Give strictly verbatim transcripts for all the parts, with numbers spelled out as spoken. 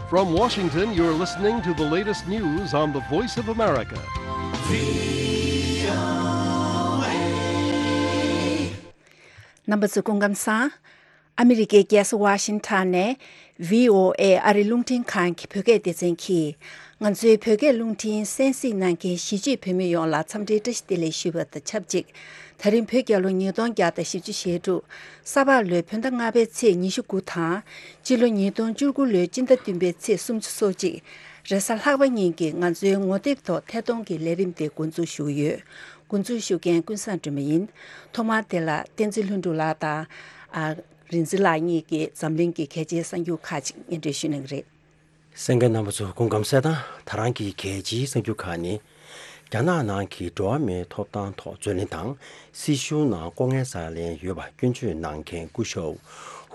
From Washington, you're listening to the latest news on the Voice of America. རྣམ་པ་ཚོ་སྐུ་ཁམས་བཟང་། ཨ་མི་རི་ཀའི་རྒྱལ་ས་ཝ་ཤིང་ཊོན་ནས་ཝི་ཨོ་ཨེ་ཨ་རི་རླུང་འཕྲིན་ཁང་གི་བོད་སྐད་སྡེ་ཚན་གྱིས། ང་ཚོའི་བོད་སྐད་རླུང་འཕྲིན་གསན་གཟིགས་གནང་མཁན་གཞིས་བྱེས་བོད་མི་ཡོངས་ལ་འཚམས་འདྲིའི་བཀྲ་ཤིས་བདེ་ལེགས་ཞུ་བ་དང་ཆབས་ཅིག་ད་རིང་བོད་རྒྱལ་ལོ་ཉིས་སྟོང་བརྒྱ་དང་བཞི་བཅུ་ཞེ་དྲུག་ས་ཕག་ལོའི་བོད་ཟླ་ལྔ་པའི་ཚེས་ཉི་ཤུ་དགུ་དང་། སྤྱི་ལོ་ཉིས་སྟོང་བཅུ་དགུ་ལོའི་སྤྱི་ཟླ་བདུན་པའི་ཚེས་སུམ་ཅུ་སོ་གཅིག་རེས་གཟའ་ལྷག་པ་ཉིན་གྱི་ང་ཚོའི་ངོ་དེབ་ཐོག་ཐད་གཏོང་གི་ལས་རིམ་དེ་འགོ་འཛུགས་ཞུ་གི་ཡོད། འགོ་འཛུགས་ཞུ་མཁན་ཀུན་བཟང་སྒྲོལ་མ་ཡིན། ཐོག་མར་དེ་ལ་བསྟན་འཛིན་ལྷུན་གྲུབ་ལགས་དང་། ཨ། རིག་འཛིན་ལགས་གཉིས་ཀྱིས་འཛམ་གླིང་གི་གལ་ཆེའི་གསར་འགྱུར་ཁག་ཅིག་སྙན་སྒྲོན་ཞུ་གནང་གི་རེད། གསན་མཁན་རྣམ་པ་ཚོ་སྐུ་ཁམས་བཟང་། ད་རང་གི་གལ་ཆེའི་གསར་འགྱུར་ཁག་ནི། རྒྱ་ནག་ནང་གི་འགྲོ་བ་མིའི་ཐོབ་ཐང་ཐོག་རྩོད་ལེན་དང་། སྲིད་གཞུང་ནང་ལྐོག་རྔན་ཟ་ལེན་ཡོད་པ་སྐྱོན་བརྗོད་གནང་མཁན་སྐུ་ཞབས་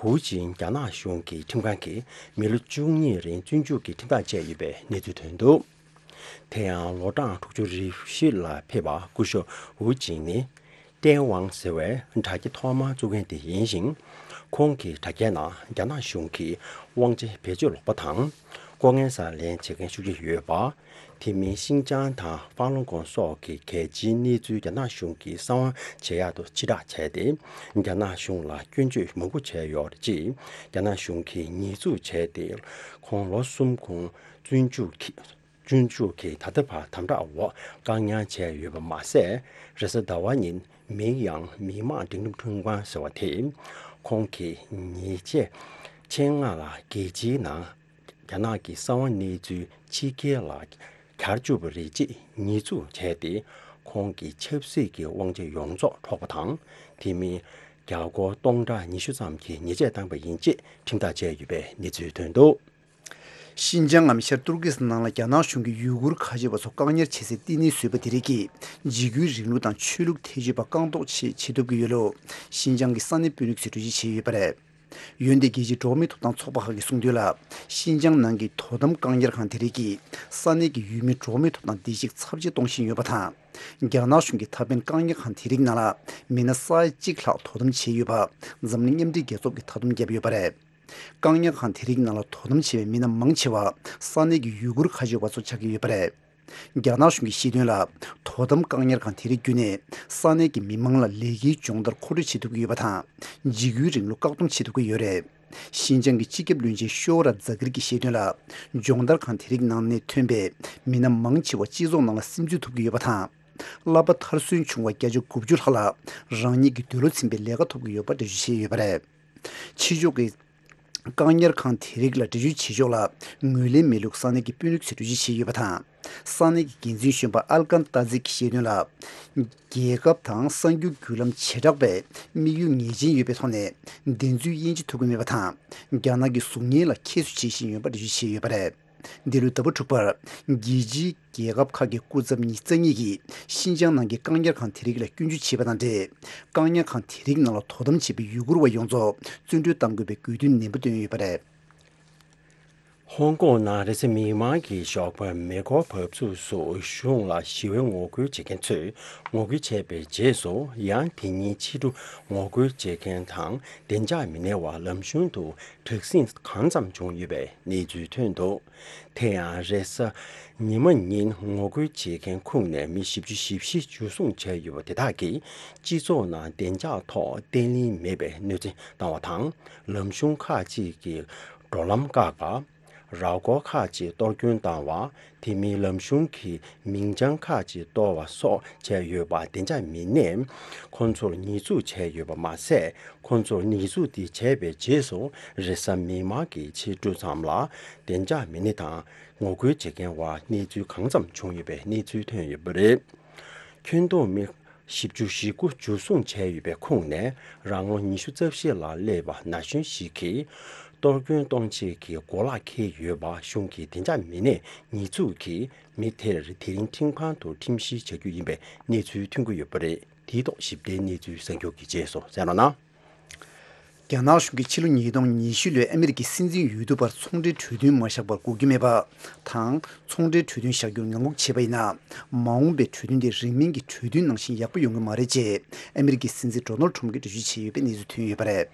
ཧུའུ་ཅིན་རྒྱ་ནག་གཞུང་གི་ཁྲིམས་ཁང་གིས་མི་ལོ་བཅུ་གཉིས་རིང་བཙོན་འཇུག་གི་ཁྲིམས་ཐག་བཅད་ཡོད་པའི་གནས་ཚུལ་ཐོན་འདུག་དེ་ཡང་ལོ་གྲངས་དྲུག་ཅུ་རེ་བཞི་ལ་ཕེབས་པ་སྐུ་ཞབས་ཝུ་ཅིང་ནི། ཏན་ཝང་ཟེར་བའི་དྲ་རྒྱ་ཐོག་མར་བཙུགས་མཁན་དེ་ཡིན་ཞིང་། ཁོང་གི་དྲ་རྒྱའི་ནང་རྒྱ་ནག་གཞུང་གིས་དབང་ཆ་བེད་སྤྱོད་ལོག་པ་དང་། ལྐོག་རྔན་ཟ་ལེན་བྱེད་མཁན་ཤུགས་ཆེ་ཡོད་པ། དེ་མིན་ཤིན་ཅང་དང་ཧྥང་ལུང་ཀོང་སོགས་ཀྱི་གལ་ཆེའི་གནས་ཚུལ་རྒྱ་ནག་གཞུང་གིས་གསང་བ་བྱེད་ཡག་ཏུ་ཕྱིར་བསྒྲགས་བྱས་ཏེ། རྒྱ་ནག་གཞུང་ལ་སྐྱོན་བརྗོད་མང་པོ་བྱས་ཡོད་རེད་ཅེས་རྒྱ་ནག་གཞུང་གིས་ཉེས་འཛུགས་བྱས་ཏེ། ཁོང་ལོ་གསུམ་གོང་བཙོན་འཇུག་གི་བཙོན་འཇུག་གིས་ད་ལྟ་བར་དམ་དྲག་འོག་བཀག་ཉར་བྱས་ཡོད་པ་མ་ཟད། རེས་གཟའ་ཟླ་བ་ཉིན་མིང་ཡང་མི་དམངས་སྒྲིག་ལམ་ཁྲིམས་ཁང་ཟེར་བ་དེས། ཁོང་གིས་ཉེས་ཆད་ཆེད་མངགས་ལ་རྒྱལ་སྤྱིའི་ནང་རྒྱ་ནག་གི་གསང་བ་གནས་ཚུལ་ཕྱི་རྒྱལ་ལ་གྱར་བཅུག་པ་རེད་ཅེས་ཉེས་འཛུགས་བྱས་ཏེ། ཁོང་གི་ཆབ་སྲིད་ཀྱི་དབང་ཆ་ཡོངས་རྫོགས་འཕྲོག་པ་དང་། དེ་མིན། རྒྱ་སྒོར་སྟོང་ཕྲག་ཉི་ཤུ་ཙམ་གྱི་ཉེས་ཆད་བཏང་པ་ཡིན་ཅེས་ཁྲིམས་ཐག་བཅད་ཡོད་པའི་གནས་ཚུལ་ཐོན་འདུག་ཤིན་ཅང་ངམ་ཤར་ཏུར་ཀི་སི་ནང་ལ་རྒྱ་ནག་གཞུང་གིས་ཡུ་གུར་ཁ་ཆེ་བ་ཚོ་བཀག་ཉར་བྱེད་སའི་བསྟི་གནས་བཟོས་པ་དེ་རིགས་ཀྱིས་འཇིགས་སྐུལ་རིང་ལུགས་དང་ཆོས་ལུགས་ཐེ་བྱུས་པ་བཀག་འགོག་ཆེད་བྱེད་ཐུབ་ཀྱི་ཡོད་ལུགས་ཤིན་ཅང་གི་ས་གནས་དཔོན་རིགས་ཚོས་འགྲེལ་བརྗོད་བྱས་ཡོད་པ་རེད། འོན་ཏེ་རྒྱལ་སྤྱིའི་འགྲོ་བ་མིའི་ཐོབ་ཐང་ཚོགས་པ་ཁག་གིས་གསུངས་དོན་ལ། ཤིན་ཅང་ནང་གི་དོ་དམ་བཀག་ཉར་ཁང་དེ་རིགས་ཀྱིས་ས་གནས་ཀྱི་ཡུལ་མིའི་འགྲོ་བ་མིའི་ཐོབ་ཐང་བདེ་སྐྱིད་ཚབས་ཆེ་གཏོང་བཞིན་ཡོད་པ་དང་། རྒྱ་ནག་གཞུང་གིས་ད་ཕན་བཀག་ཉར་ཁང་དེ་རིགས་ནང་ལ་མི་སྣ་ས་ཡ་གཅིག་ལྷག་དོ་དམ་བྱས་ཡོད་པ་འཛམ་གླིང་མཉམ་འབྲེལ་རྒྱལ་ཚོགས་ཀྱིས་མཐའ་སྡོམ་བརྒྱབ་ཡོད་པ་རེད། བཀག་ཉར་ཁང་དེ་རིགས་ནང་ལ་དོ་དམ་བྱེད་པའི་མི་སྣ་མང་ཆེ་བ་ས་གནས་ཀྱི་ཡུ་གུར་ཁ་ཆེ་བ་ཚོ་ཆགས་ཀྱི་ཡོད་པ་རེད། རྒྱ་ནག་གཞུང་གིས་བཤད་དོན་ལ། དོ་དམ་བཀག་ཉར་ཁང་དེ་རིགས་བརྒྱུད་ནས་ས་གནས་ཀྱི་མི་མང་ལ་ལས་ཀའི་སྦྱོང་བརྡར་མཁོ་སྤྲོད་བྱེད་ཐུབ་ཀྱི་ཡོད་པ་དང་། འཇིགས་སྐུལ་རིང་ལུགས་བཀག་སྡོམ་བྱེད་ཐུབ་ཀྱི་ཡོད་རེད། ཤིན་ཅང་གི་སྤྱི་ཁྱབ་བློན་ཆེན་ཤོ་ར་ཛ་གིར་གྱིས་བཤད་དོན་ལ། སྦྱོང་བརྡར་ཁང་དེ་རིགས་ནང་ནས་ཐོན་པའི་མི་སྣ་མང་ཆེ་བ་སྤྱི་ཚོགས་ནང་ལ་སིམ་འཛུལ་ཐུབ་ཀྱི་ཡོད་པ་དང་། བསླབ་པ་མཐར་སོན་བྱུང་བ་བརྒྱ་ཆ་དགུ་བཅུ་ལྷག་ལ་རང་ཉིད་ཀྱི་འདོད་བློ་ཚིམ་པའི་ལས་ཀ་ཐོབ་ཀྱི་ཡོད་པ་འགྲེལ་བརྗོད་བྱས་ཡོད་པ་རེད། ཕྱི་ཕྱོགས་ཀྱི་བཀག་ཉར་ཁང་དེ་རིགས་ལ་འདྲི་གཅོད་བྱེད་ཕྱོགས་ལ་ངོས་ལེན་མེད་ལུགས་ས་གནས་ཀྱི་དཔོན་རིགས་ཚོས་འགྲེལ་བརྗོད་བྱས་ཡོད་པ་དང་། ས་གནས་ཀྱི་འགན་འཛིན་གཞོན་པ་ཨལ་ཀན་ཏཱ་ཛི་གིས་བཤད་དོན་ལ། རྒྱལ་ཁབ་དང་གསར་འགྱུར་བརྒྱུད་ལམ་བྱེ་བྲག་པས་དམིགས་ཡུལ་ངེས་ཅན་ཡོད་པའི་ཐོག་ནས་བདེན་རྫུན་དབྱེ་འབྱེད་ཐུབ་ཀྱི་མེད་པ་དང་། རྒྱ་ནག་གི་གཟུགས་བརྙན་ལ་ཁྱད་གསོད་བྱེད་བཞིན་ཡོད་པ་འགྲེལ་བརྗོད་བྱས་ཡོད་པ་རེད། འདི་ལོའི་ཟླ་བ་དྲུག་པར། རྒྱལ་སྤྱིའི་རྒྱལ་ཁབ་ཁག་གི་སྐུ་ཚབ་ཉི་ཤུ་རྩ་གཉིས་ཀྱིས་ཤིན་ཅང་ནང་གི་བཀག་ཉར་ཁང་དེ་རིགས་ལ་སྐྱོན་བརྗོད་བྱས་པ་དང་འབྲེལ། བཀག་ཉར་ཁང་དེ་རིགས་ནང་ལ་དོ་དམ་བྱེད་པའི་ཡུ་གུར་བ་ཡོངས་རྫོགས་བཙོན་གྲོལ་གཏང་དགོས་པའི་དགོས་འདུན་ནན་པོ་བཏོན་ཡོད་པ་རེད། ཧོང་ཀོང་ནང་རེས་གཟའ་མིག་དམར་གྱི་ཞོགས་པར་མེ་འཁོར་འབབ་ཚུགས་སུ་གཞུང་ལ་ཞི་བའི་ངོ་རྒོལ་བྱེད་མཁན་ཚོས་ངོ་རྒོལ་བྱས་པའི་རྗེས་སུ། ཡང་དེ་ཉིན་ཕྱི་དྲོ་ངོ་རྒོལ་བྱེད་མཁན་དང་བདེ་འཇགས་མི་སྣའི་བར་ལམ་གཞུང་དུ་དྲག་ཟིང་གང་འཚམ་བྱུང་ཡོད་པའི་གནས་ཚུལ་ཐོན་འདུག་དེ་ཡང་རེས་གཟའ་ཉི་མ་ཉིན་ངོ་རྒོལ་བྱེད་མཁན་ཁོངས་ནས་མི་བཞི་བཅུ་ཞེ་བཞི་འཇུ་བཟུང་བྱས་ཡོད་པ་དེ་དག་གིས་སྤྱི་ཚོགས་ནང་བདེ་འཇགས་ཐོག་བརྟན་ལྷིང་མེད་པའི་གནོད་འཚེ་བཏང་བ་དང་། ལམ་གཞུང་ཁག་ཅིག་གི་འགྲོ་ལམ་བཀག་པ། ར་སྐོར་ཁག་ཅིག་གཏོར་སྐྱོན་བཏང་བ། དེ་མིན་ལམ་གཞུང་གི་མིང་བྱང་ཁག་ཅིག་གཏོར་བ་སོགས་བྱས་ཡོད་པ་བདེ་འཇགས་མི་སྣས་ཁོང་ཚོར་ཉེས་འཛུགས་བྱས་ཡོད་པ་མ་ཟད། ཁོང་ཚོར་ཉེས་འཛུགས་དེ་བྱས་པའི་རྗེས་སུ་རེས་གཟའ་མིག་དམར་གྱི་ཕྱི་དྲོ་ཙམ་ལ་བདེ་འཇགས་མི་སྣ་དང་ངོ་རྒོལ་བྱེད་མཁན་བར་གནས་ཚུལ་གང་འཚམ་བྱུང་ཡོད་པའི་གནས་ཚུལ་ཐོན་ཡོད་པ་རེད། ཁྱོན་བསྡོམས་མི་བཞི་བཅུ་ཞེ་དགུ་འཇུ་བཟུང་བྱས་ཡོད་པའི་ཁོངས་ནས་རང་ལོ་ཉི་ཤུ་རྩ་བཞི་ལ་སླེབས་པ་ན་གཞོན་ཞིག་གིས་གཏོར་སྐྱོན་གཏོང་བྱེད་ཀྱི་གོ་ལག་འཁྱེར་ཡོད་པ་གཞུང་གི་བདེ་འཇགས་མི་སྣས་ཉེས་འཛུགས་ཀྱིས་མི་དེར་དེ་རིང་ཁྲིམས་ཁང་དུ་ཁྲིམས་བཤེར་བྱ་རྒྱུ་ཡིན་པའི་གནས་ཚུལ་ཐོན་གྱི་ཡོད་པ་རེད། དེའི་ཐོག་ཞིབ་ཕྲའི་གནས་ཚུལ་གསར་འགྱུར་གྱི་རྗེས་སུ་གསན་རོགས་གནང་། རྒྱ་ནག་གཞུང་གིས་ཕྱི་ལོ་ཉིས་སྟོང་ཉི་ཤུ་ལོའི་ཨ་མི་རི་ཀའི་སྲིད་འཛིན་འོས་བསྡུ་བར་ཚོང་འབྲེལ་གྲོས་མཐུན་མ་བཞག་པར་འགོག་རྒྱུ་མེད་པ་དང་། ཚོང་འབྲེལ་གྲོས་མཐུན་བཞག་རྒྱུར་ངང་སྒུག་བྱས་པ་ཡིན་ན། མ་འོངས་པའི་གྲོས་མཐུན་དེ་རིང་མིན་གྱི་གྲོས་མཐུན་ནང་བཞིན་ཡག་པོ་ཡོང་གི་མ་རེད་ཅེས་ཨ་མི་རི་ཀའི་སྲིད་འཛིན་ཌོ་ནལ་ཁྲོམ་གྱིས་འགྲེལ་བརྗོད་བྱས་ཡོད་པའི་གནས་ཚུལ་ཐོན་ཡོད་པ་རེད།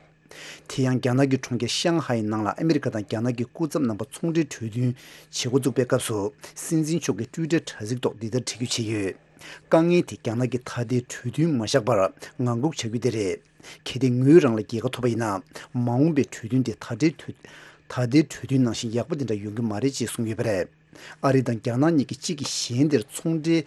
དེ་ཡང་རྒྱ་ནག་གི་གྲོང་ཁྱེར་ཤང་ཧའེ་ནང་ལ་ཨ་མི་རི་ཀ་དང་རྒྱ་ནག་གི་སྐུ་ཚབ་རྣམ་པ་ཚོང་འབྲེལ་གྲོས་མཐུན་བྱེད་འགོ་བཙུགས་པའི་སྐབས་སུ། སྲིད་འཛིན་མཆོག་གིས་ཊུའི་ཊར་དྲ་ཚིགས་ཐོག་འདི་ལྟར་བྲིས་བརྗོད་བྱས་ཡོད། དཀའ་ངལ་དེ་རྒྱ་ནག་གིས་ད་ལྟའི་གྲོས་མཐུན་མ་བཞག་པར་ངང་སྒུག་བྱ་རྒྱུ་དེ་རེད། གལ་ཏེ་ངོས་རང་ལ་རྒྱལ་ཁ་ཐོབ་པ་ཡིན་ན། མ་འོངས་པའི་གྲོས་མཐུན་དེ་ད་ལྟའི་གྲོས་ད་ལྟའི་གྲོས་མཐུན་ནང་བཞིན་ཡག་པོ་དེ་འདྲ་ཡོང་གི་མ་རེད་ཅེས་གསུངས་ཡོད་པ་རེད། ཨ་རི་དང་རྒྱ་ནག་གཉིས་ཀྱིས་གཅིག་གིས་གཞན་དེར་ཚོང་འབྲེལ་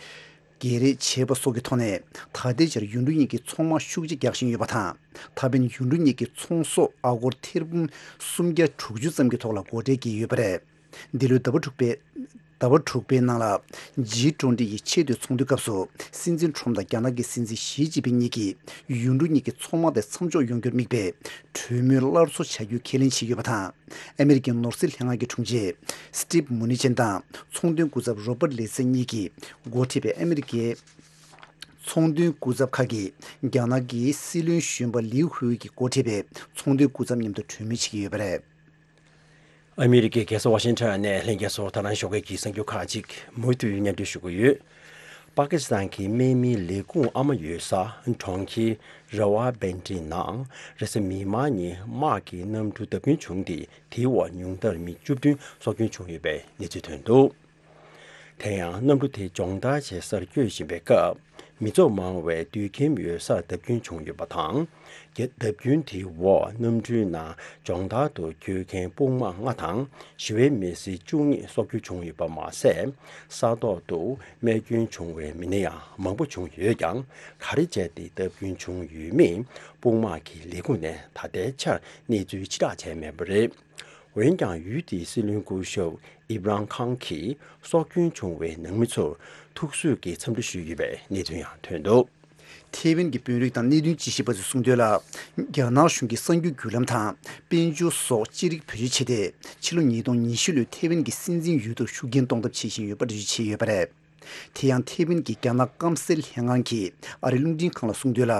བརྗེ་རེས་བྱས་པ་སོགས་ཀྱི་ཐོག་ནས། ད་ལྟའི་ཆར་ཡུལ་གྲུ་གཉིས་ཀྱི་ཚོང་དམག་ཤུགས་ཆེ་རྒྱག་བཞིན་ཡོད་པ་དང་། ད་ཕན་ཡུལ་གྲུ་གཉིས་ཀྱི་ཚོང་ཟོག་ཨ་སྒོར་ཐེར་འབུམ་སུམ་བརྒྱ་དྲུག་ཅུ་ཙམ་གྱི་ཐོག་ལ་སྒོ་ཁྲལ་བཀལ་ཡོད་པ་རེད། འདི་ལོའི་ཟླ་བ་དྲུག་པའི་ཟླ་བ་དྲུག་པའི་ནང་ལ། ཇི་ཊུ་ཝེན་ཊི་ཡི་ཆེས་མཐོའི་ཚོགས་འདུའི་སྐབས་སུ། སྲིད་འཛིན་ཊམ་དང་རྒྱ་ནག་གི་སྲིད་འཛིན་ཞི་ཅིན་ཕིང་གཉིས་ཀྱིས་ཡུལ་གྲུ་གཉིས་ཀྱི་ཚོང་དམག་དེ་མཚམས་འཇོག་ཡོང་རྒྱུར་དམིགས་པའི་གྲོས་མོལ་སླར་གསོ་བྱ་རྒྱུའི་ཁས་ལེན་བྱས་ཡོད་པ་དང་། ཨ་མི་རི་ཀའི་ནོར་སྲིད་ལྷན་ཁང་གི་དྲུང་ཆེ་སི་ཊིབ་མུ་ནི་ཅན་དང་ཚོང་དོན་སྐུ་ཚབ་རོ་པར་ལེ་སི་གཉིས་ཀྱིས་འགོ་ཁྲིད་པའི་ཨ་མི་རི་ཀའི་ཚོང་དོན་སྐུ་ཚབ་ཁག་གིས་རྒྱ་ནག་གི་སྲིད་བློན་གཞོན་པ་ལིའུ་ཧུའེ་ཀྱིས་འགོ་ཁྲིད་པའི་ཚོང་དོན་སྐུ་ཚབ་མཉམ་དུ་གྲོས་མོལ་བྱེད་ཀྱི་ཡོད་པ་རེད། ཨ་མི་རི་ཀའི་རྒྱལ་ས་ཝ་ཤིང་ཊོན་ནས་ལྷན་རྒྱས་ཚོར་ད་རང་ཞོགས་ཀས་ཀྱི་གསར་འགྱུར་ཁག་ཅིག་མུ་མཐུད་སྙན་སྒྲོན་ཞུ་གི་ཡོད། པ་ཀི་སི་ཐན་གྱི་དམག་མིའི་ལས་ཁུངས་ཨ་མ་ཡོད་ས་གྲོང་ཁྱེར་ར་ཝ་བན་ཏི་ནང་རེས་གཟའ་མིག་དམར་ཉིན་དམག་གི་གནམ་གྲུ་བརྡབ་སྐྱོན་བྱུང་སྟེ། དེའི་འོག་ཉུང་མཐར་མི་བཅུ་བདུན་སྲོག་སྐྱོན་བྱུང་ཡོད་པའི་གནས་ཚུལ་ཐོན་འདུག། དེ་ཡང་གནམ་གྲུ་དེ་སྦྱོང་བརྡར་བྱེད་སར་བསྐྱོད་བཞིན་པའི་སྐབས། མི་ཚོགས་མང་བའི་དུད་ཁྱིམ་ཡོད་སར་བརྡབ་སྐྱོན་བྱུང་ཡོད་པ་དང་། རྒྱ་བརྡབ་སྐྱོན་དེའི་འོག་གནམ་གྲུའི་ནང་སྦྱོང་བརྡར་དུ་བསྐྱོད་མཁན་དཔུང་དམག་ལྔ་དང་ཞི་བའི་མི་སེར་བཅུ་གཉིས་སྲོག་སྐྱོན་བྱུང་ཡོད་པ་མ་ཟད། ས་ཐོག་ཏུ་རྨས་སྐྱོན་བྱུང་བའི་མི་སྣ་ཡང་མང་པོ་བྱུང་ཡོད་ཀྱང་། ག་རེ་བྱས་ཏེ་བརྡབ་སྐྱོན་བྱུང་ཡོད་མེད་དཔུང་དམག་གི་ལས་ཁུངས་ནས་ད་ལྟའི་ཆར་གནས་ཚུལ་ཕྱིར་བསྒྲགས་བྱས་མེད་པ་རེད། འོན་ཀྱང་ཡུལ་དེའི་སྲིད་བློན་སྐུ་ཞབས་ཨིབ་རང་ཁང་གིས་སྲོག་སྐྱོན་བྱུང་བའི་ནང་མི་ཚོར་ཐུགས་གསོས་ཀྱི་འཚམས་འདྲི་ཞུས་ཡོད་པའི་གནས་ཚུལ་ཡང་ཐོན་འདུག། ཐེ་ཝན་གྱི་དཔོན་རིགས་དང་གནད་དོན་དཔྱད་ཞིབ་པ་ཚོས་གསུངས་དོན་ལ། རྒྱ་ནག་གཞུང་གིས་གསར་འགྱུར་བརྒྱུད་ལམ་དང་དཔལ་འབྱོར་སོགས་ཅི་རིགས་བེད་སྤྱོད་བྱས་ཏེ། ཕྱི་ལོ་ཉིས་སྟོང་ཉི་ཤུ་ལོའི་ཐེ་ཝན་གྱི་སྲིད་འཛིན་འོས་བསྡུར་ཤུགས་རྐྱེན་གཏོང་ཐབས་བྱེད་བཞིན་ཡོད་པ་འགྲེལ་བརྗོད་བྱས་ཡོད་པ་རེད། དེ་ཡང་ཐེ་ཝན་གྱི་རྒྱ་ནག་སྐམ་སའི་ལྷན་ཁང་གིས་ཨ་རིའི་རླུང་འཕྲིན་ཁང་ལ་གསུངས་དོན་ལ།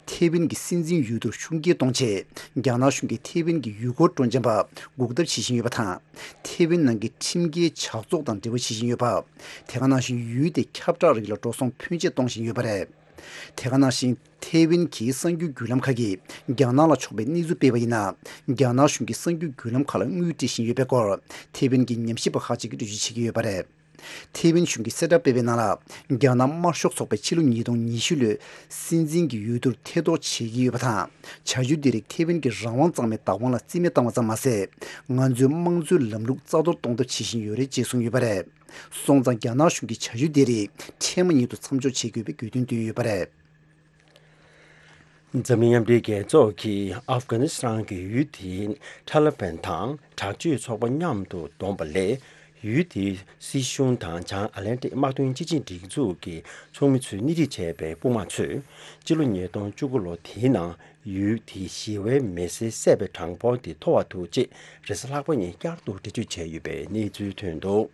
ཐེ་ཝན་གྱི་སྲིད་འཛིན་འོས་བསྡུར་ཤུགས་རྐྱེན་གཏོང་ཆེད། རྒྱ་ནག་གཞུང་གིས་ཐེ་ཝན་གྱི་ཡུལ་སྐོར་སྤྲོ་འཆམ་པ་འགུག་ཐབས་བྱེད་བཞིན་ཡོད་པ་དང་། ཐེ་ཝན་ནང་གི་ཁྲིམས་འགལ་ཇག་ཚོགས་དང་འབྲེལ་བ་བྱེད་བཞིན་ཡོད་པ། དེ་ག་ནང་བཞིན་ཡུལ་དེའི་ཁྱབ་བསྒྲགས་རིགས་ལ་འགྲོ་སོང་ཕོན་ཆེ་གཏོང་བཞིན་ཡོད་པ་རེད། དེ་ག་ནང་བཞིན་ཐེ་ཝན་གྱི་གསར་འགྱུར་བརྒྱུད་ལམ་ཁག་གིས་རྒྱ་ནག་ལ་ཕྱོགས་པའི་གནས་ཚུལ་སྤེལ་བ་ཡིན་ན། རྒྱ་ནག་གཞུང་གིས་གསར་འགྱུར་བརྒྱུད་ལམ་ཁག་ལ་དངུལ་སྤྲད་བཞིན་ཡོད་པའི་སྐོར། ཐེ་ཝན་གྱི་ཉམས་ཞིབ་པ་ཁག་ཅིག་གིས་འགྲེལ་བརྗོད་བྱེད་ཀྱི་ཡོད་པ་རེད། ཐེ་ཝན་གཞུང་གིས་གསལ་བསྒྲགས་སྤེལ་བའི་ནང་ལ། རྒྱ་ནག་དམར་ཤོག་ཚོགས་པས་ཕྱི་ལོ་ཉིས་སྟོང་ཉི་ཤུ་ལོའི་སྲིད་འཛིན་གྱི་འོས་བསྡུར་ཐེ་གཏོགས་བྱེད་ཀྱི་ཡོད་པ་དང་། བྱ་སྤྱོད་འདི་རིགས་ཐེ་ཝན་གྱི་རང་དབང་གཙང་མའི་བདག་དབང་ལ་རྩིས་མེད་བཏང་བ་ཙམ་མ་ཟད། ང་ཚོའི་དམངས་གཙོའི་ལམ་ལུགས་རྩ་གཏོར་གཏོང་ཐབས་བྱེད་བཞིན་ཡོད་རེད་ཅེས་གསུངས་ཡོད་པ་རེད། སོང་ཙང་རྒྱ་ནག་གཞུང་གིས་བྱ་སྤྱོད་འདི་རིགས་འཕྲལ་མ་ཉིད་དུ་མཚམས་འཇོག་བྱེད་དགོས་པའི་དགོས་འདུན་བཏོན་ཡོད་པ་རེད། འཛམ་གླིང་མཉམ་འབྲེལ་རྒྱལ་ཚོགས་ཀྱིས་ཨབ་གྷ་ནི་སི་ཐན་གྱི་ཡུལ་དེའི་ཐ་ལི་བན་དང་དྲག་སྤྱོད་ཚོགས་པ་མཉམ་དུ་བསྡོམས་པ་ལས། ཡུལ་དེའི་སྲིད་གཞུང་དང་བྱང་ཨ་ལན་ཏིག་དམག་དོན་སྤྱི་ཆིངས་སྒྲིག་འཛུགས་ཀྱི་ཚོགས་མི་ཚོས་སྣེ་ཁྲིད་བྱས་པའི་དཔུང་དམག་ཚོས། སྤྱི་ལོ་ཉིས་སྟོང་བཅུ་དགུ་ལོ་དེའི་ནང་ཡུལ་དེའི་ཞི་བའི་མི་སེར་བསད་པའི་གྲངས་འབོར་དེ་མཐོ་བ་འདུག་ཅེས་རེས་གཟའ་ལྷག་པ་ཉིན་བསྐྱར་དུ་འགྲེལ་བརྗོད་བྱས་ཡོད་པའི་གནས་ཚུལ་ཐོན་འདུག།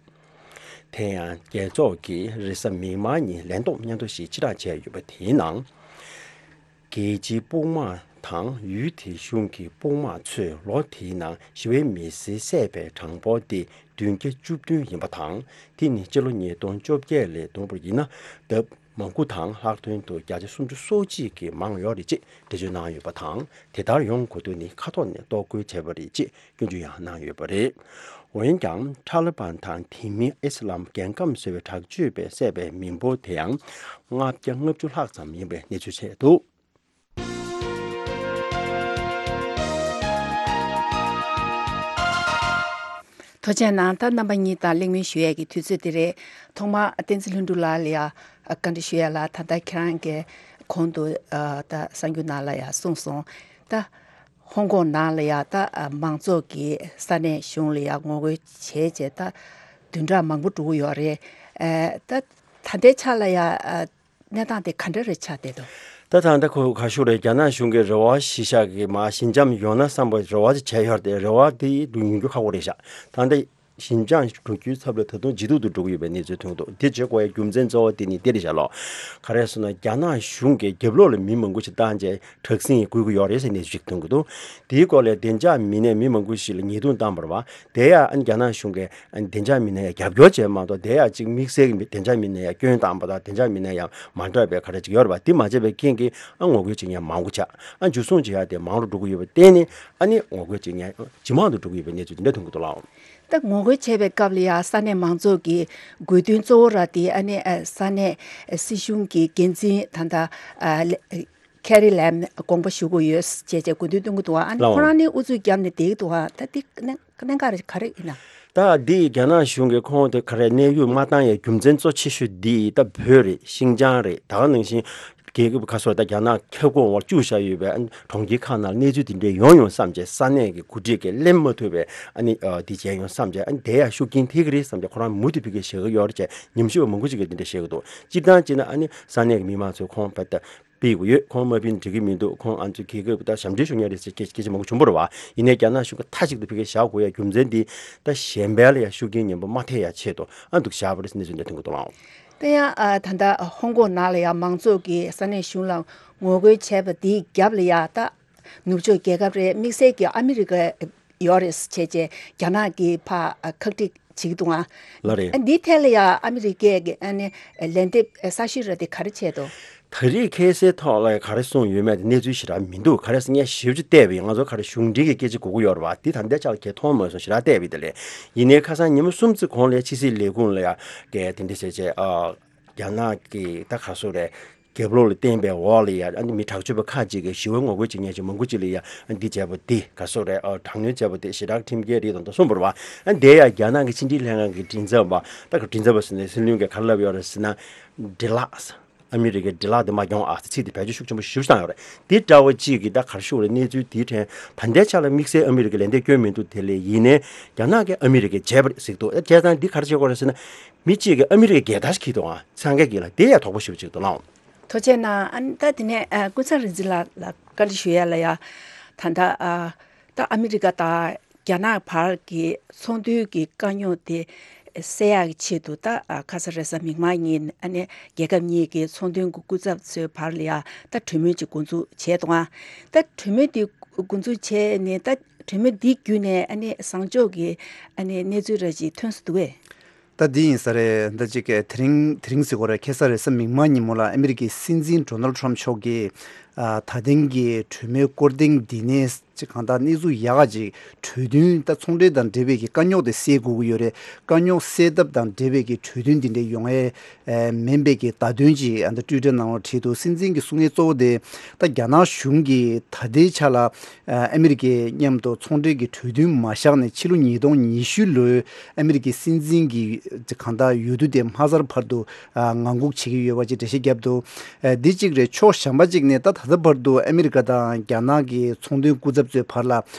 དེ་ཡང་རྒྱལ་ཚོགས་ཀྱིས་རེས་གཟའ་མིག་དམར་ཉིན་ལན་ཐོགས་སྙན་ཐོ་ཞིག་ཕྱིར་བསྒྲགས་བྱས་ཡོད་པ་དེའི་ནང་། རྒྱལ་སྤྱིའི་དཔུང་དམག་དང་ཡུལ་དེའི་གཞུང་གི་དཔུང་དམག་ཚོས་ལོ་དེའི་ནང་ཞི་བའི་མི་སེར་བསད་པའི་གྲངས་འབོར་དེ་བདུན་བརྒྱ་བཅུ་བདུན་ཡིན་པ་དང་། དེ་ནི་སྤྱི་ལོ་ཉིས་སྟོང་བཅོ་བརྒྱད་ལས་བསྡོམས་པ་ཡིན་ན་ལྡབ་མང་པོ་དང་ལྷག་དོན་དུ་བརྒྱ་ཆ་སུམ་ཅུ་སོ་གཅིག་གིས་མང་ཡོད་རེད་ཅེས་འགྲེལ་བརྗོད་གནང་ཡོད་པ་དང་། དེ་ལྟར་ཡོང་དགོས་དོན་ནི་ཁ་ཐོག་ནས་རྟོག་སྐུལ་བྱས་པ་རེད་ཅེས་སྐྱོན་བརྗོད་ཡང་གནང་ཡོད་པ་རེད། འོན་ཀྱང་ཐ་ལི་བན་དང་དེ་མིན་ཨི་སི་ལམ་རྒྱལ་ཁམས་ཟེར་བའི་དྲག་སྤྱོད་པས་བསད་པའི་མི་འབོར་དེ་ཡང་ལྔ་བརྒྱ་ལྔ་བཅུ་ལྷག་ཙམ་ཡིན་པའི་གནས་ཚུལ་བྱས་འདུག། ཐུགས་རྗེ་གནང་། ད་རྣམ་པ་གཉིས་དང་གླེང་མོལ་ཞུ་ཡས་ཀྱི་དུས་ཚོད་དེ་རེད། ཐོག་མར་བསྟན་འཛིན་ལྷུན་གྲུབ་ལགས་ལ་ཡ་བཀའ་འདྲི་ཞུ་ཡས་ལ། ད་ལྟ་ཁྱེད་རང་གིས་གོང་དུ་ད་གསར་འགྱུར་ནང་ལ་ཡ་གསུངས་སོང་། ད་ཧོང་ཀོང་ནང་ལ་ཡ་ད་མང་ཚོགས་ཀྱིས་ས་གནས་གཞུང་ལ་ཡ་ངོ་རྒོལ་བྱས་རྗེས་ད་བདུན་ཕྲག་མང་པོ་འགྲོ་གི་ཡོད་རེད། ད་ད་ལྟའི་ཆ་ལ་ཡ་གནས་སྟངས་དེ་ག་འདྲ་རེ་ཆགས་བསྡད་འདུག། ད་ད་ལྟ་ཁོ་ག་ཞུ་རེད། རྒྱ་ནག་གཞུང་གིས་རེ་བ་གཞི་བཞག་གི་མ་ཞི་འཇམ་ཡོང་ན་བསམ་པའི་རེ་བ་དེ་བྱས་ཡོད་རེད་དེ། རེ་བ་དེ་ཡོང་རྒྱུ་ཁག་པོ་རེད་ཤག། ད་ལྟ་ ཞིན་ཅང་འགྲོ་རྒྱུའི་ཚབ་ལ་ད་དུང་ཇེ་སྡུག་ཏུ་འགྲོ་གི་ཡོད་པའི་གནས་ཚུལ་ཐོན་འདུག་དེ་བྱེད་དགོས་ཡ་རྒྱུ་མཚན་གཙོ་བོ་དེ་ནི་དེ་རེད་ཤག་ལོ། ག་རེ་ཟེར་ན་རྒྱ་ནག་གཞུང་གིས་རྒྱབ་ལོགས་ལ་མི་མང་པོ་ཞིག་བཏང་བྱས་དྲག་ཟིང་ཡང་བསྐུལ་གྱི་ཡོད་རེད་ཟེར་གནས་ཚུལ་ཞིག་ཐོན་གྱི་འདུག་དེའི་སྐོར་ལ་བདེ་འཇགས་མི་སྣས་མི་མང་པོ་ཞིག་ལ་ཉེས་རྡུང་བཏང་བ་རེད་བ། དེ་ཡང་ཨ་ནི་རྒྱ་ནག་གཞུང་གིས་ཨ་ནི་བདེ་འཇགས་མི་སྣ་ཡང་རྒྱབ་སྐྱོར་བྱས་མ་གཏོགས། དེ་ཡང་གཅིག་དམིགས་བསལ་གྱི་མི་བདེ་འཇགས་མི་སྣ་ཡང་སྐྱོན་བཏང་པ་དང་། བདེ་འཇགས་མི་སྣ་ཡང་མ་འདྲ་བའི་ག་རེ་ཅིག་ཡོད་རེད་བ། དེ་མ་བྱས་པའི་རྐྱེན་གྱིས་ཨ་ངོ་རྒོལ་བྱེད་མཁན་མང་པོ་ཆགས། ཨ་འཇུ་བཟུང་བྱེད་ཡ་དེ་མང་རུ་འགྲོ་གི་ཡོད་པར་བརྟེན་ནས་ཨ་ནི་ངོ་རྒོལ་བྱེད་མཁན་ཇེ་མང་དུ་འགྲོ་གི་ཡོད་པའི་གནས་ཚུལ་དེ་འདྲ་ཐོན་གྱི་འདུག་ལགས། ད་ངོ་རྒོལ་བྱས་པའི་སྐབས་ལ་ཡང་ས་གནས་མང་ཚོགས་ཀྱི་དགོས་འདུན་གཙོ་བོ་ར་དེ་ཨ་ནི་ཨ་ས་གནས་སྲིད་གཞུང་གི་འགན་འཛིན་ད་ལྟ་ཨ་ལེ་ཁེ་རི་ལེམ་དགོངས་པ་ཞུ་དགོས་ཡོད་ཅེས་བྱས་དགོས་འདུན་གཏོང་གི་འདུག་ཨ་ནི་ལགས། ཁོ་རང་ནི་ཨུ་ཚུགས་བརྒྱབ་ནས་བསྡད་ཀྱི་འདུག་ཨ་ད་འདི་གནད་གནད་འགག་རེ་ག་རེ་ཡིན་ན། ད་འདི་རྒྱ་ནག་གཞུང་གིས་ཁོང་དེ་ག་རེ་གནས་དབྱུང་མ་བཏང་ཡའི་རྒྱུ་མཚན་གཙོ་ཆེ་ཤོས་འདི་ད་བོད་རེད། ཤིན་ཅང་རེད། ད་ག་ནང་བཞིན་རྒྱལ་ཁབ་ཁ་སོ་ད་རྒྱ་ནག་ཁྱབ་ཁོངས་འོག་བཅུག་བཞག་ཡོད་པའི་ཨ་ནི་གྲོང་ཁྱེར་ཁག་ནང་གནས་ཚུལ་དེ་འདྲའི་ཡོང་ཡོང་བསམ་བྱས། ས་གནས་ཀྱི་འགོ་ཁྲིད་ཀྱིས་གླེང་མ་ཐུབ་པའི་ཨ་ནི་ཨ་འདི་བྱས་ཡོང་བསམ་བྱས། ཨ་ནི་དེ་ཡང་ཤུགས་རྐྱེན་ཐེབས་ཀྱི་རེད་བསམ་བྱས། ཁོ་རང་མུ་མཐུད་ཕ་གིར་བཞག་གི་ཡོད་རེད་ཅེས་ཉམས་ཞིབ་པ་མང་པོ་ཞིག་གིས་འདི་འདྲ་བཤད་ཀྱི་འདུག་སྤྱིར་བཏང་བྱས་ན་ཨ་ནི་ས་གནས་ཀྱི་མི་མང་ཚོས་ཁོང་བ་ད་སྤེལ་དགོས་ཡོད། ཁོང་མ་ཕུད་ན་འགྲིག་གི་མི་འདུག་ཁོང་ཨ་ཚོ་རྒྱལ་ཁབ་ད་ཞབས་འདྲེན་ཞུ་མཁན་རེད་ཟེར་སྐད་སྐད་ཆ་མང་པོ་བྱུང་བ་རེད་བ། ཡིན་ནའི་རྒྱ་ནག་གཞུང་གིས་མཐའ་གཅིག་ཏུ་ཕ་གིར་བཞག་དགོས་ཡ་རྒྱུ་མཚན་འདི་ད་གཞན་པ་ལ་ཡ་ཤུགས་རྐྱེན་ངན་པ་མ་ཐེབས་ཡ་ཆེད་དུ་ཨ་འདུག་བཞག་པ་རེད་ཟེར་གནས་ཚུལ་འདི་ཐོན་གྱི་འདུག་ལགས། དེ་ཡང་ཨ་ད་ལྟ་ཧོང་ཀོང་ནང་ལ་ཡ་མང་ཚོགས་ཀྱིས་ས་གནས་གཞུང་ལ་ངོ་རྒོལ་བྱས་པ་དེའི་རྒྱབ་ལ་ཡ་ད་ནུབ་ཕྱོགས་རྒྱལ་ཁབ་རེད། དམིགས་བསལ་གྱི་ཨ་མི་རི་ཀ་ཡོད་རེད་ཟེར་བྱས་རྗེས་རྒྱ་ནག་གིས་ཕར་ཨ་ཁག་དཀྲི་བྱེད་ཀྱི་འདུག་ཨ། ལགས་རེད། ཨ་འདིའི་ཐད་ལ་ཡང་ཨ་མི་རི་ཀས་ཀྱི་ཨ་ནི་ལན་འདེབས་གསར་ཤོས་ར་དེ་ག་རེ་བྱས་འདུག་ད་རེས་ཁ་སང་ཐོག་ལ་ག་རེ་གསུངས་ཡོད་མེད་དེ་གནས་ཚུལ་ཞེ་དྲག་མི་འདུག་ག་རེ་ཟེར་ངས་ཞིབ་ཅིག་བལྟས་པ་ཡིན། ང་ཚོ་ག་རེ་གཞུང་འབྲེལ་གྱི་སྐད་ཆ་གོ་གི་ཡོད་རེད་བ། དེ་ད་ལྟའི་ཆ་ལ་གང་ཡང་མཐོང་མ་སོང་། ཞེ་དྲག་བལྟས་པ་ཡིན་དེ་ལས། ཡིན་ནའི་ཁ་སང་ཉི་མ་གསུམ་ཙམ་གོང་ལ་ཕྱི་སྲིད་ལས་ཁུངས་ལ་ཡ་གི་དེ་འདྲ་ཟེར་བྱས་ཨ་རྒྱ་ནག་གི་ད་ག་སོ་རེད། རྒྱབ་ལོགས་ལ་བརྟེན་པའི་འོག་ལ་ཡ་ཨ་ནི་མི་དྲག་སྤྱོད་པ་ཁག་ཅིག་གིས་ཞི་བའི་ངོ་རྒོལ་བྱེད་མཁན་ཅིག་མང་པོ་ཅིག་ལ་ཡ་ཨ་འདི་བྱས་པ་འདི་ག་སོ་རེད། ཨ་དྲག་གནོན་བྱས་པ་འདི་ཞེ་དྲག་ཁྲིམས་འགལ་རེད་དང་དུ་གསུངས་པ་རེད་བ། ཨ་འདི་ཡ་རྒྱ་ནག་གི་ཕྱི་འབྲེལ་ལྷན་ཁང་གི་མགྲིན་ཚབ་པ་ད་ག་མགྲིན་ཚབ་པ་ཟེར་ནས་སྲིད་བློན་གྱིས་ག་རེ་ལབ་ཡོད་རེད་ཟེར་ན། འདྲེ་ལགས། ཨ་མི་རི་ཀའི་འདྲེ་ལགས་འདི་མ་གྱོང་ཨ་ཟེར་ཚིག་འདི་བེད་སྤྱོད་ཤུགས་ཆེན་པོ་ཞེ་པོ་བཏང་ཡོད་རེད། འདི་འདྲ་བ་ཅིག་གིས་ད་ག་རེ་ཞུ་དགོས་རེད། གནས་ཚུལ་འདིའི་ཐད་ད་ལྟའི་ཆ་ལ་དམིགས་བསལ་ཨ་མི་རི་ཀས་ལན་འདེབས་སྐྱོན་མི་འདུག་དེ་ལས་ཡིན་ནའི་རྒྱ་ནག་གིས་ཨ་མི་རི་ཀས་བྱས་པ་རེད་ཟེར་གྱི་འདུག་བྱས་ཙང་འདི་ག་རེ་བྱེད་དགོས་རེད་ཟེར་ན། མི་གཅིག་གིས་ཨ་མི་རི་ཀའི་རྒྱལ་དར་ཞིག་འཁྱེར་འདུག་ཨ། སངས་རྒྱས་ཀྱི་ལ་དེ་ཡང་དོགས་པ་ཞེ་པོ་ཅིག་འདུག་ལགས། ཐུགས་རྗེ་གནང་། ཨ་ནི་ད་དེ་ནས་ཨ་ཀུན་བཟང་རིག་འཛིན་ལགས་ལ་བཀའ་འདྲི་ཞུ་ཡ་ལ་ཡ། ད་ལྟ་ཨ་ད་ཨ་མི་རི་ཀ་དང་རྒྱ་ནག་བར་གྱི་ཚོང་དོན་གྱི་དཀའ་རྙོག་དེ་སེལ་ཡག་གི་ཆེད་དུ་ད་ཨ་ཁ་ས་རེས་གཟའ་མིག་དམར་ཉིན་ཨ་ནི་རྒྱལ་ཁབ་གཉིས་ཀྱི་ཚོང་དོན་གྱི་སྐུ་ཚབ་ཚོའི་བར་ལ་ཡ་ད་གྲོས་མོལ་ཅིག་འགོ་འཛུགས་བྱས་འདུག་ཨ། ད་གྲོས་མོལ་དེ་འགོ་འཛུགས་བྱས་ནས་ད་གྲོས་མོལ་འདི་བརྒྱུད་ནས་ཨ་ནི་བཟང་ཕྱོགས་ཀྱི་ཨ་ནི་གནས་ཚུལ་ར་ཅིག་ཐོན་སོང་འདུག་གས། ད་འདི་ཡིན་ས་རེད། ད་ཅིག་གི་དེ་རིང་དེ་རིང་ཟེར་དགོས་རེད། ཁ་སང་རེས་གཟའ་མིག་དམར་ཉིན་མོ་ལ་ཨ་མི་རི་ཀའི་སྲིད་འཛིན་ཌོ་ནལ་ཊམ་མཆོག་གིས་ཨ་ད་ཐེངས་ཀྱི་གྲོས་མོལ་སྐོར་ཐེངས་འདི་ནས་ཅིག་གང་ལྟར་གནས་ཚུལ་ཡག་ག་ཅིག་གྲོས་མཐུན་ད་ཚོང་འབྲེལ་དང་འབྲེལ་བའི་གི་དཀའ་རྙོག་དེ་སེལ་དགོས་ཀྱི་ཡོད་རེད། དཀའ་རྙོག་སེལ་ཐབས་དང་འབྲེལ་བའི་གི་གྲོས་མཐུན་འདི་འདྲ་ཡོང་ཡས་ཨ་མིན་པའི་གི་བརྡ་དོན་ཅིག་ཨ་ད་ཊུའི་ཊར་ནང་ལ་བྲིས་འདུག་སྲིད་འཛིན་གྱིས་གསུང་མཁན་གཙོ་བོ་དེ་ད་རྒྱ་ནག་གཞུང་གིས་ད་ལྟའི་ཆ་ལ་ཨ་ཨ་མི་རི་ཀའི་མཉམ་དུ་ཚོང་འབྲེལ་གྱི་གྲོས་མཐུན་མ་བཞག་ནས་ཕྱི་ལོ་ཉིས་སྟོང་ཉི་ཤུ་ལོའི་ཨ་མི་རི་ཀའི་སྲིད་འཛིན་གྱི་གང་ལྟར་འོས་བསྡུ་དེ་མ་ཚར་བར་དུ་ཨ་ངང་སྒུག་བྱེད་ཀྱི་ཡོད་པ་ཅིག་འགྲེལ་བཤད་བརྒྱབ་འདུག་ཨ་འདི་གཅིག་རེད། ཕྱོགས་གཞན་པ་གཅིག་ནས་ད་ད་ལྟ་བར་དུ་ཨ་མི་རི་ཀ་དང་རྒྱ་ནག་གི་ཚོང་དོན་སྐུ་ཚབ་ཚོའི་བར་ལ་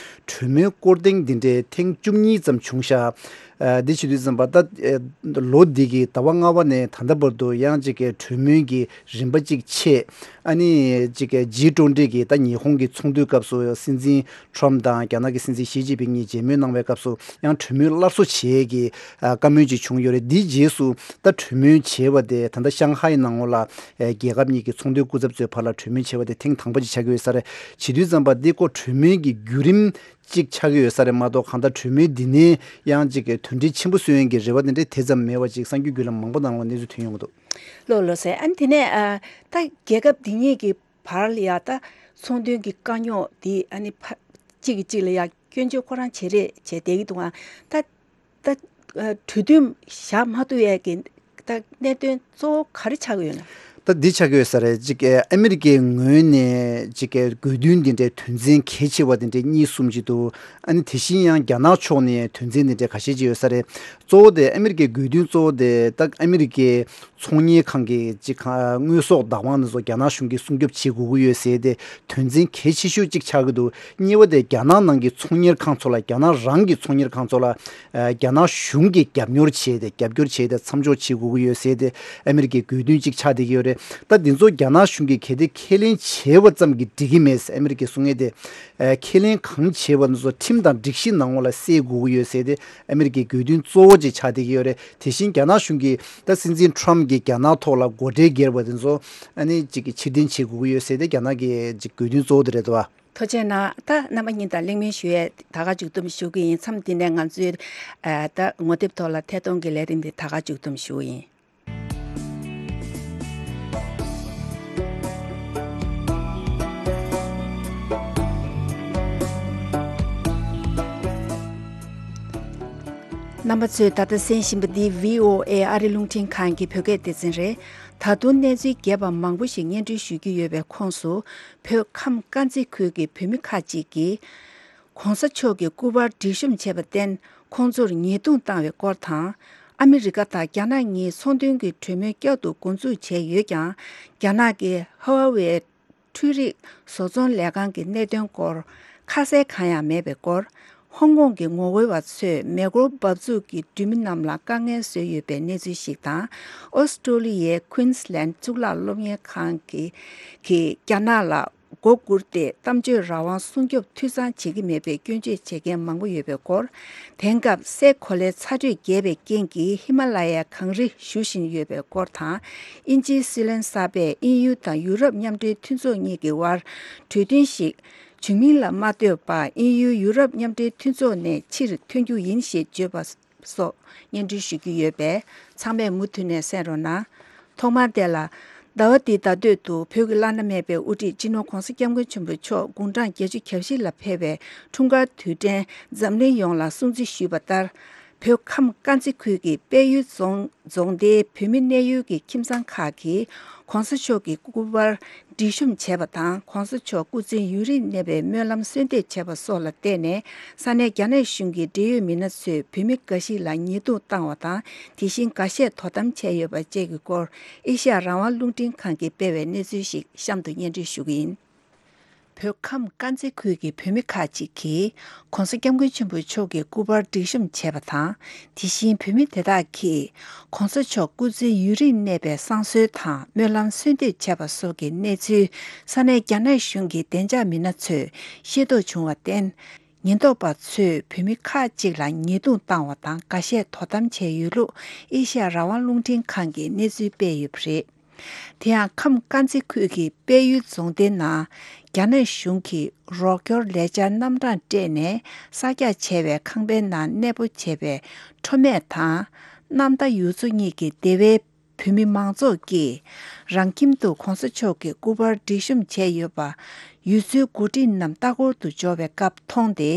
གྲོས་མོལ་སྐོར་ཐེངས་འདི་འདྲའི་ཐེངས་བཅུ་གཉིས་ཙམ་བྱུང་ཤག་ཨ་འདི་བྱེད་དུས་ཙམ་པ་ད་ཨ་ལོ་འདི་གི་ཟླ་བ་ལྔ་པ་ནས་ད་ལྟ་བར་དུ་ཡང་ཅིག་གི་གྲོས་མོལ་གྱི་རིམ་པ་གཅིག་ཆད། ཨ་ནི་ཅིག་གི་ཇི་ཊུ་ཝེན་ཊི་གི་ད་ཉི་ཧོང་གི་ཚོགས་འདུའི་སྐབས་སུ་སྲིད་འཛིན་ཊམ་དང་རྒྱ་ནག་གི་སྲིད་འཛིན་ཞི་ཅིན་ཕིང་གཉིས་མཇལ་མོལ་གནང་བའི་སྐབས་སུ་ཡང་གྲོས་མོལ་སླར་གསོ་བྱེད་ཀྱི་ཨ་བཀའ་མོལ་ཅིག་བྱུང་ཡོད་རེད། འདིའི་རྗེས་སུ་ད་གྲོས་མོལ་བྱས་པ་དེ་ད་ལྟ་ཤང་ཧའེ་ནང་ལོགས་ལ་ཨ་རྒྱལ་ཁབ་གཉིས་ཀྱི་ཚོང་དོན་སྐུ་ཚབ་ཚོའི་བར་ལ་གྲོས་མོལ་བྱས་པ་དེ་ཐེངས་དང་པོ་ཅིག་ཆགས་ཀྱི་ཡོད་ས་རེད། བྱེད་དུས་ཙམ་པ་འདི་ཀོ་གྲོས་མོལ་གྱི་བརྒྱུད་རིམ་གཅིག་ཆགས་ཀྱི་ཡོད་ས་རེད་མ་གཏོགས། གང་ལྟར་གྲོས་མོལ་འདི་ནས་ཡང་གཅིག་གི་དོན་འབྲས་ཆེན་པོ་སོན་ཡོང་གི་རེ་བ་དེ་འདྲ་དེ་ཙམ་མེད་པ་ཅིག་གསར་འགྱུར་བརྒྱུད་ལམ་མང་པོ་ནང་ལ་གནས་ཚུལ་ཐོན་ཡོང་གི་འདུག་ལགས་ལགས་སེ། ཨ་ནི་དེ་ནས་ཨ་ད་རྒྱལ་ཁབ་འདི་གཉིས་ཀྱི་བར་ལ་ཡ་ད་ཚོང་དོན་གྱི་དཀའ་རྙོག་འདི་ཨ་ནི་ཕ་གཅིག་གིས་གཅིག་ལ་ཡ་སྐྱོན་བརྗོད་ཁོ་རང་བྱེད་རེས་བྱས་བསྡད་ཀྱི་འདུག་ཨ་ད་ད་ཨ་གྲོས་མཐུན་བཞག་མ་ཐུབ་ཡས་ཀྱི་ད་གནད་དོན་གཙོ་བོ་ག་རེ་ཆགས་ཀྱི་ཡོད་ན། ད་འདི་ཆགས་ཀྱི་ཡོད་ས་རེད། ཅིག་ཨ་མི་རི་ཀའི་ངོས་ནས་ཅིག་དགོས་འདུན་འདི་འདྲའི་དོན་ཚན་གལ་ཆེ་བ་འདི་འདྲའི་གཉིས་གསུམ་ཅིག་འདུག་ཨ་ནི་དེ་བཞིན་ཡང་རྒྱ་ནག་ཕྱོགས་ནས་དོན་ཚན་འདི་འདྲའི་ཁ་ཤས་ཅིག་ཡོད་ས་རེད། གཙོ་བོ་དེ་ཨ་མི་རི་ཀའི་དགོས་འདུན་གཙོ་བོ་དེ་ད་ཨ་མི་རི་ཀའི་ཚོང་གཉེར་ཁང་གི་ཅིག་ཁང་དངོས་ཟོག་བདག་དབང་དེ་ཚོ་རྒྱ་ནག་གཞུང་གིས་སྲུང་སྐྱོབ་བྱེད་དགོས་ཀྱི་ཡོད་ཟེར་ཏེ་དོན་ཚན་གལ་ཆེ་ཤོས་ཅིག་ཆགས་ཀྱི་འདུག་གཉིས་པ་དེ་རྒྱ་ནག་ནང་གི་ཚོང་གཉེར་ཁང་ཚོ་ལ་རྒྱ་ནག་རང་གི་ཚོང་གཉེར་ཁང་ཚོ་ལ་ཨ་རྒྱ་ནག་གཞུང་གིས་རྒྱབ་སྐྱོར་བྱས་ཏེ་རྒྱབ་སྐྱོར་བྱས་ཏེ་མཚམས་འཇོག་བྱེད་དགོས་ཀྱི་ཡོད་ཟེར་ཏེ་ཨ་མི་རི་ཀའི་དགོས་འདུན་ཅིག་ཆགས་བསྡད་ཀྱི་ཡོད་རེད། ད་འདི་ཚོ་རྒྱ་ནག་གཞུང་གིས་གལ་ཏེ་ཁས་ལེན་བྱས་པ་ཙམ་གྱིས་འགྲིག་གི་མེད་ཟེར་ཨ་མི་རི་ཀས་གསུང་ཡས་དེ། ཨ་ཁས་ལེན་གང་བྱས་པ་འདི་ཚོ་ཁྲིམས་དང་སྒྲིག་གཞི་ནང་ལོགས་ལ་གསལ་དགོས་ཀྱི་ཡོད་ཟེར་ཏེ་ཨ་མི་རི་ཀའི་དགོས་འདུན་གཙོ་བོ་ཅིག་ཆགས་བསྡད་ཀྱི་ཡོད་རེད། དེ་བཞིན་རྒྱ་ནག་གཞུང་གིས་ད་སྲིད་འཛིན་ཊམ་གྱིས་རྒྱ་ནག་ཐོག་ལ་སྒོ་ཁྲལ་བསྒྱུར་བ་དེ་ཚོ་ཨ་ནི་ཅིག་གི་ཕྱིར་འཐེན་བྱེད་དགོས་ཀྱི་ཡོད་ཟེར་ཏེ་རྒྱ་ནག་གི་ཅིག་དགོས་འདུན་གཙོ་བོ་དེ་རེད་འདུག་བ། ཐུགས་རྗེ་གནང་། ད་རྣམ་པ་གཉིས་དང་གླེང་མོལ་ཞུ་ཡས་ད་ག་མཇུག་བསྡོམས་ཞུ་གི་ཡིན། མཚམས་འདི་ནས་ང་ཚོའི་ཨ་ད་ངོ་དེབ་ཐོག་ལ་ཐད་གཏོང་གི་ལས་རིམ་འདི་ད་ག་མཇུག་བསྡོམས་ཞུ་གི་ཡིན། རྣམ་པ་ཚོས་ད་ལྟ་གསན་བཞིན་པ་འདི་བྷི་ཨོ་ཨེ་ཨ་རི་རླུང་འཕྲིན་ཁང་གི་བོད་སྐད་སྡེ་ཚན་རེད། ད་དུང་གནས་ཚུལ་རྒྱས་པ་མང་པོ་ཞིག་སྙན་སྒྲོན་ཞུ་རྒྱུ་ཡོད་པའི་ཁོངས་སུ། བོད་ཁམས་དཀར་མཛེས་ཁུལ་གྱི་བོད་མི་ཁག་ཅིག་གིས། ༸གོང་ས་མཆོག་གི་སྐུ་པར་སྒྲིག་གཤོམ་བྱས་པར་བརྟེན། ཁོང་ཚོར་ཉེས་རྡུང་བཏང་བའི་སྐོར་དང་། ཨ་མི་རི་ཀ་དང་རྒྱ་ནག་གཉིས་ཚོང་དོན་གྱི་གྲོས་མོལ་བསྐྱར་དུ་འགོ་འཛུགས་བྱས་ཡོད་ཀྱང་། རྒྱ་ནག་གི་ཧ་ཝ་ཝེ་འཕྲུལ་རིག་བཟོ་ཚོང་ལས་ཁང་གི་གནད་དོན་སྐོར་ཁ་གསལ་གང་ཡང་མེད་པའི་སྐོར། ཧོང་ཀོང་གི་ངོ་རྒོལ་བ་ཚོས་མེ་འཁོར་འབབ་ཚུགས་ཀྱི་འགྲུལ་མི་རྣམས་ལ་དཀའ་ངལ་བཟོས་ཡོད་པའི་གནས་ཚུལ་ཞིག་དང་། ཨོ་སི་ཀྲོ་ལི་ཡའི་ཀུན་སི་ལན་གཙུག་ལག་སློབ་གཉེར་ཁང་གིས་གིས་རྒྱ་ནག་ལ་མགོ་སྒུར་ཏེ་གཏམ་བརྗོད་རང་དབང་སྲུང་སྐྱོབ་འཐུས་ཚང་བྱེད་ཀྱི་མེད་པའི་སྐྱོན་བརྗོད་བྱེད་མཁན་མང་པོ་ཡོད་པའི་སྐོར། དེང་སྐབས་སའི་གོ་ལའི་ཚ་དྲོད་རྒྱས་པའི་རྐྱེན་གྱིས་ཧི་མ་ལ་ཡའི་གངས་རི་ཞུ་བཞིན་ཡོད་པའི་སྐོར་དང་། དབྱིན་ཇིའི་སྲིད་བློན་གསར་པས་དབྱིན་ཡུལ་དང་ཡུ་རོབ་མཉམ་འབྲེལ་མཐུན་ཚོགས་གཉིས་ཀྱི་དབར་གྲོས་མཐུན་ཞིག་བྱུང་མིན་ལ་མ་ལྟོས་པར་དབྱིན་ཡུལ་ཡུ་རོབ་མཉམ་འབྲེལ་མཐུན་ཚོགས་ནས་ཕྱིར་ཐོན་རྒྱུ་ཡིན་ཞེས་བརྗོད་པ་སོགས་སྙན་སྒྲོན་ཞུ་རྒྱུ་ཡོད་པས་ཚང་མས་མུ་མཐུད་ནས་གསན་རོགས་གནང་། ཐོག་མར་དེ་ལ། ཟླ་བ་འདིའི་ཟླ་སྟོད་དུ་བོད་ཀྱི་བླ་ན་མེད་པའི་དབུ་ཁྲིད་སྤྱི་ནོར་༸གོང་ས་༸སྐྱབས་མགོན་ཆེན་པོ་མཆོག་དགུང་གྲངས་བརྒྱད་ཅུ་གྱ་བཞི་ལ་ཕེབས་པའི་འཁྲུངས་སྐར་དུས་དྲན་འཛམ་གླིང་ཡོངས་ལ་སྲུང་བརྩི་ཞུས་པ་ལྟར། བོད་ཁམས་དཀར་མཛེས་ཁུལ་གྱི་དཔལ་ཡུལ་རྫོང་རྫོང་སྡེའི་བོད་མི་གནས་ཡུལ་གྱི་ཁྱིམ་ཚང་ཁག་གིས་༸གོང་ས་མཆོག་གི་སྐུ་པར་སྒྲིག་གཤོམ་བྱས་པ་དང་། ༸གོང་ས་མཆོག་སྐུ་ཚེ་ཡུན་རིང་གནས་པའི་སྨོན་ལམ་གསོལ་འདེབས་བྱས་པ་སོགས་ལ་བརྟེན་ནས། ས་གནས་རྒྱ་ནག་གཞུང་གི་འབྲེལ་ཡོད་མི་སྣ་ཚོས་བོད་མི་འགའ་ཞིག་ལ་ཉེས་རྡུང་བཏང་བ་དང་། དེ་བཞིན་འགའ་ཤས་དོ་དམ་བྱས་ཡོད་པ་བཅས་ཀྱི་སྐོར། ཨེ་ཤ་ཡ་རང་དབང་རླུང་འཕྲིན་ཁང་གིས་སྤེལ་བའི་གནས་ཚུལ་ཞིག་གཤམ་དུ་སྙན་སྒྲོན་ཞུ་གི་ཡིན། བོད་ཁམས་དཀར་མཛེས་ཁུལ་གྱི་བོད་མི་ཁག་ཅིག་གིས་༸གོང་ས་༸སྐྱབས་མགོན་ཆེན་པོ་མཆོག་གི་སྐུ་པར་སྒྲིག་གཤོམ་བྱས་པ་དང་། དེ་བཞིན་བོད་མི་དེ་དག་གིས་༸གོང་ས་མཆོག་སྐུ་ཚེ་ཡུན་རིང་གནས་པའི་བསང་གསོལ་དང་སྨོན་ལམ་གསོལ་འདེབས་བྱས་པ་སོགས་ཀྱི་གནས་ཚུལ་ས་གནས་རྒྱ་ནག་གཞུང་གི་བདེ་འཇགས་མི་སྣ་ཚོས་ཤེས་རྟོགས་བྱུང་བར་བརྟེན། ཉེན་རྟོག་པ་ཚོས་བོད་མི་ཁག་ཅིག་ལ་ཉེས་རྡུང་བཏང་བ་དང་འགའ་ཤས་དོ་དམ་བྱས་ཡོད་ལུགས་ཨེ་ཤ་ཡ་རང་དབང་རླུང་འཕྲིན་ཁང་གིས་གནས་ཚུལ་སྤེལ་ཡོད་པ་རེད། དེ་ཡང་ཁམས་དཀར་མཛེས་ཁུལ་གྱི་དཔལ་ཡུལ་རྫོང་སྡེའི་ནང་རྒྱ་ནག་གཞུང་གིས་རོགས་སྐྱོར་ལས་འཆར་རྣམ་གྲངས་སྤྲད་ནས་གསར་རྒྱག་བྱས་པའི་ཁང་པའི་ནང་གནས་སྤོ་བྱས་པའི་ཁྲོ་སྨད་དང་གནམ་མདའ་ཡུལ་ཚོ་གཉིས་ཀྱི་སྡེ་བའི་བོད་མི་མང་ཚོགས་ཀྱིས་རང་ཁྱིམ་དུ་༸གོང་ས་མཆོག་གི་སྐུ་པར་སྒྲིག་གཤོམ་བྱས་ཡོད་པ་ཡུལ་ཚོའི་འགོ་ཁྲིད་རྣམས་ལྟ་སྐོར་དུ་འབྱོར་བའི་སྐབས་མཐོང་སྟེ།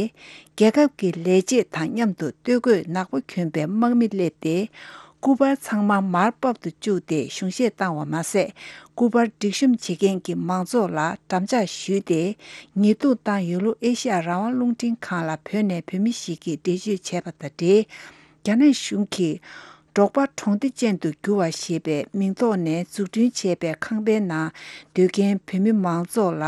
རྒྱལ་ཁབ་ཀྱི་ལས་བྱེད་དང་མཉམ་དུ་སྟོད་གོས་ནག་པོ་གྱོན་པའི་དམག་མི་སླེབས་ཏེ། སྐུ་པར་ཚང་མ་མར་ཕབ་ཏུ་བཅུག་སྟེ་གཞུང་བཞེས་བཏང་བ་མ་ཟད། སྐུ་པར་སྒྲིག་གཤོམ་བྱེད་མཁན་གྱི་མང་ཚོགས་ལ་འགྲམ་ལྕག་གཞུས་ཏེ་ཉེས་རྡུང་བཏང་ཡོད་ལུགས་ཨེ་ཤ་ཡ་རང་དབང་རླུང་འཕྲིན་ཁང་ལ་བོད་ནས་བོད་མི་ཞིག་གིས་འགྲེལ་བརྗོད་བྱས་པ་དང་འབྲེལ། རྒྱ་ནག་གཞུང་གིས་འབྲོག་པ་གྲོང་སྡེ་ཅན་དུ་བསྒྱུར་བ་ཞེས་པའི་མིང་ཐོག་ནས་འཛུགས་སྐྲུན་བྱས་པའི་ཁང་པའི་ནང་སྡོད་མཁན་བོད་མི་མང་ཚོགས་ལ་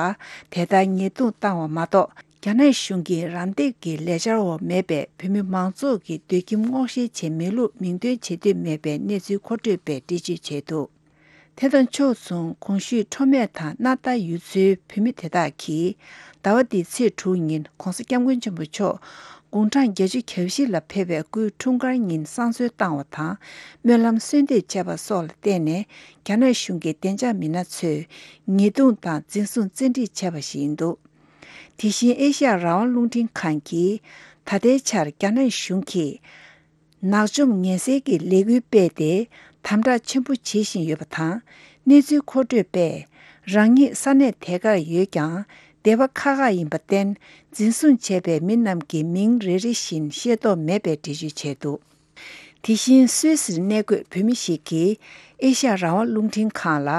དེ་ལྟར་ཉེས་རྡུང་བཏང་བ་མ་གཏོགས། རྒྱ་ནག་གཞུང་གིས་རམ་འདེགས་ཀྱི་ལས་འཆར་འོག་མེད་པའི་བོད་མི་མང་ཚོགས་ཀྱི་སྡོད་ཁྱིམ་སྔོག་བཤེར་བྱས་མེད་ལུགས་མིང་འདོན་བྱེད་འདོད་མེད་པའི་གནས་ཚུལ་མཁོ་སྤྲོད་པས་འགྲེལ་བརྗོད་བྱས་འདུག་དེ་དང་ཕྱོགས་མཚུངས་གོང་ཞུས་ཁྲོ་སྨད་དང་སྣར་ཐར་ཡུལ་ཚོའི་བོད་མི་དེ་དག་གིས་ཟླ་བ་འདིའི་ཚེས་དྲུག་ཉིན་༸གོང་ས་༸སྐྱབས་མགོན་ཆེན་པོ་མཆོག་དགུང་གྲངས་བརྒྱད་ཅུ་གྱ་བཞི་ལ་ཕེབས་པའི་སྐུའི་འཁྲུངས་སྐར་ཉིན་བསང་གསོལ་བཏང་བ་དང་སྨོན་ལམ་གསོལ་འདེབས་བྱས་པ་སོགས་ལ་བརྟེན་ནས་རྒྱ་ནག་གཞུང་གི་བདེ་འཇགས་མི་སྣ་ཚོས་ཉེས་རྡུང་དང་འཛིན་བཟུང་བཙན་ཁྲིད་བྱས་པ་ཞིག་ཡིན་འདུག་དེ་བཞིན་ཨེ་ཤ་ཡ་རང་དབང་རླུང་འཕྲིན་ཁང་གིས་ད་ལྟའི་ཆར་རྒྱ་ནག་གཞུང་གིས་ནག་འཇོམས་ངན་སེལ་གྱི་ལས་འགུལ་སྤེལ་ཏེ་དམ་དྲག་ཆེན་པོ་བྱེད་བཞིན་ཡོད་པ་དང་། གནས་ཚུལ་མཁོ་སྤྲོད་པས་རང་ཉིད་ས་གནས་དེ་གར་ཡོད་ཀྱང་སྡེ་བ་ཁག་ཁག་ཡིན་པར་བརྟེན་འཛིན་བཟུང་བྱས་པའི་མི་རྣམས་ཀྱི་མིང་རེ་རེ་བཞིན་ཤེས་རྟོགས་མེད་པའི་འགྲེལ་བརྗོད་བྱས་འདུག་དེ་བཞིན་སུད་སིར་གནས་འཁོད་བོད་མི་ཞིག་གིས་ཨེ་ཤ་ཡ་རང་དབང་རླུང་འཕྲིན་ཁང་ལ།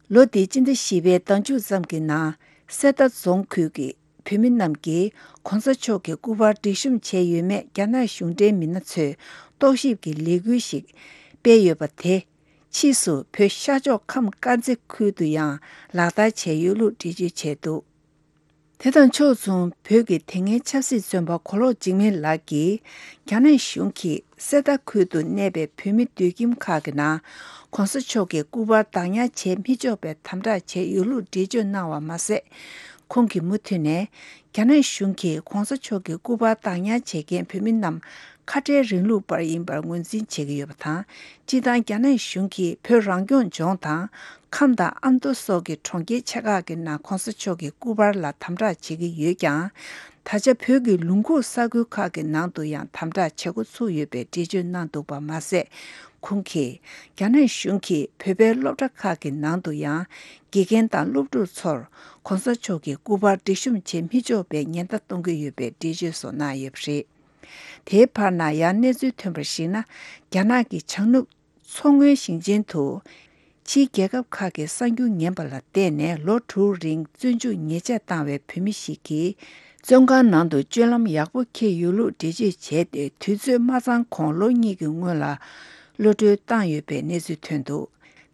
ལོ་འདིའི་སྤྱི་ཟླ་བཞི་པའི་ཟླ་མཇུག་ཙམ་གྱི་ནང་གསེར་རྟ་རྫོང་ཁུལ་གྱི་བོད་མི་རྣམས་ཀྱིས་གོང་ས་མཆོག་གི་སྐུ་པར་སྒྲིག་གཤོམ་བྱས་ཡོད་མེད་རྒྱ་ནག་གཞུང་འབྲེལ་མི་སྣ་ཚོས་རྟོག་ཞིབ་ཀྱི་ལས་འགུལ་ཞིག་སྤེལ་ཡོད་པ་དེ་ཕྱིས་སུ་བོད་ཤར་ཕྱོགས་ཁམས་དཀར་མཛེས་ཁུལ་དུ་ཡང་ལག་བསྟར་བྱས་ཡོད་ལུགས་འགྲེལ་བརྗོད་བྱས་འདུག་དེ་དང་ཕྱོགས་མཚུངས། བོད་ཀྱི་དེ་སྔའི་ཆབ་སྲིད་བཙོན་པ་གོ་ལོག་འཇིགས་མེད་ལགས་ཀྱིས། རྒྱ་ནག་གཞུང་གིས་གསེར་རྟ་ཁུལ་དུ་གནས་པའི་བོད་མི་སྡོད་ཁྱིམ་ཁག་གི་ནང་། ྋགོང་ས་མཆོག་གི་སྐུ་པར་བདག་ཉར་བྱེད་མི་ཆོག་པའི་དམ་དྲག་བྱས་ཡོད་ལུགས་འགྲེལ་བརྗོད་གནང་བ་མ་ཟད། ཁོང་གིས་མུ་མཐུད་ནས། རྒྱ་ནག་གཞུང་གིས་ྋགོང་ས་མཆོག་གི་སྐུ་པར་བདག་ཉར་བྱེད་མཁན་བོད་མི་རྣམས། ཁ་བྲལ་རིང་ལུགས་པར་ཡིན་པར་ངོས་འཛིན་བྱེད་ཀྱི་ཡོད་པ་དང་། སྤྱིར་བཏང་རྒྱ་ནག་གཞུང་གིས་བོད་རང་སྐྱོང་ལྗོངས་དང་། ཁམས་དང་ཨ་མདོ་སོགས་ཀྱི་གྲོང་ཁྱེར་ཆེ་ཁག་གི་ནང་ྋགོང་ས་མཆོག་གི་སྐུ་པར་ལ་དམ་དྲག་བྱེད་ཀྱི་ཡོད་ཀྱང་། ད་ཆ་བོད་ཀྱི་ལུང་ཁུག་ས་ཁུལ་ཁག་གི་ནང་དུ་ཡང་དམ་དྲག་བྱེད་འགོ་ཚུགས་ཡོད་པའི་འགྲེལ་བརྗོད་གནང་འདུག་པ་མ་ཟད། ཁོང་གིས། རྒྱ་ནག་གཞུང་གིས་བོད་པའི་སློབ་གྲྭ་ཁག་གི་ནང་དུ་ཡང་། དགེ་རྒན་དང་སློབ་ཕྲུག་ཚོར་ྋགོང་ས་མཆོག་གི་སྐུ་པར་སྒྲིག་གཤོམ་བྱེད་མི་ཆོག་པའི་ཉེན་བརྡ་གཏོང་གི་ཡོད་པའི་འགྲེལ་བརྗོད་སོགས་གནང་ཡོད་པ་རེད། དེའི་བར་ན་ཡང་གནས་ཚུལ་ཐོན་པར་གཞིགས་ན། རྒྱ་ནག་གི་བྱང་ནུབ་མཚོ་སྔོན་ཞིང་ཆེན་དུ། ཕྱིའི་རྒྱལ་ཁབ་ཁག་གི་གསར་འགྱུར་ཉན་པ་ལ་བལྟས་ནས། ལོ་དྲུག་རིང་བཙོན་འཇུག་ཉེས་ཆད་བཏང་བའི་བོད་མི་ཞིག་གིས། བཙོན་ཁང་ནང་དུ་སྤྱོད་ལམ་ཡག་པོ་འཁྱེར་ཡོད་ལུགས་འགྲེལ་བརྗོད་བྱས་ཏེ། དུས་ཚོད་མ་ཚང་གོང་ལོ་གཉིས་ཀྱི་སྔོན་ལ་གློད་གྲོལ་བཏང་ཡོད་པའི་གནས་ཚུལ་ཐོན་འདུག་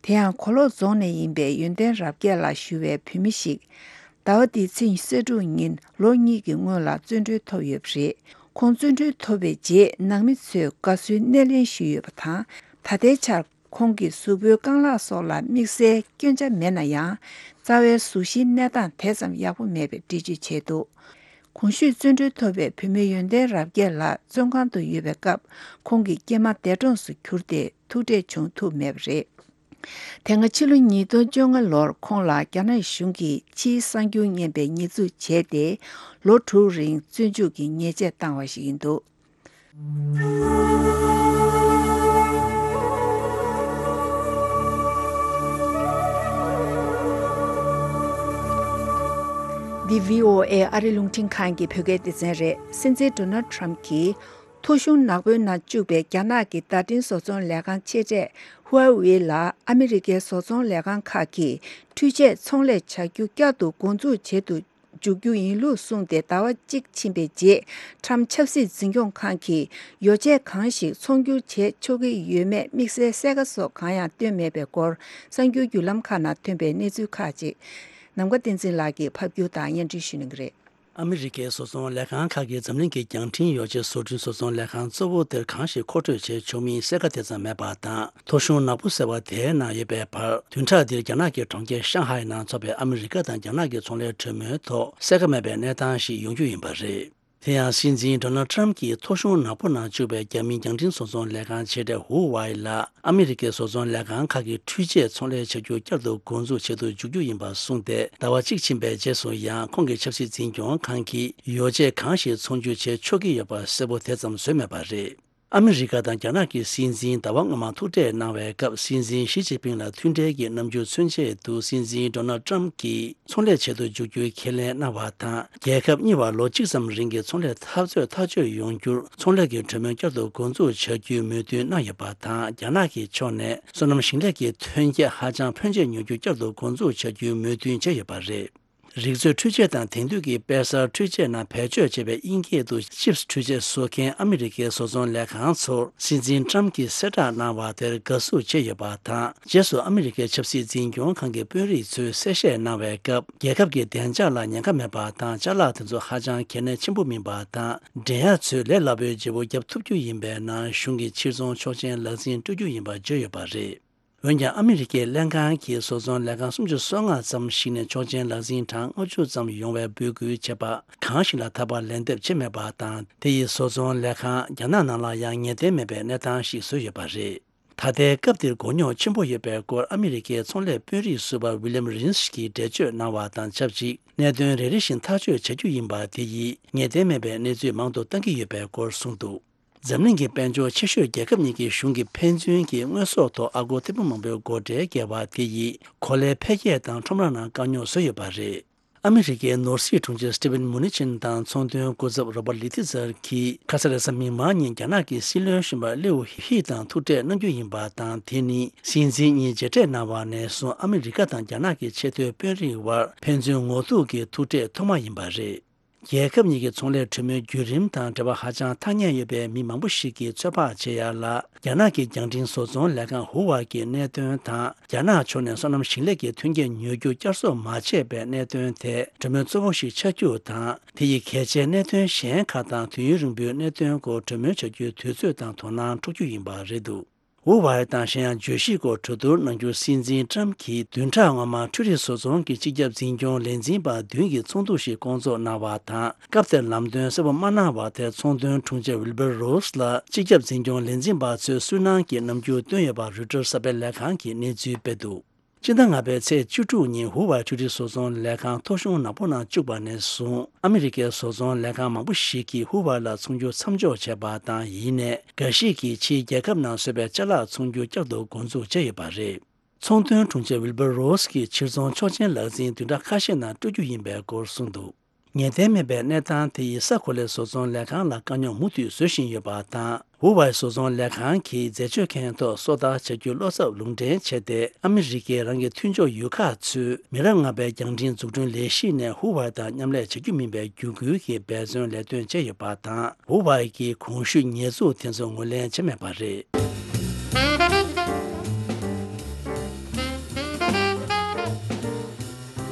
དེ་ཡང་གོ་ལོག་རྫོང་ནས་ཡིན་པའི་ཡོན་ཏན་རབ་རྒྱས་ལགས་ཞུ་བའི་བོད་མི་ཞིག་ཟླ་བ་འདིའི་ཚེས་ཉི་ཤུ་རྩ་དྲུག་ཉིན་ལོ་གཉིས་ཀྱི་སྔོན་ལ་བཙོན་གྲོལ་ཐོབ་ཡོད་པ་རེད། ཁོང་བཙོན་གྲོལ་ཐོབ་པའི་རྗེས། ནང་མི་ཚོས་དགའ་བསུའི་སྣེ་ལེན་ཞུས་ཡོད་པ་དང་། ད་ལྟའི་ཆར་ཁོང་གི་གཟུགས་པོའི་རྐང་ལག་སོགས་ལ་དམིགས་བསལ་སྐྱོན་ཆ་མེད་ན་ཡང་། རྩ་བའི་གཟུགས་གཞིའི་གནས་སྟངས་དེ་ཙམ་ཡག་པོ་མེད་པའི་འགྲེལ་བརྗོད་བྱས་འདུག་གོང་ཞུས་བཙོན་གྲོལ་ཐོབ་པའི་བོད་མི་ཡོན་ཏན་རབ་རྒྱས་ལགས་བཙོན་ཁང་དུ་ཡོད་པའི་སྐབས། ཁོང་གི་སྐྱེས་མ་འདས་གྲོངས་སུ་གྱུར་ཏེ། ཐུག་འཕྲད་བྱུང་ཐུབ་མེད་པ་རེད། དེ་སྔ་ཕྱི་ལོ་ཉིས་སྟོང་བཅོ་ལྔ་ལོར་ཁོང་ལ་རྒྱ་ནག་གཞུང་གིས་ཕྱིའི་གསར་འགྱུར་ཉན་པའི་ཉེས་འཛུགས་བྱས་ཏེ། ལོ་དྲུག་རིང་བཙོན་འཇུག་གི་ཉེས་ཆད་བཏང་བ་ཞིག་ཡིན་འདུག་འདི་བྷི་ཨོ་ཨེ་ཨ་རི་རླུང་འཕྲིན་ཁང་གི་བོད་སྐད་སྡེ་ཚན་རེད། སྲིད་འཛིན་ཌོ་ནལ་ཊམ་གྱིས། ཐོ་གཞུང་ནག་པོའི་ནང་བཅུག་པའི་རྒྱ་ནག་གི་བརྡ་འཕྲིན་བཟོ་ཚོང་ལས་ཁང་ཆེ་གྲས་ཧུའེ་ཝེ་ལ་ཨ་མི་རི་ཀའི་བཟོ་ཚོང་ལས་ཁང་ཁག་གིས་འཕྲུལ་ཆས་ཚོང་ལས་བྱ་རྒྱུ་བསྐྱར་དུ་འགོ་འཛུགས་བྱེད་དུ་འཇུག་རྒྱུ་ཡིན་ལུགས་གསུངས་ཏེ། ཟླ་བ་གཅིག་ཕྱིན་པའི་རྗེས། ཊམ་ཆབ་སྲིད་འཛིན་སྐྱོང་ཁང་གིས་ཡོ་བྱད་གང་ཞིག་ཚོང་སྒྱུར་བྱེད་ཆོག་གི་ཡོད་མེད་དམིགས་བསལ་གསལ་ཁ་སོགས་གང་ཡང་བཏོན་མེད་པའི་སྐོར། གསར་འགྱུར་བརྒྱུད་ལམ་ཁག་ནང་ཐོན་པའི་གནས་ཚུལ་ཁག་ཅིག་ནམ་མཁའ་བསྟན་འཛིན་ལགས་ཀྱིས་ཕབ་སྒྱུར་དང་སྙན་སྒྲོན་ཞུ་གནང་གི་རེད། ཨ་མི་རི་ཀའི་བཟོ་ཚོང་ལས་ཁང་ཁག་གིས་འཛམ་གླིང་གི་རྒྱང་འཕྲིན་ཡོ་བྱད་བཟོ་སྐྲུན་བཟོ་ཚོང་ལས་ཁང་གཙོ་བོ་དེར་གང་ཞིག་མཁོ་སྤྲོད་བྱེད་ཆོག་མིན་གསལ་ཁ་དེ་ཙམ་མེད་པ་དང་། ཐོ་གཞུང་ནག་པོ་ཟེར་བ་དེའི་ནང་ཡོད་པའི་བར། བདུན་ཕྲག་འདིར་རྒྱ་ནག་གི་གྲོང་ཁྱེར་ཤང་ཧའེ་ནང་འཚོགས་པའི་ཨ་མི་རི་ཀ་དང་རྒྱ་ནག་གི་ཚོང་ལས་གྲོས་མོལ་ཐོག་གསལ་ཁ་མེད་པའི་གནས་སྟངས་ཤིག་ཡོང་རྒྱུ་ཡིན་པ་རེད། དེ་ཡང་སྲིད་འཛིན་ཌོ་ནལ་ཊམ་གྱིས་ཐོ་གཞུང་ནག་པོ་ནང་བཅུག་པའི་རྒྱ་མིའི་རྒྱང་འཕྲིན་བཟོ་ཚོང་ལས་ཁང་ཆེ་གྲས་ཧུའུ་ཝའེ་ལ། ཨ་མི་རི་ཀའི་བཟོ་ཚོང་ལས་ཁང་ཁག་གིས་འཕྲུལ་ཆས་ཚོང་ལས་བྱ་རྒྱུ་བསྐྱར་དུ་འགོ་འཛུགས་བྱེད་དུ་འཇུག་རྒྱུ་ཡིན་པ་གསུངས་ཏེ། ཟླ་བ་གཅིག་ཕྱིན་པའི་རྗེས་སུ་ཡང་ཁོང་གི་ཆབ་སྲིད་འཛིན་སྐྱོང་ཁང་གིས་ཡོ་བྱད་གང་ཞིག་ཚོང་སྒྱུར་བྱེད་ཆོག་གི་ཡོད་པ་གསལ་པོ་དེ་ཙམ་བཟོས་མེད་པ་རེད། ཨ་མི་རི་ཀ་དང་རྒྱ་ནག་གི་སྲིད་འཛིན་ཟླ་བ་སྔོན་མ་ཐུག་འཕྲད་གནང་བའི་སྐབས། སྲིད་འཛིན་ཞི་ཅིན་ཕིང་ལ་མཐུན་འབྲེལ་གྱི་རྣམ་འགྱུར་མཚོན་ཆེད་དུ། སྲིད་འཛིན་ཌོ་ནལ་ཊམ་གྱིས་ཚོང་ལས་བྱེད་དུ་འཇུག་རྒྱུའི་ཁས་ལེན་གནང་བ་དང་། རྒྱལ་ཁབ་གཉིས་བར་ལོ་གཅིག་ཙམ་རིང་གི་ཚོང་ལས་འཐབ་རྩོད་ཐག་གཅོད་ཡོང་རྒྱུར་ཚོང་ལས་ཀྱི་གྲོས་མོལ་བསྐྱར་དུ་འགོ་འཛུགས་བྱ་རྒྱུའི་མོས་མཐུན་གནང་ཡོད་པ་དང་། རྒྱ་ནག་གི་ཕྱོགས་ནས་སོ་ནམ་ཞིང་ལས་ཀྱི་ཐོན་སྐྱེད་ཧ་ཅང་ཕོན་ཆེ་ཉོ་རྒྱུ་བསྐྱར་དུ་འགོ་འཛུགས་བྱ་རྒྱུའི་མོས་མཐུན་བྱས་ཡོད་པ་རེད། རིག་མཛོད་འཕྲུལ་ཆས་དང་དེང་དུས་ཀྱི་དཔེ་གསར་འཕྲུལ་ཆས་ནང་བེད་སྤྱོད་བྱས་པའི་དབྱིན་སྐད་དུ་ཅིབས་འཕྲུལ་ཆས་བཟོ་མཁན་ཨ་མི་རི་ཀའི་བཟོ་ཚོང་ལས་ཁང་ཚོར་སྲིད་འཛིན་ཊམ་གྱིས་གསལ་བསྒྲགས་གནང་བ་དེར་དགའ་བསུ་བྱས་ཡོད་པ་དང་། རྗེས་སུ་ཨ་མི་རི་ཀའི་ཆབ་སྲིད་འཛིན་སྐྱོང་ཁང་གི་དཔོན་རིགས་ཚོས་གསལ་བཤད་གནང་བའི་སྐབས། རྒྱལ་ཁབ་ཀྱི་བདེ་འཇགས་ལ་ཉེན་ཁ་མེད་པ་དང་། ཅ་ལག་དེ་ཚོ་ཧ་ཅང་གལ་གནད་ཆེན་པོ་མིན་པ་དང་། འགྲན་ཡག་ཚོས་ལས་སླ་པོའི་བརྗེ་པོ་བརྒྱབ་ཐུབ་རྒྱུ་ཡིན་པའི་ནང་གཞུང་གི་ཕྱིར་ཚོང་ཆོག་མཆན་ལག་འཛིན་སྤྲོད་རྒྱུ་ཡིན་པ་བརྗོད་ཡོད་པ་རེད། འོན་ཀྱང་ཨ་མི་རི་ཀའི་ལྷན་ཁང་གིས་བཟོ་ཚོང་ལས་ཁང་སུམ་ཅུ་སོ་ལྔ་ཙམ་ཞིག་ནས་ཆོག་མཆན་ལག་འཛིན་གྲངས་ལྔ་བཅུ་ཙམ་ཡོང་བའི་འབོད་སྐུལ་བྱས་པ་གང་ཞིག་ལ་ད་བར་ལན་འདེབས་བྱས་མེད་པ་དང་། དེ་ཡིས་བཟོ་ཚོང་ལས་ཁང་རྒྱ་ནག་ནང་ལ་ཡང་ངེས་གཏན་མེད་པའི་གནས་སྟངས་ཤིག་བཟོས་ཡོད་པ་རེད། ད་ལྟའི་སྐབས་འདིར་མགོ་རྙོག་ཆེན་པོ་ཡོད་པའི་སྐོར་ཨ་མི་རི་ཀའི་ཚོང་ལས་དཔོན་རིགས་ཟུར་པ་ཝི་ལིམ་རིན་སི་གིས་འགྲེལ་བརྗོད་གནང་བ་དང་ཆབས་ཅིག་གནད་དོན་རེ་རེ་བཞིན་ཐག་གཅོད་བྱ་རྒྱུ་ཡིན་པ་དེ་ཡིས་ངེས་གཏན་མེད་པའི་གནས་ཚུལ་མང་དུ་བཏང་གི་ཡོད་པའི་སྐོར་གསུངས་འདུག་འཛམ་གླིང་གི་དཔལ་འབྱོར་ཆེ་ཤོས་རྒྱལ་ཁབ་གཉིས་ཀྱི་གཞུང་གི་ཕན་ཚུན་གྱི་དངོས་ཟོག་ཐོག་ཨ་སྒོར་ཐེར་འབུམ་མང་པོའི་སྒོ་ཁྲལ་བཀལ་བ་དེ་ཡིས་གོ་ལའི་འཕེལ་རྒྱས་དང་ཁྲོམ་ར་ནང་དཀའ་རྙོག་བཟོས་ཡོད་པ་རེད། ཨ་མི་རི་ཀའི་ནོར་སྲིད་དྲུང་ཆེ་སི་ཊི་ཝེན་མུ་ནི་ཆིན་དང་ཚོང་དོན་སྐུ་ཚབ་རོ་པར་ལི་ཐི་ཛར་གྱིས་ཁ་ས་རེས་གཟའ་མིག་དམར་ཉིན་རྒྱ་ནག་གི་སྲིད་བློན་གཞོན་པ་ལིའུ་ཧི་དང་ཐུག་འཕྲད་གནང་རྒྱུ་ཡིན་པ་དང་། དེ་ནི་སྲིད་འཛིན་གཉིས་མཇལ་འཕྲད་གནང་བ་ནས་བཟུང་ཨ་མི་རི་ཀ་དང་རྒྱ་ནག་གི་ཆེས་མཐོའི་དཔོན་རིགས་དབར་ཕན་ཚུན་ངོ་ཐུག་གི་ཐུག་འཕྲད་ཐོག་མ་ཡིན་པ་རེད། རྒྱལ་ཁབ་གཉིས་ཀྱི་ཚོང་ལས་གྲོས་མོལ་བརྒྱུད་རིམ་དང་འབྲེལ་བ་ཧ་ཅང་ཐག་ཉེ་ཡོད་པའི་མི་མང་པོ་ཞིག་གིས་ཚོད་དཔག་བྱེད་ཡ་ལ། རྒྱ་ནག་གི་རྒྱང་འཕྲིན་བཟོ་ཚོང་ལས་ཁང་ཧུ་ཝའེ་གི་གནད་དོན་དང་། རྒྱ་ནག་ཕྱོགས་ནས་སོ་ནམ་ཞིང་ལས་ཀྱི་མཐུན་རྐྱེན་ཉོ་རྒྱུ་བསྐྱར་གསོ་མ་བྱས་པའི་གནད་དོན་དེ་གྲོས་མོལ་གཙོ་བོ་ཞིག་ཆགས་རྒྱུ་དང་། དེ་ཡི་གལ་ཆེའི་གནད་དོན་གཞན་ཁག་དང་དུས་ཡུན་རིང་པོའི་གནད་དོན་སྐོར་གྲོས་མོལ་བྱ་རྒྱུའི་དུས་ཚོད་དང་དོ་སྣང་འཕྲོག་རྒྱུ་ཡིན་པ་རེད་འདུག་ཧུ་ཝའེ་དང་གཞན་ཡང་བརྗོད་གཞི་སྐོར་གྲོས་བསྡུར་གནང་རྒྱུ་སྲིད་འཛིན་ཀྲམ་གྱིས་བདུན་ཕྲག་སྔོན་མ་འཕྲུལ་རིག་བཟོ་ཚོང་གི་སྤྱི་ཁྱབ་འཛིན་སྐྱོང་ལས་འཛིན་པ་བདུན་གྱི་ཚོགས་འདུ་ཞིག་བསྐོང་ཚོགས་གནང་བ་དང་། སྐབས་དེར་ལམ་སྟོན་གསལ་པོ་མ་གནང་བར་དེར་ཚོང་དོན་དྲུང་ཆེ་ཝིལ་བར་རོས་ལ་སྤྱི་ཁྱབ་འཛིན་སྐྱོང་ལས་འཛིན་པ་ཚོས་སུན་སྣང་གི་རྣམ་འགྱུར་བཏོན་ཡོད་པ་རོའི་ཊར་གསར་པའི་ལས་ཁང་གིས་གནས་ཚུལ་སྤེལ་འདུག་སྤྱི་ཟླ་ལྔ་པའི་ཚེས་བཅུ་དྲུག་ཉིན་ཧུ་ཝའེ་འཕྲུལ་རིག་བཟོ་ཚོང་ལས་ཁང་ཐོ་གཞུང་ནག་པོ་ནང་བཅུག་པ་ནས་བཟུང་། ཨ་མི་རི་ཀའི་བཟོ་ཚོང་ལས་ཁང་མང་པོ་ཞིག་གིས་ཧུ་ཝའེ་ལ་ཚོང་རྒྱུ་མཚམས་འཇོག་བྱས་པ་དང་། ཡིན་ནའི་འགའ་ཞིག་གིས་ཕྱིའི་རྒྱལ་ཁབ་ནང་བཟོས་པའི་ཅ་ལག་ཚོང་རྒྱུ་བསྐྱར་དུ་འགོ་འཛུགས་བྱས་ཡོད་པ་རེད། ཚོང་དོན་དྲུང་ཆེ་ཝིལ་བར་རོས་ཀྱིས་ཕྱིར་ཚོང་ཆོག་མཆན་ལག་འཛིན་བདུན་ཕྲག་ཁ་ཤས་ནང་སྤྲོད་རྒྱུ་ཡིན་པའི་སྐོར་གསུངས་འདུག་ངེས་གཏན་མེད་པའི་གནས་སྟངས་དེ་ཡིས་ས་གོ་ལའི་བཟོ་ཚོང་ལས་ཁང་ལ་དཀའ་རྙོག་མུ་མཐུད་བཟོ་བཞིན་ཡོད་པ་དང་། ཧུ་ཝའེ་བཟོ་ཚོང་ལས་ཁང་གིས་འཛད་སྤྱོད་ཁང་ཐོག་སོ་ལྟ་བྱ་རྒྱུ་བློ་འཚབ་ལུང་འདྲེན་བྱས་ཏེ། ཨ་མི་རི་ཀས་རང་གི་མཐུན་ཕྱོགས་ཡུལ་ཁག་ཚོས་མི་རབས་ལྔ་པའི་རྒྱང་འཕྲིན་འཛུགས་སྐྲུན་ལས་གཞི་ནས་ཧུ་ཝའེ་དང་མཉམ་ལས་བྱ་རྒྱུ་མིན་པའི་བརྒྱུད་སྐུལ་གྱི་འབད་བརྩོན་ལས་དོན་བྱས་ཡོད་པ་དང་། ཧུ་ཝའེ་གིས་གོང་ཞུས་ཉེས་འཛུགས་དེ་ཚོ་ངོས་ལེན་བྱས་མེད་པ་རེད།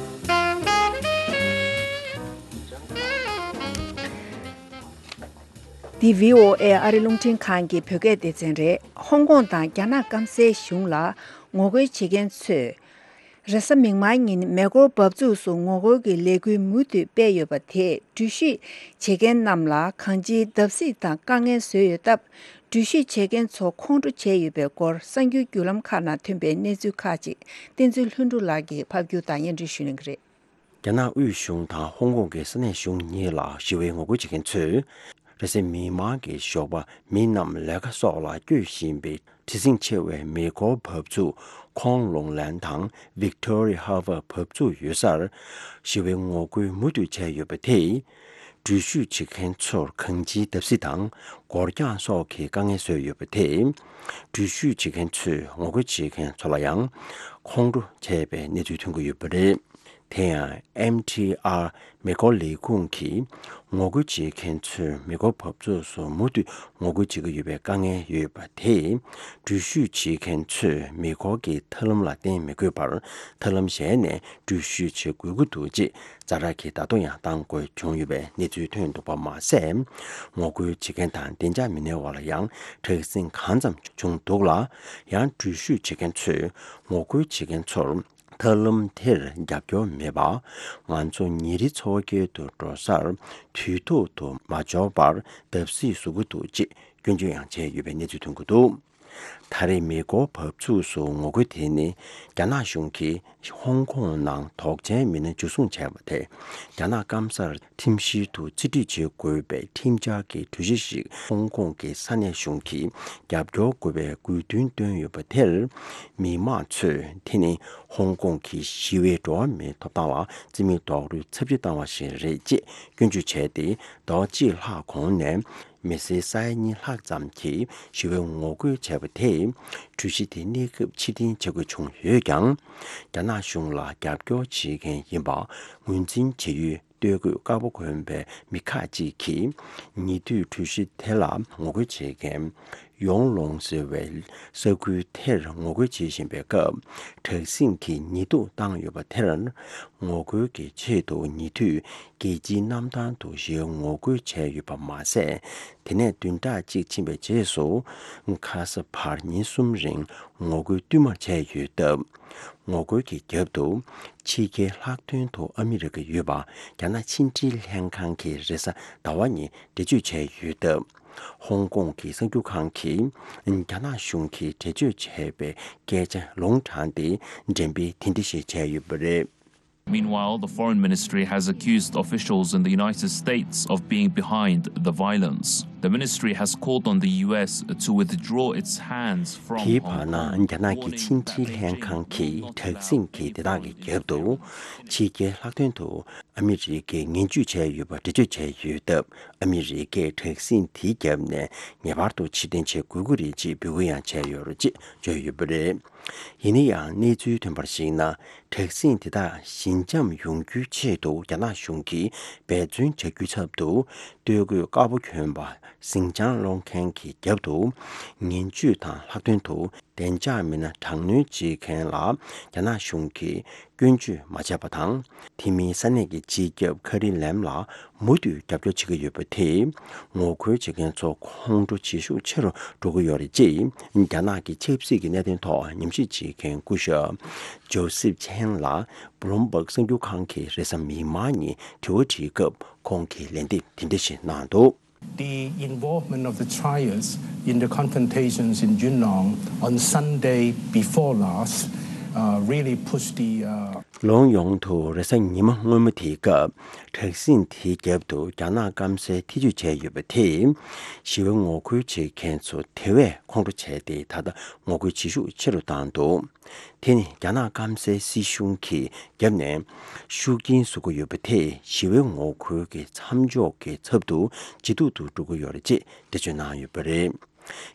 འདི་བྷི་ཨོ་ཨེ་ཨ་རི་རླུང་འཕྲིན་ཁང་གི་བོད་སྐད་སྡེ་ཚན་རེད། ཧོང་ཀོང་དང་རྒྱ་ནག་སྐམ་སའི་གཞུང་ལ་ངོ་རྒོལ་བྱེད་མཁན་ཚོས། རེས་གཟའ་མིག་དམར་ཉིན་མེ་འཁོར་འབབ་ཚུགས་སུ་ངོ་རྒོལ་གྱི་ལས་འགུལ་མུ་མཐུད་སྤེལ་ཡོད་པ་དེས་འགྲུལ་བཞུད་བྱེད་མཁན་རྣམས་ལ་གང་ཅིའི་བརྡབ་གསིག་དང་དཀའ་ངལ་བཟོས་ཡོད་སྟབས། འགྲུལ་བཞུད་བྱེད་མཁན་ཚོ་ཁོང་ཁྲོ་བྱས་ཡོད་པའི་སྐོར་གསར་འགྱུར་བརྒྱུད་ལམ་ཁག་ནང་ཐོན་པའི་གནས་ཚུལ་ཁག་ཅིག་བསྟན་འཛིན་ལྷུན་གྲུབ་ལགས་ཀྱིས་ཕབ་སྒྱུར་དང་སྙན་སྒྲོན་ཞུ་གནང་གི་རེད། རྒྱ་ནག་དབུས་གཞུང་དང་ཧོང་ཀོང་གི་ས་གནས་གཞུང་གཉིས་ལ་ཞི་བའི་ངོ་རྒོལ་བྱེད་མཁན་ཚོས། རེས་གཟའ་མིག་དམར་གྱི་ཞོགས་པ་མི་རྣམས་ལས་ཀ་སོགས་ལ་བསྐྱོད་བཞིན་པའི་བྲེལ་ཟིང་ཆེ་བའི་མེ་འཁོར་འབབ་ཚུགས་ཁོང་ལུང་ལན་དང་Victoria Harbour་འབབ་ཚུགས་ཡོད་སར་ཞི་བའི་ངོ་རྒོལ་མུ་མཐུད་བྱས་ཡོད་པ་དེས། འགྲུལ་བཞུད་བྱེད་མཁན་ཚོར་གང་ཅིའི་བརྡབ་གསིག་དང་སྒོ་རྒྱག་སོགས་ཀྱི་དཀའ་ངལ་བཟོས་ཡོད་པ་དེས། འགྲུལ་བཞུད་བྱེད་མཁན་ཚོས་ངོ་རྒོལ་བྱེད་མཁན་ཚོ་ལ་ཡང་ཁོང་ཁྲོ་བྱས་པའི་གནས་ཚུལ་ཐོན་གྱི་ཡོད་པ་རེད། དེ་ཡང་ཨེམ་ཐི་ཨར་མེ་འཁོར་ལས་ཁུངས་ཀྱིས་ངོ་རྒོལ་བྱེད་མཁན་ཚོས་མེ་འཁོར་འབབ་ཚུགས་སུ་མུ་མཐུད་ངོ་རྒོལ་བྱེད་ཀྱི་ཡོད་པའི་དཀའ་ངལ་ཡོད་པ་དེས། འགྲུལ་བཞུད་བྱེད་མཁན་ཚོས་མེ་འཁོར་གྱི་ཐབས་ལམ་ལ་བརྟེན་མི་དགོས་པར་ཐབས་ལམ་གཞན་ནས་འགྲུལ་བཞུད་བྱེད་དགོས་ཀྱི་འདུག་ཅེས་ཛ་དྲག་གི་བརྡ་ཐོ་ཡང་བཏང་དགོས་བྱུང་ཡོད་པའི་གནས་ཚུལ་ཐོན་འདུག་པ་མ་ཟད། ངོ་རྒོལ་བྱེད་མཁན་དང་བདེ་འཇགས་མི་སྣའི་དབར་ལ་ཡང་དྲག་ཟིང་གང་ཙམ་བྱུང་འདུག་ལ། ཡང་འགྲུལ་བཞུད་བྱེད་མཁན་ཚོས་ངོ་རྒོལ་བྱེད་མཁན་ཚོར། ཐབས་ལམ་དེར་རྒྱབ་སྐྱོར་མེད་པ། ང་ཚོ་ཉིན་རེའི་འཚོ་བ་སྐྱེལ་དུ་འགྲོ་སར་དུས་ཐོག་ཏུ་མ་འབྱོར་བར་བརྡབ་གསིག་བཟོ་གི་འདུག་ཅེས་སྐྱོན་བརྗོད་ཡང་བྱས་ཡོད་པའི་གནས་ཚུལ་ཐོན་གྱི་འདུག་ད་རེས་མེ་འཁོར་འབབ་ཚུགས་སུ་ངོ་རྒོལ་དེ་ནི་རྒྱ་ནག་གཞུང་གིས་ཧོང་ཀོང་ནང་དོགས་ཅན་མི་སྣ་འཇུ་བཟུང་བྱས་པ་དེ་རྒྱ་ནག་སྐམ་སར་ཁྲིམས་བཤེར་དུ་རྩིས་སྤྲོད་བྱེད་དགོས་པའི་ཁྲིམས་འཆར་གྱི་གྲོས་གཞི་ཞིག་ཧོང་ཀོང་གི་ས་གནས་གཞུང་གིས་རྒྱབ་སྐྱོར་དགོས་པའི་དགོས་འདུན་བཏོན་ཡོད་པ་དེར། མི་མང་ཚོས་དེ་ནི་ཧོང་ཀོང་གི་ཞི་བའི་འགྲོ་བ་མིའི་ཐོབ་ཐང་ལ་རྩིས་མེད་རྡོག་རོལ་ཚབས་ཆེ་བཏང་བ་ཞིག་རེད་ཅེས་སྐྱོན་བརྗོད་བྱས་ཏེ། ཟླ་བ་གཅིག་ལྷག་གོང་ནས་མི་སེར་ས་ཡ་གཉིས་ལྷག་ཙམ་གྱིས་ཞི་བའི་ངོ་རྒོལ་བྱས་པ་དེས། གྲོས་གཞི་དེ་གནས་སྐབས་ཕྱིར་འཐེན་བྱ་དགོས་བྱུང་ཡོད་ཀྱང་། རྒྱ་ནག་གཞུང་ལ་རྒྱབ་སྐྱོར་བྱེད་མཁན་ཡིན་པ་ངོས་འཛིན་བྱེད་ཡུལ། སྟོད་གོས་དཀར་པོ་གོན་པའི་མི་ཁག་ཅིག་གིས་ཉེ་དུས་གྲོས་གཞི་དེ་ལ་ངོ་རྒོལ་བྱེད་མཁན་ཡོང་ལོང་ཟེར་བའི་ས་ཁུལ་དེར་ངོ་རྒོལ་བྱེད་བཞིན་པའི་སྐབས། དྲག་ཟིང་གིས་ཉེས་འཛུགས་བཏང་ཡོད་པ་དེར་ངོ་རྒོལ་གྱི་ཆེད་དུ་ཉེ་དུས་རྒྱལ་སྤྱིའི་གནམ་ཐང་དུ་ཞི་བའི་ངོ་རྒོལ་བྱས་ཡོད་པ་མ་ཟད། དེ་ནས་བདུན་ཕྲག་གཅིག་ཕྱིན་པའི་རྗེས་སུ་ཁ་ས་བར་ཉིན་གསུམ་རིང་ངོ་རྒོལ་བསྟུད་མར་བྱས་ཡོད་སྟབས། ངོ་རྒོལ་གྱི་རྒྱབ་ཏུ་ཕྱི་རྒྱལ་ལྷག་དོན་དུ་ཨ་མི་རི་ཀ་ཡོད་པ་རྒྱ་ནག་ཕྱི་འབྲེལ་ལྷན་ཁང་གིས་རེས་གཟའ་ཟླ་བ་ཉིན་འགྲེལ་བརྗོད་བྱས་ཡོད་སྟབས། ཧོང་ཀོང་གི་གསར་འགྱུར་ཁང་གིས་རྒྱ་ནག་གཞུང་གིས་འགྲེལ་བརྗོད་བྱས་པའི་སྐད་ཆ་ལུང་དྲངས་ཏེ་འགྲེམས་སྤེལ་དེ་འདྲ་ཞིག་བྱས་ཡོད་པ་རེད། Meanwhile, the foreign ministry has accused officials in the United States of being behind the violence. The ministry has called on the U S to withdraw its hands from དེའི་བར་ན་རྒྱ་ནག་གི་ཕྱི་འབྲེལ་ལྷན་ཁང་གིས་དྲག་ཟིང་གི་དེ་དག་གི་རྒྱབ་ཏུ་ཕྱི་རྒྱལ་ལྷག་དོན་དུ་ཨ་མི་རི་ཀས་ངན་ཇུས་བྱས་ཡོད་པ་འགྲེལ་བརྗོད་བྱས་ཡོད་སྟབས། ཨ་མི་རི་ཀས་དྲག་ཟིང་དེའི་རྒྱབ་ནས་ངེས་པར་དུ་ཕྱིར་འཐེན་བྱེད་དགོས་ཀྱི་རེད་ཅེས་འབོད་སྐུལ་ཡང་བྱས་ཡོད་རེད་ཅེས་བརྗོད་ཡོད་པ་རེད། ཡིན་ན་ཡང་གནས་ཚུལ་ཐོན་པར་གཞིགས་ན། དྲག་ཟིང་དེ་དག་ཞི་འཇམ་ཡོང་རྒྱུའི་ཆེད་དུ་རྒྱ་ནག་གཞུང་གིས་འབད་བརྩོན་བྱ་རྒྱུའི་ཚབ་ཏུ། སྟོད་གོས་དཀར་པོ་གྱོན་པ་ཟིང་ཆ་སློང་མཁན་གྱི་རྒྱབ་ཏུ། ངན་ཇུས་དང་ལྷག་དོན་དུ་བདེ་འཇགས་མི་སྣ་དྲག་གནོན་བྱེད་མཁན་ལ་རྒྱ་ནག་གཞུང་གིས་སྐྱོན་བརྗོད་མ་བྱས་པ་དང་། དེ་མིན་ས་གནས་ཀྱི་སྤྱི་ཁྱབ་ཁ་རི་ལེམ་ལ་མུ་མཐུད་རྒྱབ་སྐྱོར་བྱེད་ཀྱི་ཡོད་པ་དེས། ངོ་རྒོལ་བྱེད་མཁན་ཚོ་ཁོང་ཁྲོ་བྱེད་ཤུགས་ཆེ་རུ་འགྲོ་གི་ཡོད་རེད་ཅེས། རྒྱ་ནག་གི་ཆབ་སྲིད་ཀྱི་གནད་དོན་ཐོག་ཉམས་ཞིབ་བྱེད་མཁན་སྐུ་ཞབས་ཇོ་སེབ་ཆན་ལ་བྷུ་ལུམ་བྷག་གསར་འགྱུར་ཁང་གིས་རེས་གཟའ་མིག་དམར་ཉིན་དྲི་བ་དྲིས་སྐབས། ཁོང་གིས་ལན་འདེབས་དེ་འདྲ་ཞིག་གནང་འདུག The involvement of the trials in the confrontations in Junong on Sunday before last, uh, really pushed the, uh, ལོ་ཡོངས་དུ་རེས་གཟའ་ཉི་མ་སྔོན་མ་དེའི་སྐབས། དྲག་ཟིང་དེའི་རྒྱབ་ཏུ་རྒྱ་ནག་སྐམ་སའི་ཐེ་ཇུས་བྱས་ཡོད་པ་དེས། ཞི་བའི་ངོ་རྒོལ་བྱེད་མཁན་ཚོ་དེ་བས་ཁོང་ཁྲོ་བྱས་ཏེ། ད་ལྟ་ངོ་རྒོལ་བྱེད་ཤུགས་ཆེ་རུ་བཏང་འདུག་དེ་ནི་རྒྱ་ནག་སྐམ་སའི་སྲིད་གཞུང་གི་རྒྱབ་ནས་ཤུགས་རྐྱེན་བཟོ་གི་ཡོད་པ་དེས། ཞི་བའི་ངོ་རྒོལ་གྱི་མཚམས་འཇོག་གི་ཚབ་ཏུ་ཇེ་སྡུག་ཏུ་འགྲོ་གི་ཡོད་རེད་ཅེས་འགྲེལ་བརྗོད་གནང་ཡོད་པ་རེད།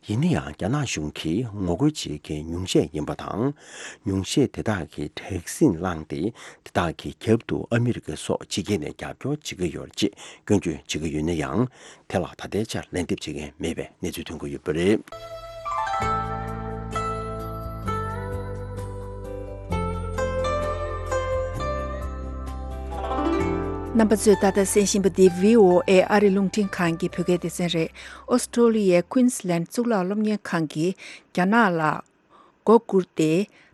ཡིན་ན་ཡང་། རྒྱ་ནག་གཞུང་གིས་ངོ་རྒོལ་བྱེད་མཁན་ཉུང་ཤས་ཡིན་པ་དང་། ཉུང་ཤས་དེ་དག་གིས་དྲག་ཟིང་བསླངས་ཏེ། དེ་དག་གི་རྒྱབ་ཏུ་ཨ་མི་རི་ཀ་སོགས་ཕྱི་རྒྱལ་ནས་རྒྱབ་སྐྱོར་བྱེད་ཀྱི་ཡོད་རེད་ཅེས་སྐྱོན་བརྗོད་བྱེད་ཀྱི་ཡོད་ན་ཡང་། དེ་ལ་ད་ལྟའི་ཆར་ལན་འདེབས་བྱེད་མཁན་མེད་པའི་གནས་ཚུལ་ཐོན་གྱི་ཡོད་པ་རེད། རྣམ་པ་ཚོས་ད་ལྟ་གསན་བཞིན་པ་འདི་བྷི་ཨོ་ཨེ་ཨ་རི་རླུང་འཕྲིན་ཁང་གི་བོད་སྐད་སྡེ་ཚན་རེད། ཨོ་སི་ཀྲོ་ལི་ཡའི་ཀུན་སི་ལན་གཙུག་ལག་སློབ་གཉེར་ཁང་གིས་རྒྱ་ནག་ལ་མགོ་སྒུར་ཏེ།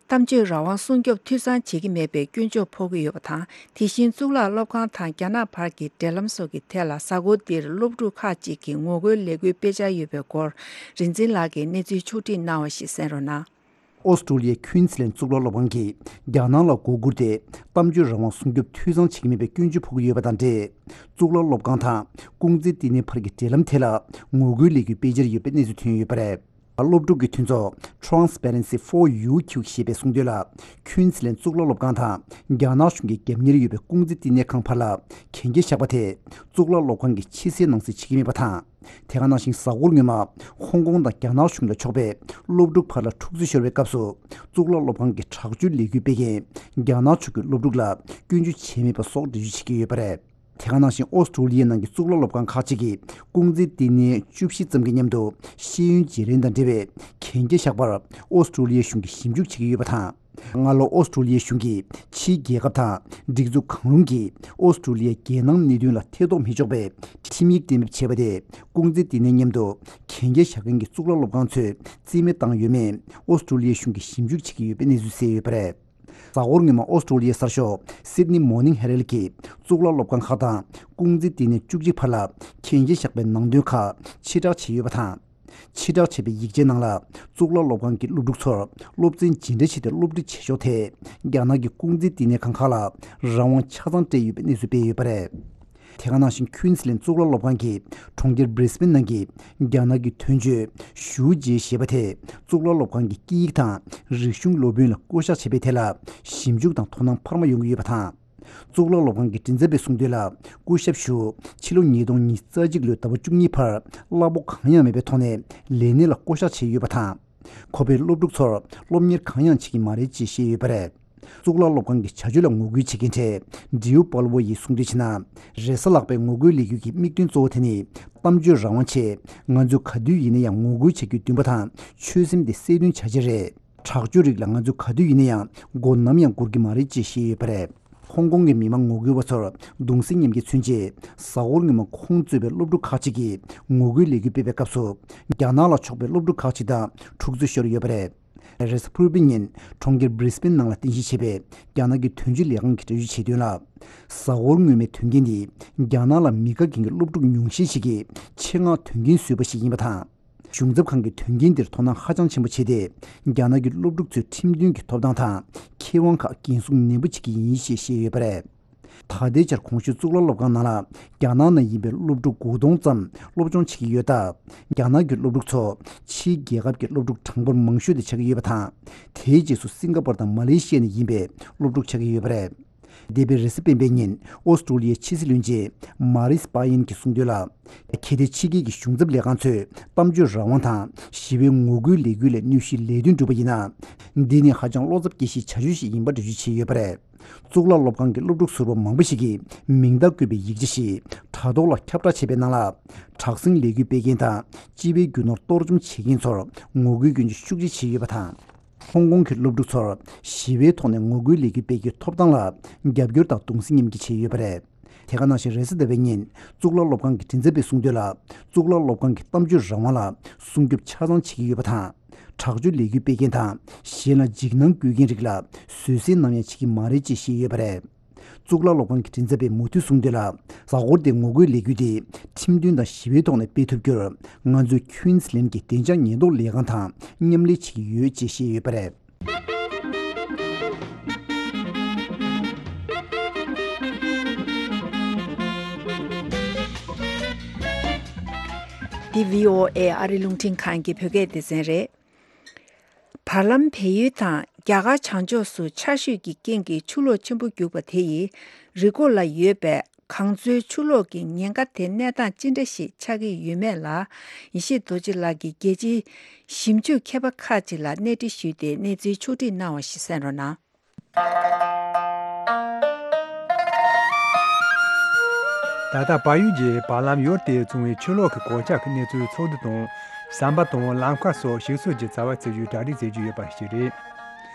གཏམ་བརྗོད་རང་དབང་སྲུང་སྐྱོབ་འཐུས་ཚང་བྱེད་ཀྱི་མེད་པའི་སྐྱོན་བརྗོད་ཕོག་གི་ཡོད་པ་དང་། དེ་བཞིན་གཙུག་ལག་སློབ་ཁང་དང་རྒྱ་ནག་བར་གྱི་འབྲེལ་ལམ་སོགས་ཀྱི་ཐད་ལ། གཟའ་འཁོར་འདིར་སློབ་ཕྲུག་ཁག་ཅིག་གིས་ངོ་རྒོལ་ལས་འགུལ་སྤེལ་འཆར་ཡོད་པའི་སྐོར། རིག་འཛིན་ལགས་ཀྱིས་གནས་ཚུལ་ཕྱོགས་བསྒྲིགས་གནང་བ་ཞིག་གསན་རོགས་གནང་། ཨོ་སི་ཀྲོ་ལི་ཡའི་ཁུན་སི་ལན་གཙུག་ལག་སློབ་ཁང་གིས་རྒྱ་ནག་ལ་མགོ་སྒུར་ཏེ། གཏམ་བརྗོད་རང་དབང་སྲུང་སྐྱོབ་འཐུས་ཚང་བྱེད་ཀྱི་མེད་པའི་སྐྱོན་བརྗོད་ཕོག་གི་ཡོད་པ་དང་འབྲེལ། གཙུག་ལག་སློབ་ཁང་དང་ཀུང་ཙི་བསྟི་གནས་བར་གྱི་འབྲེལ་ལམ་ཐད་ལ་ངོ་རྒོལ་ལས་འགུལ་སྤེལ་འཆར་ཡོད་པའི་གནས་ཚུལ་ཐོན་ཡོད་པ་རེད། སློབ་ཕྲུག་གི་མཐུན་ཚོགས་Transparency for U Q ཞེས་པས་གསུངས་དོན་ལ། ཁུན་སི་ལན་གཙུག་ལག་སློབ་ཁང་དང་རྒྱ་ནག་གཞུང་གི་རྒྱབ་གཉེར་ཡོད་པའི་ཀུང་ཙི་བསྟི་གནས་ཁང་བར་ལ་གན་རྒྱ་བཞག་པ་དེ། གཙུག་ལག་སློབ་ཁང་གིས་ཕྱི་གསལ་ནང་གསལ་བྱེད་ཀྱི་མེད་པ་དང་། དེ་ག་ནང་བཞིན་གཟའ་འཁོར་སྔོན་མ་ཧོང་ཀོང་དང་རྒྱ་ནག་གཞུང་ལ་ཕྱོགས་པའི་སློབ་ཕྲུག་བར་ལ་འཁྲུག་རྩོད་ཤོར་བའི་སྐབས་སུ། གཙུག་ལག་སློབ་ཁང་གི་དྲག་སྤྱོད་ལས་འགུལ་སྤེལ་མཁན་རྒྱ་ནག་ཕྱོགས་ཀྱི་སློབ་ཕྲུག་ལ་སྐྱོན་བརྗོད་བྱས་མེད་པ་སོགས་འགྲེལ་བརྗོད་བྱེད་ཀྱི་ཡོད་པ་རེད། དེ་ག་ནང་བཞིན་ཨོ་སི་ཀྲོ་ལི་ཡའི་ནང་གི་གཙུག་ལག་སློབ་ཁང་ཁག་ཅིག་གིས་ཀུང་ཙི་བསྟི་གནས་བཅུ་བཞི་ཙམ་གྱི་མཉམ་དུ་ཤེས་ཡོན་བརྗེ་ལེན་དང་འབྲེལ་བའི་གན་རྒྱ་བཞག་པར་ཨོ་སི་ཀྲོ་ལི་ཡའི་གཞུང་གིས་ཞིབ་འཇུག་བྱེད་ཀྱི་ཡོད་པ་དང་། སྔ་ལོ་ཨོ་སི་ཀྲོ་ལི་ཡའི་གཞུང་གིས་ཕྱིའི་རྒྱལ་ཁབ་དང་སྒྲིག་འཛུགས་གང་རུང་གིས་ཨོ་སི་ཀྲོ་ལི་ཡའི་རྒྱལ་ནང་གནད་དོན་ལ་ཐེ་གཏོགས་མི་ཆོག་པའི་ཁྲིམས་ཡིག་གཏན་འབེབས་བྱས་པ་དེ། ཀུང་ཙི་བསྟི་གནས་མཉམ་དུ་གན་རྒྱ་བཞག་མཁན་གྱི་གཙུག་ལག་སློབ་ཁང་ཚོས་རྩིས་མེད་བཏང་ཡོད་མེད་ཨོ་སི་ཀྲོ་ལི་ཡའི་གཞུང་གིས་ཞིབ་འཇུག་བྱེད་ཀྱི་ཡོད་པའི་གནས་ཚུལ་གསལ་ཡོད་པ་རེད། གཟའ་འཁོར་སྔོན་མ་ཨོ་སི་ཀྲོ་ལི་ཡའི་གསར་ཤོག་Sydney Morning Herald གིས་གཙུག་ལག་སློབ་ཁང་ཁག་དང་ཀུང་ཙི་བསྟི་གནས་བཅུ་གཅིག་བར་ལ་གན་རྒྱ་བཞག་པའི་ནང་དོན་ཁག་ཕྱིར་བསྒྲགས་བྱས་ཡོད་པ་དང་། ཕྱིར་བསྒྲགས་བྱས་པའི་ཡིག་ཆའི་ནང་ལ། གཙུག་ལག་སློབ་ཁང་གི་སློབ་ཕྲུག་ཚོར་སློབ་ཚན་ཇི་འདྲ་བྱས་ཏེ་སློབ་ཁྲིད་བྱེད་ཕྱོགས་ཐད། རྒྱ་ནག་གི་ཀུང་ཙི་བསྟི་གནས་ཁང་ཁག་ལ་རང་དབང་ཆ་ཚང་སྤྲད་ཡོད་པའི་གནས་ཚུལ་སྤེལ་ཡོད་པ་རེད། དེ་ག་ནང་བཞིན་ཁུན་སི་ལན་གཙུག་ལག་སློབ་ཁང་གིས་གྲོང་ཁྱེར་Brisbane ནང་གི་རྒྱ་ནག་གི་དོན་གཅོད་ཞུའུ་ཅེ་ཞེས་པ་དེས་གཙུག་ལག་སློབ་ཁང་གི་སྐད་ཡིག་དང་རིག་གཞུང་སློབ་དཔོན་ལ་བསྐོ་གཞག་བྱས་པའི་ཐད་ལ་ཞིབ་འཇུག་དང་དོ་སྣང་འཕར་མ་ཡོང་གི་ཡོད་པ་དང་། གཙུག་ལག་སློབ་ཁང་གི་མགྲིན་ཚབ་པས་གསུངས་དོན་ལ། སྐུ་ཞབས་ཞུའུ་ཕྱི་ལོ་ཉིས་སྟོང་ཉི་ཤུ་རྩ་གཅིག་ལོའི་ཟླ་བ་བཅུ་གཉིས་བར་གླ་ཕོགས་གང་ཡང་མེད་པའི་ཐོག་ནས་ལས་གནས་ལ་བསྐོ་གཞག་བྱས་ཡོད་པ་དང་། ཁོ་པས་སློབ་ཕྲུག་ཚོར་སློབ་གཉེར་གང་ཡང་བྱེད་ཀྱི་མ་རེད་ཅེས་བཤད་ཡོད་པ་རེད། གཙུག་ལག་སློབ་ཁང་གི་བྱ་སྤྱོད་ལ་ངོ་རྒོལ་བྱེད་མཁན་གྲས་ཌིའུ་པལ་ཝོ་ཡིས་གསུངས་དོན་བྱས་ན། རེས་གཟའ་ལྷག་པའི་ངོ་རྒོལ་ལས་འགུལ་གྱི་དམིགས་དོན་གཙོ་བོ་དེ་ནི་གཏམ་བརྗོད་རང་དབང་ཆེད། ང་ཚོས་ག་དུས་ཡིན་ན་ཡང་ངོ་རྒོལ་བྱ་རྒྱུའི་འདུན་པ་དང་ཆོད་སེམས་དེ་གསལ་སྟོན་བྱ་ཆེད་རེད། དྲག་སྤྱོད་རིགས་ལ་ང་ཚོས་ག་དུས་ཡིན་ན་ཡང་མགོ་ནམ་ཡང་སྒུར་གྱི་མ་རེད་ཅེས་བཤད་ཡོད་པ་རེད། ཧོང་ཀོང་གི་མི་མང་ངོ་རྒོལ་བ་ཚོར་གདུང་སེམས་མཉམ་སྐྱེད་མཚོན་ཆེད། གཟའ་འཁོར་སྔོན་མ་ཁོང་གཙོས་པའི་སློབ་ཕྲུག་ཁག་ཅིག་གིས་ངོ་རྒོལ་ལས་འགུལ་སྤེལ་བའི་སྐབས་སུ། རྒྱ་ནག་ལ་ཕྱོགས་པའི་སློབ་ཕྲུག་ཁག་ཅིག་དང་འཁྲུག་རྩོད་ཤོར་ཡོད་པ་རེད། རེས་གཟའ་ཕུར་བུའི་ཉིན་གྲོང་ཁྱེར་Brisbane ནང་ལ་རྟེན་གཞི་བྱས་པའི་རྒྱ་ནག་གི་དོན་གཅོད་ལས་ཁང་གིས་འགྲེལ་བརྗོད་བྱས་དོན་ལ། གཟའ་འཁོར་སྔོན་མའི་དོན་རྐྱེན་འདི་རྒྱ་ནག་ལ་མི་དགའ་མཁན་གྱི་སློབ་ཕྲུག་ཉུང་ཤས་ཤིག་གིས་ཆེད་མངགས་དོན་རྐྱེན་བཟོས་པ་ཞིག་ཡིན་པ་དང་། གཞུང་ཚབ་ཁང་གིས་དོན་རྐྱེན་འདིར་དོ་སྣང་ཧ་ཅང་ཆེན་པོ་བྱས་ཏེ། རྒྱ་ནག་གི་སློབ་ཕྲུག་ཚོའི་ཁྲིམས་མཐུན་གྱི་ཐོབ་ཐང་དང་ཁེ་དབང་ཁག་འགན་སྲུང་ནན་པོ་བྱེད་ཀྱི་ཡིན་ཞེས་བཤད་ཡོད་པ་རེད། ད་ལྟའི་ཆར་གོང་ཞུས་གཙུག་ལག་སློབ་ཁང་ནང་ལ་རྒྱ་ནག་ནང་ཡིན་པའི་སློབ་ཕྲུག་དགུ་སྟོང་ཙམ་སློབ་སྦྱོང་བྱེད་ཀྱི་ཡོད་སྟབས། རྒྱ་ནག་གི་སློབ་ཕྲུག་ཚོ་ཕྱིའི་རྒྱལ་ཁབ་ཀྱི་སློབ་ཕྲུག་གྲངས་འབོར་མང་ཤོས་དེ་ཆགས་ཀྱི་ཡོད་པ་དང་། དེའི་རྗེས་སུ་སིང་ག་པོར་དང་མ་ལེ་ཤི་ཡ་ནས་ཡིན་པའི་སློབ་ཕྲུག་ཆགས་ཀྱི་ཡོད་པ་རེད། འདས་པའི་རེས་གཟའ་སྤེན་པའི་ཉིན་ཨོ་སི་ཀྲོ་ལི་ཡའི་ཕྱི་སྲིད་བློན་ཆེན་མཱ་རིས་པ་ཡན་གྱིས་གསུངས་དོན་ལ། གལ་ཏེ་ཕྱི་རྒྱལ་གྱི་གཞུང་ཚབ་ལས་ཁང་ཚོས་གཏམ་བརྗོད་རང་དབང་དང་ཞི་བའི་ངོ་རྒོལ་ལས་འགུལ་ལས་གནོད་གཞིའི་ལས་དོན་བསྒྲུབས་པ་ཡིན་ན། འདི་ནི་ཧ་ཅང་བློ་འཚབ་སྐྱེ་གཞིའི་བྱ་སྤྱོད་ཞིག་ཡིན་པ་འགྲེལ་བརྗོད་བྱས་ཡོད་པ་རེད། གཙུག་ལག་སློབ་ཁང་གི་སློབ་ཕྲུག་ཟུར་པ་མང་པོ་ཞིག་གིས་མིང་རྟགས་བཀོད་པའི་ཡིག་ཆ་ཞིག་དྲ་ཐོག་ལ་ཁྱབ་བསྒྲགས་བྱས་པའི་ནང་ལ། དྲག་ཟིང་ལས་འགུལ་སྤེལ་མཁན་དང་སྤྱི་པའི་རྒྱུ་ནོར་གཏོར་བཅོམ་བྱེད་མཁན་ཚོར་ངོ་རྒོལ་སྐྱོན་བརྗོད་ཤུགས་ཆེ་བྱས་ཡོད་པ་དང་། ཧོང་ཀོང་གི་སློབ་ཕྲུག་ཚོར་ཞི་བའི་ཐོག་ནས་ངོ་རྒོལ་ལས་འགུལ་སྤེལ་རྒྱུའི་ཐོབ་ཐང་ལ་རྒྱབ་སྐྱོར་དང་གདུང་སེམས་མཉམ་སྐྱེད་བྱས་ཡོད་པ་རེད། དེ་ག་ནང་བཞིན་རེས་གཟའ་ཟླ་བའི་ཉིན་གཙུག་ལག་སློབ་ཁང་གི་མགྲིན་ཚབ་པས་གསུངས་དོན་ལ། གཙུག་ལག་སློབ་ཁང་གི་གཏམ་བརྗོད་རང་དབང་ལ་སྲུང་སྐྱོབ་ཆ་ཚང་བྱེད་ཀྱི་ཡོད་པ་དང་། དྲག་སྤྱོད་ལས་འགུལ་སྤེལ་མཁན་དང་གཞན་ལ་འཇིགས་སྣང་བསྐུལ་མཁན་རིགས་ལ་བཟོད་བསྲན་ནམ་ཡང་བྱེད་ཀྱི་མ་རེད་ཅེས་བཤད་ཡོད་པ་རེད། གཙུག་ལག་སློབ་ཁང་གི་མགྲིན་ཚབ་པས་མུ་མཐུད་གསུངས་དོན་ལ། གཟའ་འཁོར་འདིའི་ངོ་རྒོལ་ལས་འགུལ་དེ་ཁྲིམས་མཐུན་དང་ཞི་བའི་ཐོག་ནས་སྤེལ་ཐུབ་རྒྱུར། ང་ཚོས་ཁུན་སི་ལན་གྱི་བདེ་འཇགས་ཉེན་རྟོག་ལས་ཁང་དང་མཉམ་ལས་བྱེད་ཀྱི་ཡོད་ཅེས་བཤད་ཡོད་པ་རེད། འདི་བྷི་ཨོ་ཨེ་ཨ་རི་རླུང་འཕྲིན་ཁང་གི་བོད་སྐད་སྡེ་ཚན་རེད། བར་ལམ་བལ་ཡུལ་དང་རྒྱ་གར་བྱང་ཕྱོགས་སུ་ཆར་ཞོད་ཀྱི་རྐྱེན་གྱིས་ཆུ་ལོག་ཆེན་པོ་རྒྱུག་པ་དེ་ཡིས་རི་མགོ་ལ་ཡོད་པའི་གངས་མཚོའི་ཆུ་ལོག་གི་ཉེན་ཁ་དེ་གནས་སྟངས་ཅི་འདྲ་ཞིག་ཆགས་ཀྱི་ཡོད་མེད་ལ། ཡེ་ཤེས་རྡོ་རྗེ་ལགས་ཀྱིས་རྒྱལ་སྤྱིའི་ཞིབ་འཇུག་མཁས་པ་ཁག་ཅིག་ལ་གནས་འདྲི་ཞུས་ཏེ་གནས་ཚུལ་ཕྱོགས་སྒྲིག་གནང་བ་ཞིག་གསན་རོགས་གནང་། ད་ལྟ་བལ་ཡུལ་གྱི་བར་ལམ་ཡུལ་དེས་བྱུང་བའི་ཆུ་ལོག་གི་གོད་ཆག་གི་གནས་ཚུལ་ཚོགས་འདུ་དང་། ཟམ་པ་དང་ལམ་ཁ་སོགས་ཞིག་གསོ་གྱི་རྩ་བ་རྩེ་རྒྱུའི་གྲ་སྒྲིག་མཛད་རྒྱུ་ཡོད་པ་ཞིག་རེད།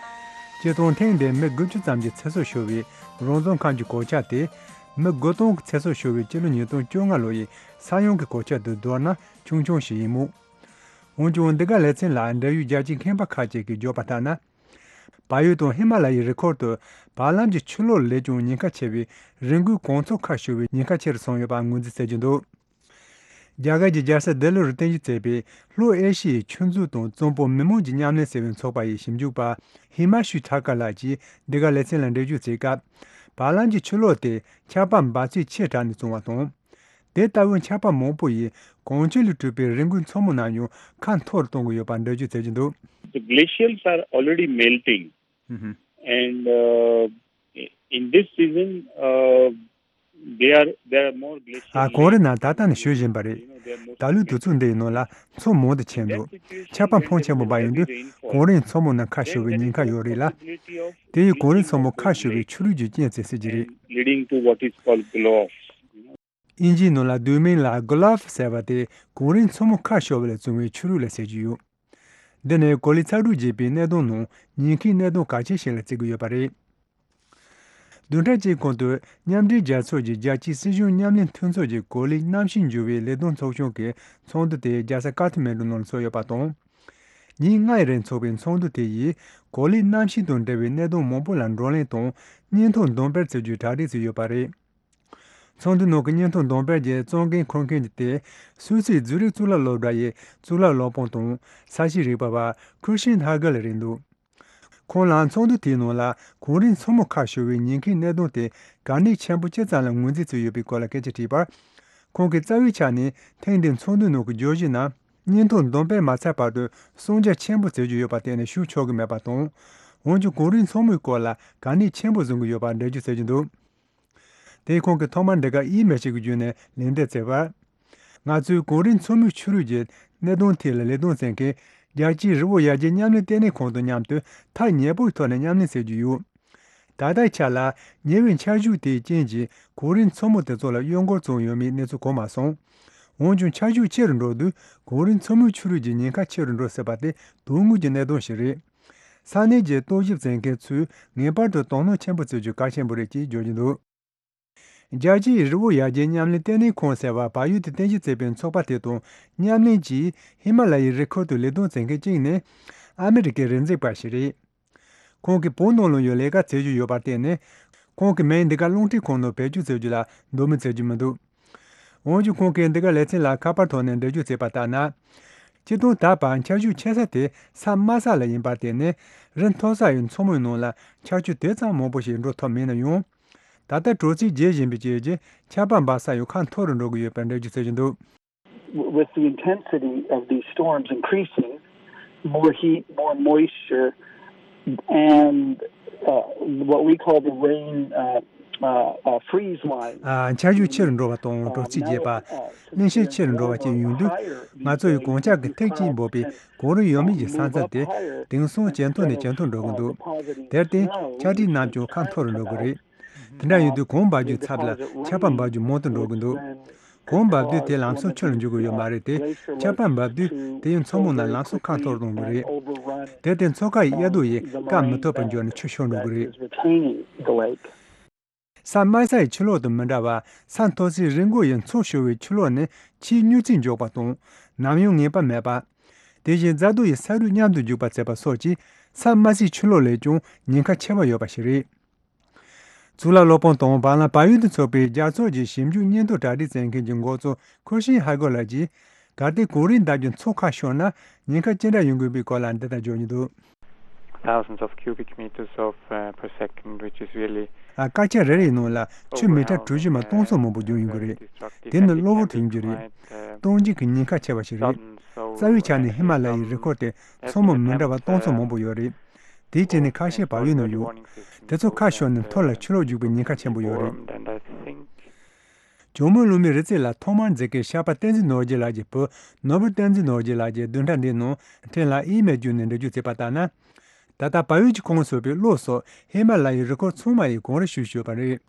སྤྱིར་བཏང་ཐེངས་འདིར་མི་དགུ་བཅུ་ཙམ་གྱི་ཚེ་སྲོག་ཤོར་བའི་རང་བཙན་ཁང་གི་གོད་ཆག་དེ། མི་དགུ་སྟོང་གི་ཚེ་སྲོག་ཤོར་བའི་སྤྱི་ལོ་ཉིས་སྟོང་བཅོ་ལྔ་ལོ་ཡི་ས་ཡོམ་གྱི་གོད་ཆག་དང་བསྡུར་ན་ཆུང་ཆུང་ཞིག་ཡིན་མོད། འོན་ཀྱང་འདི་ག་ལེ་ཚན་ལ་འབྲེལ་ཡོད་རྒྱལ་སྤྱིའི་མཁས་པ་ཁག་ཅིག་གིས་བརྗོད་པ་ལྟར་ན། བལ་ཡུལ་དང་ཧི་མ་ལ་ཡའི་རི་ཁུལ་དུ་བར་ལམ་གྱི་ཆུ་ལོག་ལས་ཀྱང་ཉེན་ཁ་ཆེ་བའི་རི་མགོའི་གངས་མཚོ་ཁ་ཤོར་བའི་ཉེན་ཁ་ཆེ་རུ་སོང་ཡོད་པ་ངོས་འཛིན་བྱེད་ཀྱི་འདུག་རྒྱ་གར་གྱི་རྒྱལ་ས་ལྡི་ལིར་རྟེན་གཞི་བྱས་པའི་ལྷོ་ཨེ་ཤི་ཡའི་ཆུ་མཛོད་དང་གཙང་པོ་མི་དམངས་ཀྱི་མཉམ་ལས་ཟེར་བའི་ཚོགས་པ་ཡི་ཞིབ་འཇུག་པ་ཧི་མ་ཤུ་ཐ་ཀ་ལགས་ཀྱིས་འདི་ག་ལེ་ཚན་ལ་འགྲེལ་བརྗོད་བྱས་སྐབས། བར་ལམ་གྱི་ཆུ་ལོག་དེ་ཆར་པ་འབབ་ཚིགས་ཆེ་དྲགས་ནས་བྱུང་བ་དང་། དེ་ལྟ་བུའི་ཆར་པ་མང་པོ་ཡིས་གངས་ཆུ་ལས་གྲུབ་པའི་རི་མགོའི་མཚོ་མོ་རྣམས་ཡང་ཁ་འཐོར་གཏོང་གི་ཡོད་པར་འགྲེལ་བརྗོད་བྱེད་ཀྱི་འདུག The glacials are already melting. ཧུམ་ཧུམ། And, uh, in this season, uh, they are, there are more glacial ཨ། གངས་རི་རྣམས་ད་ལྟ་ནས་ཞུ་བཞིན་པ་རེད། ད་ལོའི་དུས་ཚོད་འདི་ཡི་ནང་ལ་མཚོ་མང་དུ་ཆེན་འདུག་ཆར་པ་འཕོན་ཆེན་པོ་འབབ་ཡོང་དུས་གངས་རིའི་མཚོ་མོ་རྣམས་ཁ་ཤོར་བའི་ཉེན་ཁ་ཡོད་རེད་ལ། དེ་ཡིས་གངས་རིའི་མཚོ་མོ་ཁ་ཤོར་བའི་ཆུ་རུད་ཀྱི་རྐྱེན་བྱེད་སྲིད་ཀྱི་རེད། Leading to what is called glow off. དབྱིན་ཇིའི་ནང་ལ་བསྡུས་མིང་ལ་གོ་ལ་ཧྥ་ཟེར་བ་དེ་གངས་རིའི་མཚོ་མོ་ཁ་ཤོར་བ་ལས་བྱུང་བའི་ཆུ་རུད་ལ་ཟེར་གྱི་ཡོད། འདི་ནི་གོ་ལའི་ཚ་དྲོད་རྒྱས་པའི་གནད་དོན་ནང་ཉེན་ཁའི་གནད་དོན་གལ་ཆེ་ཞིག་ལ་བརྩི་གི་ཡོད་པ་རེད། བདུན་ཕྲག་གཅིག་གོང་དུ་མཉམ་འབྲེལ་རྒྱལ་ཚོགས་ཀྱི་རྒྱལ་སྤྱིའི་སྲིད་གཞུང་མཉམ་ལས་མཐུན་ཚོགས་ཀྱི་གོ་ལའི་གནམ་གཤིས་འགྱུར་བའི་ལས་དོན་ཚོགས་ཆུང་གི་ཚོགས་འདུ་དེ་རྒྱལ་ས་ཀ་ཐ་མན་གྲུ་ནང་ལ་ཚོགས་ཡོད་པ་དང་། ཉིན་ལྔའི་རིང་འཚོགས་པའི་ཚོགས་འདུ་དེ་ཡིས་གོ་ལའི་གནམ་གཤིས་དང་འབྲེལ་བའི་གནད་དོན་མང་པོ་ལ་བགྲོ་གླེང་དང་སྙན་ཐོ་འདོན་སྤེལ་བྱེད་རྒྱུའི་གྲ་སྒྲིག་བྱས་ཡོད་པ་རེད། ཚོགས་འདུའི་ནང་གི་སྙན་ཐོ་འདོན་སྤེལ་གྱི་གཙོ་འགན་འཁུར་མཁན་གྱི་སྟེང་སུད་སིའི་ཛུ་རིག་གཙུག་ལག་སློབ་གྲྭ་ཡི་གཙུག་ལག་སློབ་དཔོན་དང་ས་གཤིས་རིག་པ་བ་ཁུར་ཤིན་ཧ་གལ་རེད་འདུག་ཁོང་ལ་ཚོགས་འདུ་དེའི་ནང་ལ་གངས་རིའི་མཚོ་མོ་ཁ་ཤོར་བའི་ཉེན་ཁའི་གནད་དོན་དེ་གལ་གནད་ཆེན་པོ་ཅི་ཙམ་ལ་ངོས་འཛིན་བྱས་ཡོད་པའི་སྐོར་ལ་སྐད་ཆ་དྲིས་པར། ཁོང་གིས་རྩ་བའི་ཆ་ནས་ཐེངས་འདིའི་ཚོགས་འདུའི་ནང་གི་བརྗོད་གཞི་ནང་སྙན་ཐོ་འདོན་སྤེལ་མ་ཚར་བར་དུ་གསུང་རྒྱ་ཆེན་པོ་བྱེད་རྒྱུ་ཡོད་པ་གཏན་ནས་ཞུ་ཆོག་གི་མེད་པ་དང་། འོན་ཀྱང་གངས་རིའི་མཚོ་མོའི་སྐོར་ལ་གལ་གནད་ཆེན་པོ་བཟུང་གི་ཡོད་པར་འགྲེལ་བརྗོད་བྱེད་ཀྱི་འདུག་དེས་ཁོང་གིས་ཐོག་མར་འདི་གར་ཨི་མེལ་ཞིག་གི་བརྒྱུད་ནས་ལན་འདེབས་བྱས་པར། ང་ཚོས་གངས་རིའི་མཚོ་མོའི་ཆུ་རུད་ཀྱི་གནད་དོན་ཐད་ལ་ལས་དོན་བྱེད་མཁན་རྒྱལ་སྤྱིའི་རི་བོ་ཡར་རྒྱས་མཉམ་ལས་ལྟེ་གནས་ཁང་དང་མཉམ་དུ་ཐག་ཉེ་པོའི་ཐོག་ནས་མཉམ་ལས་བྱེད་ཀྱི་ཡོད། ད་ལྟའི་ཆ་ལ་ཉེ་བའི་ཆར་ཆུ་དེའི་རྐྱེན་གྱིས་གངས་རིའི་མཚོ་མོ་དེ་ཚོ་ལ་གཡོ་འགུལ་བྱུང་ཡོད་མེད་གནས་ཚུལ་གོ་མ་སོང་། འོན་ཀྱང་ཆར་ཆུ་ཆེ་རུ་འགྲོ་དུས་གངས་རིའི་མཚོ་མོའི་ཆུ་རུད་ཀྱི་ཉེན་ཁ་ཆེ་རུ་འགྲོ་སྲིད་པ་དེ་དོན་དངོས་ཀྱི་གནད་དོན་ཞིག་རེད། ས་གནས་ཀྱི་རྟོག་ཞིབ་བྱེད་མཁན་ཚོས་ངེས་པར་དུ་དོ་སྣང་ཆེན་པོ་བྱེད་རྒྱུ་གལ་ཆེན་པོ་རེད་ཅེས་བརྗོད་ཀྱི་འདུག་རྒྱལ་སྤྱིའི་རི་བོ་ཡར་རྒྱས་མཉམ་ལས་ལྟེ་གནས་ཁང་ཟེར་བ་བལ་ཡུལ་དུ་རྟེན་གཞི་བྱས་པའི་ཚོགས་པ་དེ་དང་མཉམ་ལེན་གྱིས་ཧི་མ་ལ་ཡའི་རི་ཁུལ་དུ་ལས་དོན་བྱེད་མཁན་གཅིག་ནི་ཨ་མི་རི་ཀའི་རི་འཛེག་པ་ཞིག་རེད། ཁོང་གིས་བོད་ནང་ལ་ཡང་ལས་ཀ་བྱེད་རྒྱུ་ཡོད་པར་བརྟེན་ནས། ཁོང་གི་མིང་འདི་ག་རླུང་འཕྲིན་ཁང་ནང་བེད་སྤྱོད་བྱེད་རྒྱུ་ལ་འདོད་མོས་བྱེད་རྒྱུ་མི་འདུག་འོན་ཀྱང་ཁོང་གིས་འདི་ག་ལེ་ཚན་ལ་ཁ་པར་ཐོག་ནས་འགྲེལ་བརྗོད་བྱས་པ་ལྟར་ན། སྤྱིར་བཏང་ད་བར་ཆར་ཆུ་ཆེ་ས་དེ་ས་དམའ་ས་ལ་ཡིན་པར་བརྟེན་ནས་རི་མཐོ་ས་ཡི་མཚོ་མོའི་ནང་ལ་ཆར་ཆུ་དེ་ཙམ་མང་པོ་ཞིག་འགྲོ་ཐུབ་མེད་ན་ཡང་། ད་ལྟ་དྲོ་ཚིགས་རྒྱས་བཞིན་པའི་རྐྱེན་གྱིས་ཆར་པ་འབབ་ས་ཡང་ཁ་འཐོར་རུ་འགྲོ་གི་ཡོད་པའི་འགྲེལ་བརྗོད་བྱེད་བཞིན་འདུག། With the intensity of these storms increasing, more heat, more moisture, and uh, what we call the rain uh, uh, uh, freeze line. ཨ། ཆར་ཞོད་ཆེ་རུ་འགྲོ་བ་དང་དྲོ་ཚིགས་རྒྱས་པ། མཉེན་ཆས་ཆེ་རུ་འགྲོ་བ་བཅས་ཡོང་དུས། ང་ཚོ་ཡི་གངས་འཁྱག་གི་ཐིགས་གཅིག་འབབ་པའི་གངས་རི་ཡོད་མེད་ཀྱི་ས་མཚམས་དེ་དེང་སང་ཇེ་མཐོ་ནས་ཇེ་མཐོར་འགྲོ་གི་འདུག། དེར་བརྟེན་ཆར་ཐིགས་རྣམས་ཀྱང་ཁ་འཐོར་རུ་འགྲོ་གི་རེད། དེ་འདྲ་ཡིན་དུས་གངས་འབབ་རྒྱུའི་ཚབ་ལ་ཆར་པ་འབབ་རྒྱུ་མང་དུ་འགྲོ་གི་འདུག། གངས་འབབ་དུས་དེ་ལམ་སང་ཆུ་ལ་འགྱུར་གི་ཡོད་མ་རེད་དེ། ཆར་པ་འབབ་དུས་དེ་ཡང་མཚོ་མོ་ནང་ལམ་སང་ཁ་འཐོར་གཏོང་གི་རེད། དེར་བརྟེན་མཚོ་ཁ་ཡི་གཡའ་རྡོ་ཡིས་བཀག་མི་ཐུབ་པར་འགྱུར་ནས་ཆུ་ཤོར་འགྲོ་གི་རེད། ས་དམའ་ས་ཡི་ཆུ་ལོག་དང་མི་འདྲ་བར་ས་མཐོ་སའི་རི་མགོ་ཡི་མཚོ་ཤོར་བའི་ཆུ་ལོག་ནི་ཆེས་མྱུར་ཚད་མགྱོགས་པ་དང་ནམ་ཡང་ངེས་པ་མེད་པ། དེ་བཞིན་རྫ་རྡོ་ཡི་ས་རུད་མཉམ་དུ་རྒྱུག་པ་བྱེད་པ་སོགས་ཀྱིས་ས་དམའ་སའི་ཆུ་ལོག་ལས་ཀྱང་ཉེན་ཁ་ཆེ་བ་ཡོད་པ་ཞིག་རེད། གཙུག་ལག་སློབ་དཔོན་དང་བར་ལམ་བལ་ཡུལ་དུ་ཚོགས་པའི་རྒྱལ་ཚོགས་ཀྱི་ཞིབ་འཇུག་སྙན་ཐོ་གྲ་སྒྲིག་མཛད་མཁན་གྱི་འགོ་གཙོ་ཁུ་ཤིན་ཧ་གོ་ལགས་ཀྱིས། གལ་ཏེ་གངས་རིའི་འདབས་ཀྱི་མཚོ་ཁ་ཤོར་ན་ཉེན་ཁ་ཅི་འདྲ་ཡོང་གི་ཡོད་པའི་སྐོར་ལ་འདི་ལྟར་བརྗོད་ཀྱི་འདུག། Thousands of cubic meters of uh, per second, which is really ཨ། སྐར་ཆ་རེ་རེའི་ནང་ལ་ཆུ་མི་ཊར་གྲུ་བཞི་མ་སྟོང་ཚོ་མང་པོ་རྒྱུག་ཡོང་གི་རེད། དེ་ནི་གློ་བུར་དུ་ཡོང་རྒྱུ་རེད། སྟོང་འཇུག་གི་ཉེན་ཁ་ཆེ་བ་ཞིག་རེད། རྩ་བའི་ཆ་ནས་ཧི་མ་ལ་ཡའི་རི་ཁོར་དེ་མཚོ་མོ་མི་འདྲ་བ་སྟོང་ཚོ་མང་པོ་ཡོད་རེད། དེའི་གྲས་ནས་ཁ་ཤས་བལ་ཡུལ་ནང་ཡོད། དེ་ཚོ་ཁ་ཤོར་ནས་མཐོ་ལ་ཆུ་ལོག་རྒྱུག་པའི་ཉེན་ཁ་ཆེན་པོ་ཡོད་རེད། ཇོ་མོ་གླང་མའི་རི་རྩེ་ལ་ཐོག་མར་འཛེགས་མཁན་ཤར་པ་བསྟན་འཛིན་ནོར་རྒྱས་ལགས་ཀྱི་བུ་ནོར་བུ་བསྟན་འཛིན་ནོར་རྒྱས་ལགས་ཀྱིས་བདུན་ཕྲག་འདིའི་ནང་ཕྲན་ལ་ཨི་མེལ་བརྒྱུད་ནས་འགྲེལ་བརྗོད་བྱས་པ་ལྟར་ན། ད་ལྟ་བལ་ཡུལ་གྱི་ཁོངས་སུ་ཡོད་པའི་གློ་སོགས་ཧི་མ་ལ་ཡའི་རི་ཁོར་ཚང་མ་ཡི་གངས་རི་ཞུ་བཞིན་ཡོད་པ་རེད།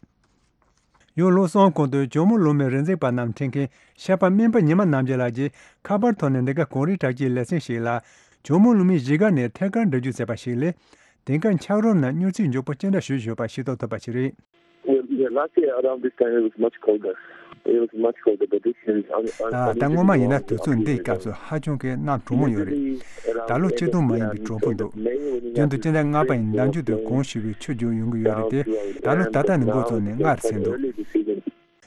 ཡང་གློ་གསང་གོང་དུ་ཇོ་མོ་གླང་མའི་རི་འཛེག་པ་རྣམས་ཁྲིད་མཁན་ཤར་པ་སྨན་པ་ཉི་མ་རྣམ་རྒྱལ་ལགས་ཀྱིས་ཁ་པར་ཐོག་ནས་འདི་ག་གངས་རིའི་བྲག་སྐྱིའི་ལེ་ཚན་ཞིག་ལ་ཇོ་མོ་གླང་མའི་གཞིས་སྒར་ནས་ཐད་ཀར་འགྲེལ་བརྗོད་བྱས་པ་ཞིག་ལས། དེང་སྐབས་འཁྱགས་རོམ་ནང་མྱུར་ཚད་མགྱོགས་པོ་ཅི་འདྲ་ཞུ་བཞིན་ཡོད་པ་ཤེས་རྟོགས་ཐུབ་པ་ཞིག་རེད། Yeah, last year around this time it was much colder. It was much colder, but this year is un- un- ད་སྔོན་མ་ཡིན་ན་དུས་ཚོད་འདིའི་སྐབས་སུ་ཧ་ཅང་གི་གནམ་གྲང་མོ་ཡོད་རེད། ད་ལོ་སྤྱིར་བཏང་མ་ཡིན་པའི་གྲང་པོ་འདུག། རྒྱུན་དུ་སྤྱི་ཟླ་ལྔ་པ་ཡི་ཟླ་མཇུག་ཏུ་གངས་ཞུ་བའི་ཆུ་རྒྱུག་ཡོང་གི་ཡོད་རེད་དེ། ད་ལོ་ད་ལྟ་ནས་འགོ་བཙུགས་ནས་སྔར་ཟིན་འདུག།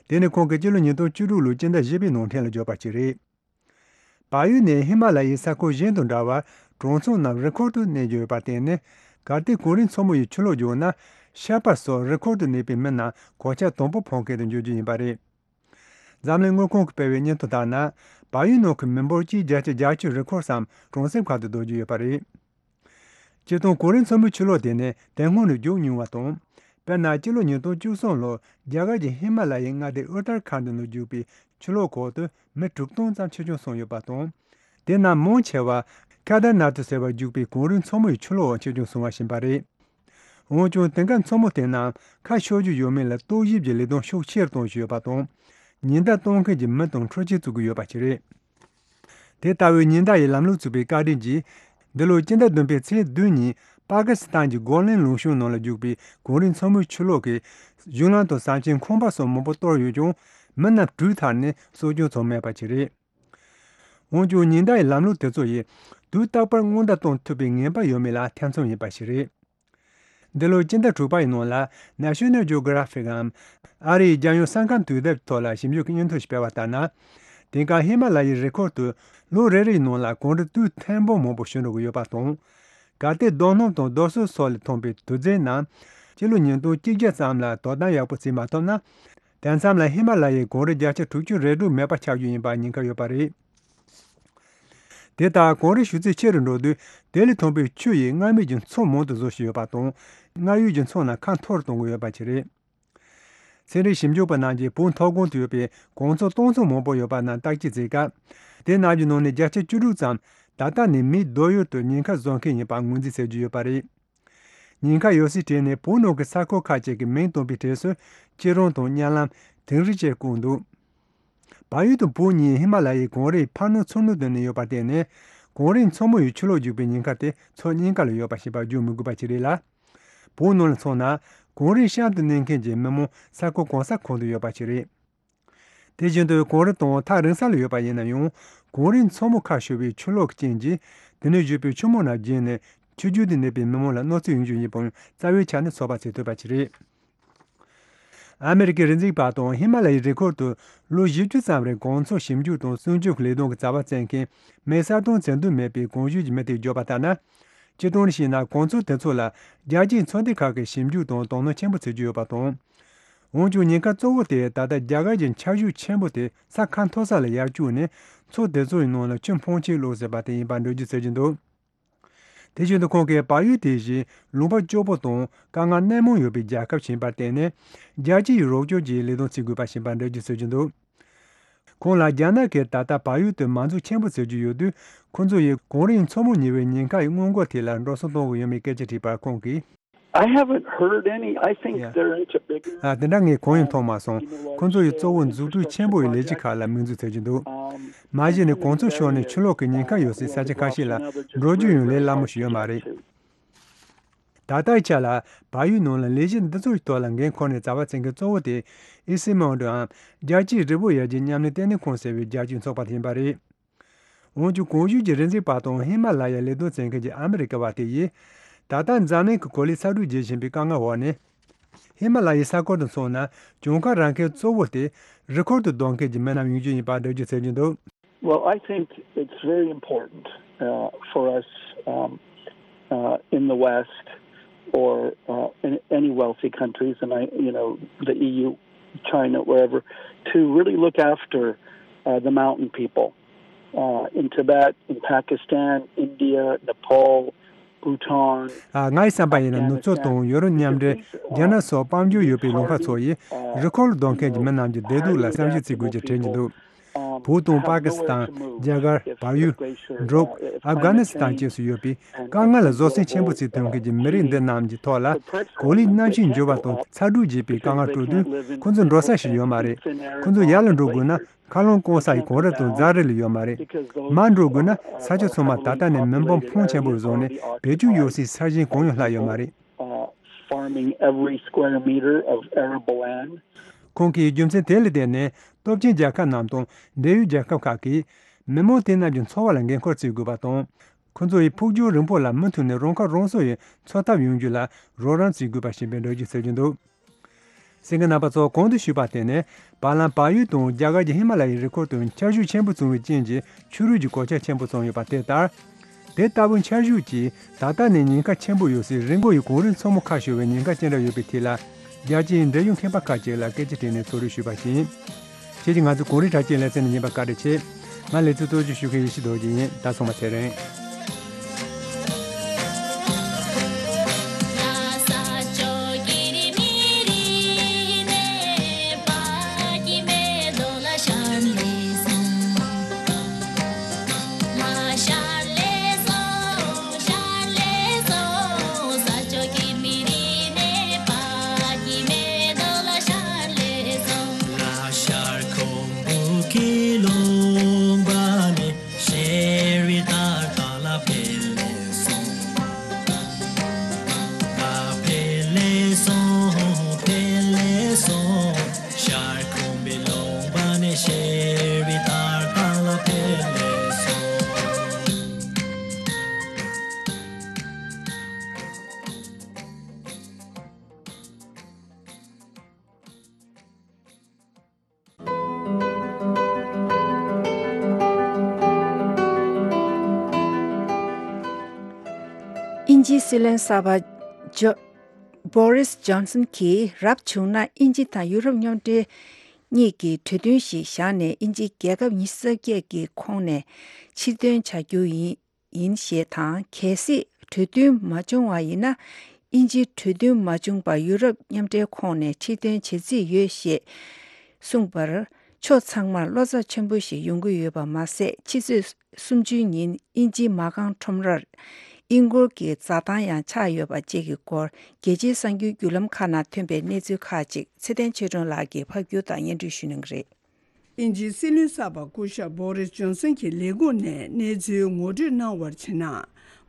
དེ་ནི་ཁོང་གིས་སྤྱི་ལོ་ཉིས་སྟོང་བཅུ་དྲུག་ལོའི་སྤྱི་ཟླ་བཞི་པའི་ནང་ཕྲན་ལ་བརྗོད་པ་ཞིག་རེད། བལ་ཡུལ་ནི་ཧི་མ་ལ་ཡའི་ས་ཁུལ་གཞན་དང་འདྲ་བར་གྲོང་ཚོ་རྣམས་རི་ཁུལ་དུ་གནས་ཀྱི་ཡོད་པར་བརྟེན་ནས། གལ་ཏེ་གངས་རིའི་མཚོ་མོ་ཡི་ཆུ་ལོག་བྱུང་ན། ཤར་པ་སོགས་རི་ཁུལ་དུ་གནས་པའི་མི་རྣམས་གོད་ཆག་དང་པོ་ཕོག་མཁན་དུ་འགྱུར་རྒྱུ་ཡིན་པ་རེད། འཛམ་གླིང་དངུལ་ཁང་གིས་སྤེལ་བའི་སྙན་ཐོ་ལྟར་ན། བལ་ཡུལ་ནང་གི་མི་འབོར་གྱི་བརྒྱ་ཆ་བརྒྱད་ཅུ་རི་ཁུལ་སམ་གྲོང་གསེབ་ཁག་ཏུ་སྡོད་ཀྱི་ཡོད་པ་རེད། སྤྱིར་བཏང་གངས་རིའི་མཚོ་མོའི་ཆུ་ལོག་དེ་ནི་དེ་སྔོན་ནས་རྒྱུག་མྱོང་བ་དང་། དཔེར་ན་སྤྱི་ལོ་ཉིས་སྟོང་བཅུ་གསུམ་ལོར་རྒྱ་གར་གྱི་ཧི་མ་ལ་ཡའི་མངའ་སྡེ་ཨུ་ཏར་ཁཱན་ཌི་ནང་རྒྱུག་པའི་ཆུ་ལོག་འོག་ཏུ་མི་དྲུག་སྟོང་ཙམ་འཆི་སྐྱོན་སོང་ཡོད་པ་དང་། དེ་རྣམས་མང་ཆེ་བ་ཁེ་དར་ནཱ་ཐི་ཟེར་བར་རྒྱུག་པའི་གངས་རིའི་མཚོ་མོ་ཡི་ཆུ་ལོག་འོག་འཆི་སྐྱོན་སོང་བ་ཞིག་ཡིན་པ་རེད། འོན་ཀྱང་དེང་སྐབས་མཚོ་མོ་དེ་རྣམས་ཁ་ཤོར་རྒྱུ་ཡོད་མེད་ལ་རྟོག་ཞིབ་ཀྱི་ལས་དོན་ཤུགས་ཆེ་རུ་གཏོང་བཞིན་ཡོད་པ་དང་། ཉེན་བརྡ་གཏོང་མཁན་གྱི་མི་དང་འཕྲུལ་ཆས་བཙུགས་ཀྱི་ཡོད་པ་ཞིག་རེད། དེ་ལྟ་བུའི་ཉེན་བརྡ་ཡི་ལམ་ལུགས་བཙུགས་པའི་བཀའ་དྲིན་གྱིས། འདི་ལོའི་སྤྱི་ཟླ་བདུན་པའི་ཚེས་བདུན་ཉིན་པ་ཀི་སི་ཐན་གྱི་གོ་ལན་ལུང་གཤོང་ནང་ལ་རྒྱུག་པའི་གངས་རིའི་མཚོ་མོའི་ཆུ་ལོག་གིས་གཞུང་ལམ་དང་ཟམ་ཆེན་ཁང་པ་སོགས་མང་པོ་གཏོར་ཡོད་ཀྱང་། མི་རྣམས་དྲུད་ཐར་ནས་སྲོག་སྐྱོན་ཚང་མེད་པ་ཞིག་རེད། འོན་ཀྱང་ཉེན་བརྡ་ཡི་ལམ་ལུགས་དེ་ཚོ་ཡིས་དུས་རྟག་པར་སྔོན་བརྡ་གཏོང་ཐུབ་པའི་ངེས་པ་ཡོད་མེད་ལ་ཐེ་ཚོམ་ཡིན་པ་ཞིག་རེད། འདི་ལོའི་སྤྱི་ཟླ་དྲུག་པ་ཡི་ནང་ལ་National Geographic འམ་ཨ་རིའི་རྒྱལ་ཡོངས་ས་ཁམས་དུས་དེབ་ཐོག་ལ་ཞིབ་འཇུག་གི་སྙན་ཐོ་ཞིག་སྤེལ་བ་ལྟར་ན། དེང་སྐབས་ཧི་མ་ལ་ཡའི་རི་ཁུལ་དུ་ལོ་རེ་རེའི་ནང་ལ་གངས་རི་སྟོད་ཐེངས་མང་པོ་ཞུ་འགྲོ་གི་ཡོད་པ་དང་། གལ་ཏེ་རྡོ་སྣུམ་དང་རྡོ་སོལ་སོགས་ལས་ཐོན་པའི་དུག་རྫས་རྣམས་སྤྱི་ལོ་ཉིས་སྟོང་བཅོ་བརྒྱད་ཙམ་ལ་དོ་དམ་ཡག་པོ་བྱེད་མ་ཐུབ་ན། དེ་མཚམས་ལ་ཧི་མ་ལ་ཡའི་གངས་རི་བརྒྱ་ཆ་དྲུག་ཅུ་རེ་དྲུག་མེད་པ་ཆགས་རྒྱུ་ཡིན་པར་ཉེན་ཁ་ཡོད་པ་རེད། དེ་ལྟར་གངས་རི་ཞུ་ཚད་ཆེ་རུ་འགྲོ་དུས་དེ་ལས་ཐོན་པའི་ཆུ་ཡིས་མངར་མོའི་མཚོ་མང་དུ་བཟོ་བཞིན་ཡོད་པ་དང་། མངར་ཡོད་ཀྱི་མཚོ་རྣམས་ཁ་འཐོར་གཏོང་གི་ཡོད་པ་ཞིག་རེད། ཚན་རིག་ཞིབ་འཇུག་པ་རྣམས་ཀྱིས་བོད་མཐོ་སྒང་དུ་ཡོད་པའི་གངས་མཚོ་སྟོང་ཚོ་མང་པོ་ཡོད་པ་རྣམས་བརྟག་དཔྱད་བྱེད་སྐབས། དེ་རྣམས་ཀྱི་ནང་ནས་བརྒྱ་ཆ་བཅུ་དྲུག་ཙམ་ད་ལྟ་ནས་མིའི་སྡོད་ཡུལ་དུ་ཉེན་ཁ་བཟོ་མཁན་ཡིན་པ་ངོས་འཛིན་བྱེད་ཀྱི་ཡོད་པ་རེད། ཉེན་ཁ་ཡོད་སའི་གྲས་ནས་བོད་ནང་གི་ས་ཁུལ་ཁག་ཅིག་གི་མིང་བཏོན་པའི་གྲས་སུ་སྐྱིད་རོང་དང་གཉའ་ལམ། དིང་རི་བཅས་བཀོད་འདུག། བལ་ཡུལ་དང་བོད་གཉིས་ཧི་མ་ལ་ཡའི་གངས་རིའི་ཕར་ནང་ཚུར་ནང་དུ་གནས་ཡོད་པར་བརྟེན་ནས། གངས་རིའི་མཚོ་མོ་ཡི་ཆུ་ལོག་རྒྱུག་པའི་ཉེན་ཁ་དེ་ཕྱོགས་གཉིས་ཀ་ལ་ཡོད་པ་ཞིག་ཡིན་པར་བརྗོད་མི་དགོས་པ་ཞིག་རེད་ལ། བོད་ནང་ལ་མཚོན་ན། གངས་རིའི་གཤམ་དུ་གནས་མཁན་གྱི་མི་མང་ས་ཁུལ་གང་ས་གང་དུ་ཡོད་པ་ཞིག་རེད། དེ་བཞིན་དུ་གངས་རི་དང་ཐག་རིང་ས་ལ་ཡོད་པ་ཡིན་ན་ཡང་། གངས་རིའི་མཚོ་མོ་ཁ་ཤོར་བའི་ཆུ་ལོག་གི་རྐྱེན་གྱིས་དེ་ནས་བཞུར་བའི་ཆུ་མོ་རྣམས་རྒྱས་ནས་ཆུ་རྒྱུད་དུ་གནས་པའི་མི་མང་ལ་གནོད་འཚེ་ཡོང་རྒྱུ་ཡིན་པའང་རྩ་བའི་ཆ་ནས་ཚོད་དཔག་བྱེད་ཐུབ་པ་ཞིག་རེད། ཨ་མེ་རི་ཀའི་རི་འཛེག་པ་དང་ཧི་མ་ལ་ཡའི་རི་ཁུལ་དུ་ལོ་བཞི་བཅུ་ཙམ་རིང་གངས་མཚོ་ཞིབ་འཇུག་དང་སྲུང་སྐྱོབ་ཀྱི་ལས་དོན་གྱི་རྩ་བ་བཙལ་མཁན་མེད་ས་དང་བཙལ་འདོད་མེད་པའི་གངས་ཞུས་ཀྱི་མི་དེས་བརྗོད་པ་ལྟར་ན། སྤྱིར་བཏང་ནས་བཤད་ན་གངས་མཚོ་དེ་ཚོ་ལ་རྒྱལ་སྤྱིའི་ཚོགས་སྡེ་ཁག་གིས་ཞིབ་འཇུག་དང་དོ་སྣང་ཆེན་པོ་བྱེད་ཀྱི་ཡོད་པ་དང་། འོན་ཀྱང་ཉེན་ཁ་གཙོ་བོ་དེ་ད་ལྟ་རྒྱ་གར་གྱི་འཆར་གཞི་ཆེན་པོ་དེ་ས་ཁ་མཐོ་ས་ལ་ཡར་བསྐྱོད་ནས་མཚོ་དེ་ཚོའི་ནང་ལ་ཆུ་འཕོ་ཆེན་བླུགས་ཟིན་པ་དེ་ཡིན་པར་འགྲེལ་བརྗོད་བྱེད་ཀྱི་འདུག་དེ་བཞིན་དུ་ཁོང་གིས་བལ་ཡུལ་དེ་བཞིན་ལུང་པ་སྐྱོ་པོ་དང་དཀའ་ངལ་སྣེ་མང་ཡོད་པའི་རྒྱལ་ཁབ་ཞིག་ཡིན་པར་བརྟེན་ནས་རྒྱལ་སྤྱིའི་རོགས་སྐྱོར་གྱི་ལས་དོན་བྱེད་དགོས་པ་ཞིག་ཡིན་པར་འགྲེལ་བརྗོད་བྱེད་ཀྱི་འདུག་ཁོང་ལ་རྒྱ་ནག་གིས་ད་ལྟ་བལ་ཡུལ་དུ་མ་འཛུགས་ཆེན་པོ་བཟོ་རྒྱུ་ཡོད་དུས། ཁོང་ཚོ་ཡིས་གངས་རིའི་མཚོ་མོ་གཉིས་པའི་ཉེན་ཁའི་སྔོན་འགོག་ཐད་ལ་འགྲོ་སོང་གཏོང་གི་ཡོད་མེད་སྐད་ཆ་དྲིས་པར་ཁོང་གིས། I haven't heard any. I think, yeah, they're into bigger, ཨ། དེ་འདྲ་ངས་གང་ཡང་མཐོང་མ་སོང་། ཁོང་ཚོ་ཡིས་གཙོ་བོ་མཛུབ་ཁྲིད་ཆེན་པོ་ཡི་ལས་གཞི་ཁག་ལ་དམིགས་འཛུགས་བྱེད་ཀྱི་འདུག་མ་གཞི་ནས་གངས་མཚོ་ཤོར་ནས་ཆུ་ལོག་གི་ཉེན་ཁ་ཡོད་སའི་ས་ཆ་ཁ་ཤས་ལ་འགྲོ་རྒྱུ་ཡང་ལས་སླ་མོ་ཞིག་ཡོད་མ་རེད། ད་ལྟའི་ཆ་ལ་བལ་ཡུལ་ནང་ལ་ལས་གཞི་འདི་ཚོའི་ཐོག་ལ་འགན་འཁུར་ནས་རྩ་བ་འཛིན་མཁན་གཙོ་བོ་དེ་ཨི་སི་མོན་ཌོའམ་རྒྱལ་སྤྱིའི་རི་བོ་ཡར་རྒྱས་མཉམ་ལས་ལྟེ་གནས་ཁང་ཟེར་བའི་རྒྱལ་སྤྱིའི་ཚོགས་པ་དེ་ཡིན་པ་རེད། འོན་ཀྱང་གོང་ཞུས་ཀྱི་རི་འཛེག་པ་དང་ཧི་མ་ལ་ཡའི་ལས་དོན་བྱེད་མཁན་གྱི་ཨ་མི་རི་ཀ་བ་དེ་ཡིས། ད་ལྟ་འཛམ་གླིང་གི་གོ་ལའི་ས་དྲོད་རྒྱས་བཞིན་པའི་དཀའ་ངལ་འོག་ནས། ཧི་མ་ལ་ཡའི་ས་ཁུལ་དུ་སོང་ན་གྱོང་ཁ་རག་མཁན་གཙོ་བོ་དེ་རི་ཁུལ་དུ་སྡོད་མཁན་གྱི་མི་རྣམས་ཡིན་རྒྱུ་ཡིན་པ་འགྲེལ་བརྗོད་བྱེད་ཀྱི་འདུག Well, I think it's very important, uh, for us, um, uh, in the West or, uh, in any wealthy countries, and I, you know, the E U, China, wherever, to really look after, uh, the mountain people, uh, in Tibet, in Pakistan, India, Nepal, Bhutan, ཨ། ངའི་བསམ་པ་ཡིན་ན་ནུབ་ཕྱོགས་དང་ཡོ་རོབ་མཉམ་འབྲེལ། རྒྱ་ནག་སོགས་དཔལ་འབྱོར་ཡོད་པའི་ལུང་པ་ཚོ་ཡིས་རི་ཁུལ་སྡོད་མཁན་གྱི་མི་རྣམས་ཀྱི་བདེ་སྡུག་ལ་བསམ་ཞིབ་བྱེད་དགོས་ཀྱི་དྲན་གྱི་འདུག་བོད་དང་པ་ཀི་སི་ཐན། རྒྱ་གར། བལ་ཡུལ། འབྲུག་ཨབ་གྷ་ནི་སི་ཐན་བཅས་སུ་ཡོད་པའི་དཀའ་ངལ་ལ་བཟོད་བསྲན་ཆེན་པོ་བྱེད་ཐུབ་མཁན་གྱི་མི་རིགས་འདི་རྣམས་ཀྱི་ཐོག་ལ་གོ་ལའི་གནམ་གཤིས་འགྱུར་བ་དང་ཚ་དྲོད་རྒྱས་པའི་དཀའ་ངལ་སྤྲོད་དུས་ཁོ་ཚོ་འགྲོ་ས་ཞིག་ཡོད་མ་རེད། ཁོ་ཚོ་ཡར་ལ་འགྲོ་དགོས་ན། མཁའ་རླུང་སྐམ་སའི་གངས་རི་དང་རྫ་རི་ལས་ཡོད་མ་རེད། མར་འགྲོ་དགོས་ན་ས་ཆ་ཚང་མ་ད་ལྟ་ནས་མེ་འབར་ཕོན་ཆེན་པོ་བཟོས་ནས་བེད་སྤྱོད་ཡོད་སའི་ས་ཞིང་གང་ཡང་ལྷག་ཡོད་མ་རེད། Uh, farming every square meter of arable land. ཁོང་གིས་རྒྱུ་མཚན་དེ་ལ་བརྟེན་ནས་སྟོབས་ཆེན་རྒྱལ་ཁབ་རྣམས་དང་འབྲེལ་ཡོད་རྒྱལ་ཁབ་ཁག་གིས་མི་མང་དེ་རྣམས་ཀྱི་འཚོ་བ་ལ་འགན་འཁུར་བྱེད་དགོས་པ་དང་། ཁོ་ཚོ་ཡི་ཕུགས་འགྱུར་རིང་པོ་ལ་མུ་མཐུད་ནས་རང་ཁ་རང་གསོ་ཡི་འཚོ་ཐབས་ཡོང་རྒྱུ་ལ་རོགས་རམ་བྱེད་དགོས་པ་ཞིག་ཡིན་པའི་འགྲེལ་བརྗོད་བྱེད་ཀྱི་འདུག་གསན་མཁན་རྣམ་པ་ཚོ། གོང་དུ་ཞུས་པ་དེ་ནི་བར་ལམ་བལ་ཡུལ་དང་རྒྱ་གར་གྱི་ཧི་མ་ལ་ཡའི་རི་ཁུལ་དུ་འཆར་གཞི་ཆེན་པོ་བྱུང་བའི་རྐྱེན་གྱིས་ཆུ་རུད་ཀྱི་གོད་ཆག་ཆེན་པོ་བྱུང་ཡོད་པ་དེ་ལྟར། དེ་ལྟ་བུའི་འཆར་གཞི་གྱིས་ད་ལྟ་ནས་ཉེན་ཁ་ཆེན་པོ་ཡོད་སའི་རི་མགོ་ཡི་གངས་རིའི་མཚོ་མོ་ཁ་ཤོར་བའི་ཉེན་ཁ་ཅི་འདྲ་ཡོད་པའི་ཐད་ལ། རྒྱལ་སྤྱིའི་འབྲེལ་ཡོད་མཁས་པ་ཁག་ཅིག་ལ་སྐད་ཆ་དྲིས་ནས་ཚོགས་རེ་ཞུས་པ་ཡིན། ཁྱེད་ཀྱིས་ང་ཚོའི་གངས་རི་དྲ་རྒྱའི་ལེ་ཚན་ནས་ཉན་པར་བཀའ་དྲིན་ཆེ། ང་ལེ་ཚན་གཙོ་སྐྱོང་ཞུ་མཁན་ཡེ་ཤེས་རྡོ་རྗེ་ཡིན། ད་སོང་བ་ཚེ་རིང་། དབྱིན་ཇིའི་སྲིད་བློན་གསར་པ་ཇོ། བོ་རིས་ཇོན་སན་གྱིས་རབ་བྱུང་ན་དབྱིན་ཇི་དང་ཡུ་རོབ་མཉམ་འབྲེལ་གཉིས་ཀྱིས་གྲོས་མཐུན་ཞིག་བཞག་ནས་དབྱིན་ཇིའི་རྒྱལ་ཁབ་ཉི་ཤུ་རྩ་བརྒྱད་ཀྱི་ཁོངས་ནས་ཕྱིར་འདོན་བྱ་རྒྱུ་ཡིན། ཡིན་ཞེས་དང་། གལ་སྲིད་གྲོས་མཐུན་མ་བྱུང་བ་ཡིན་ན། དབྱིན་ཇིའི་གྲོས་མཐུན་མ་བྱུང་བར་ཡུ་རོབ་མཉམ་འབྲེལ་ཁོངས་ནས་ཕྱིར་འདོན་བྱེད་རྩིས་ཡོད་ཞེས་གསུངས་པར། ཕྱོགས་ཚང་མར་བློ་འཚབ་ཆེན་པོ་ཞིག་ཡོང་གི་ཡོད་པ་མ་ཟད། ཕྱི་ཚེས་སུམ་ཅུའི་ཉིན་དབྱིན་ཇིའི་མ་རྐང་ཁྲོམ་རར་དབྱིན་སྒོར་གྱི་འཛའ་ཐང་ཡང་ཆགས་ཡོད་པ་བཅས་ཀྱི་སྐོར། རྒྱལ་སྤྱིའི་གསར་འགྱུར་བརྒྱུད་ལམ་ཁག་ནང་ཐོན་པའི་གནས་ཚུལ་ཁག་ཅིག་ཚེ་བརྟན་ཆོས་སྒྲོན་ལགས་ཀྱིས་ཕབ་སྒྱུར་དང་སྙན་སྒྲོན་ཞུ་གནང་གི་རེད། དབྱིན་ཇིའི་སྲིད་བློན་གསར་པ་སྐུ་ཞབས་བོ་རིས་ཇོན་སན་གྱི་ལས་ཁུངས་ནས་གནས་ཚུལ་ངོ་སྤྲོད་གནང་བར་བྱས་ན།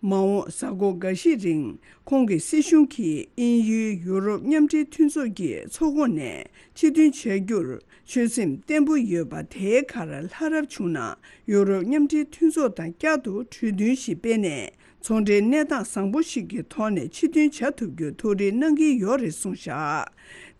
མ་འོངས་གཟའ་འཁོར་འགའ་ཤས་རིང་ཁོང་གི་སྲིད་གཞུང་གིས་དབྱིན་ཡུལ་ཡུ་རོབ་མཉམ་འབྲེལ་མཐུན་ཚོགས་ཀྱི་ཚོགས་ཁོངས་ནས་ཕྱིར་འདོན་བྱ་རྒྱུར་ཆོད་སེམས་བརྟན་པོ་ཡོད་པ། དེའི་ཁར་ལྷ་རབ་བྱུང་ན་ཡུ་རོབ་མཉམ་འབྲེལ་མཐུན་ཚོགས་དང་བསྐྱར་དུ་གྲོས་མཐུན་ཞིག་སྤེལ་ནས། ཚོང་འབྲེལ་གནས་སྟངས་བཟང་པོ་ཞིག་གི་ཐོག་ནས་ཕྱིར་འདོན་བྱ་ཐུབ་རྒྱུར་ཐུགས་རེ་གནང་གི་ཡོད་རེད་གསུངས་བཞག་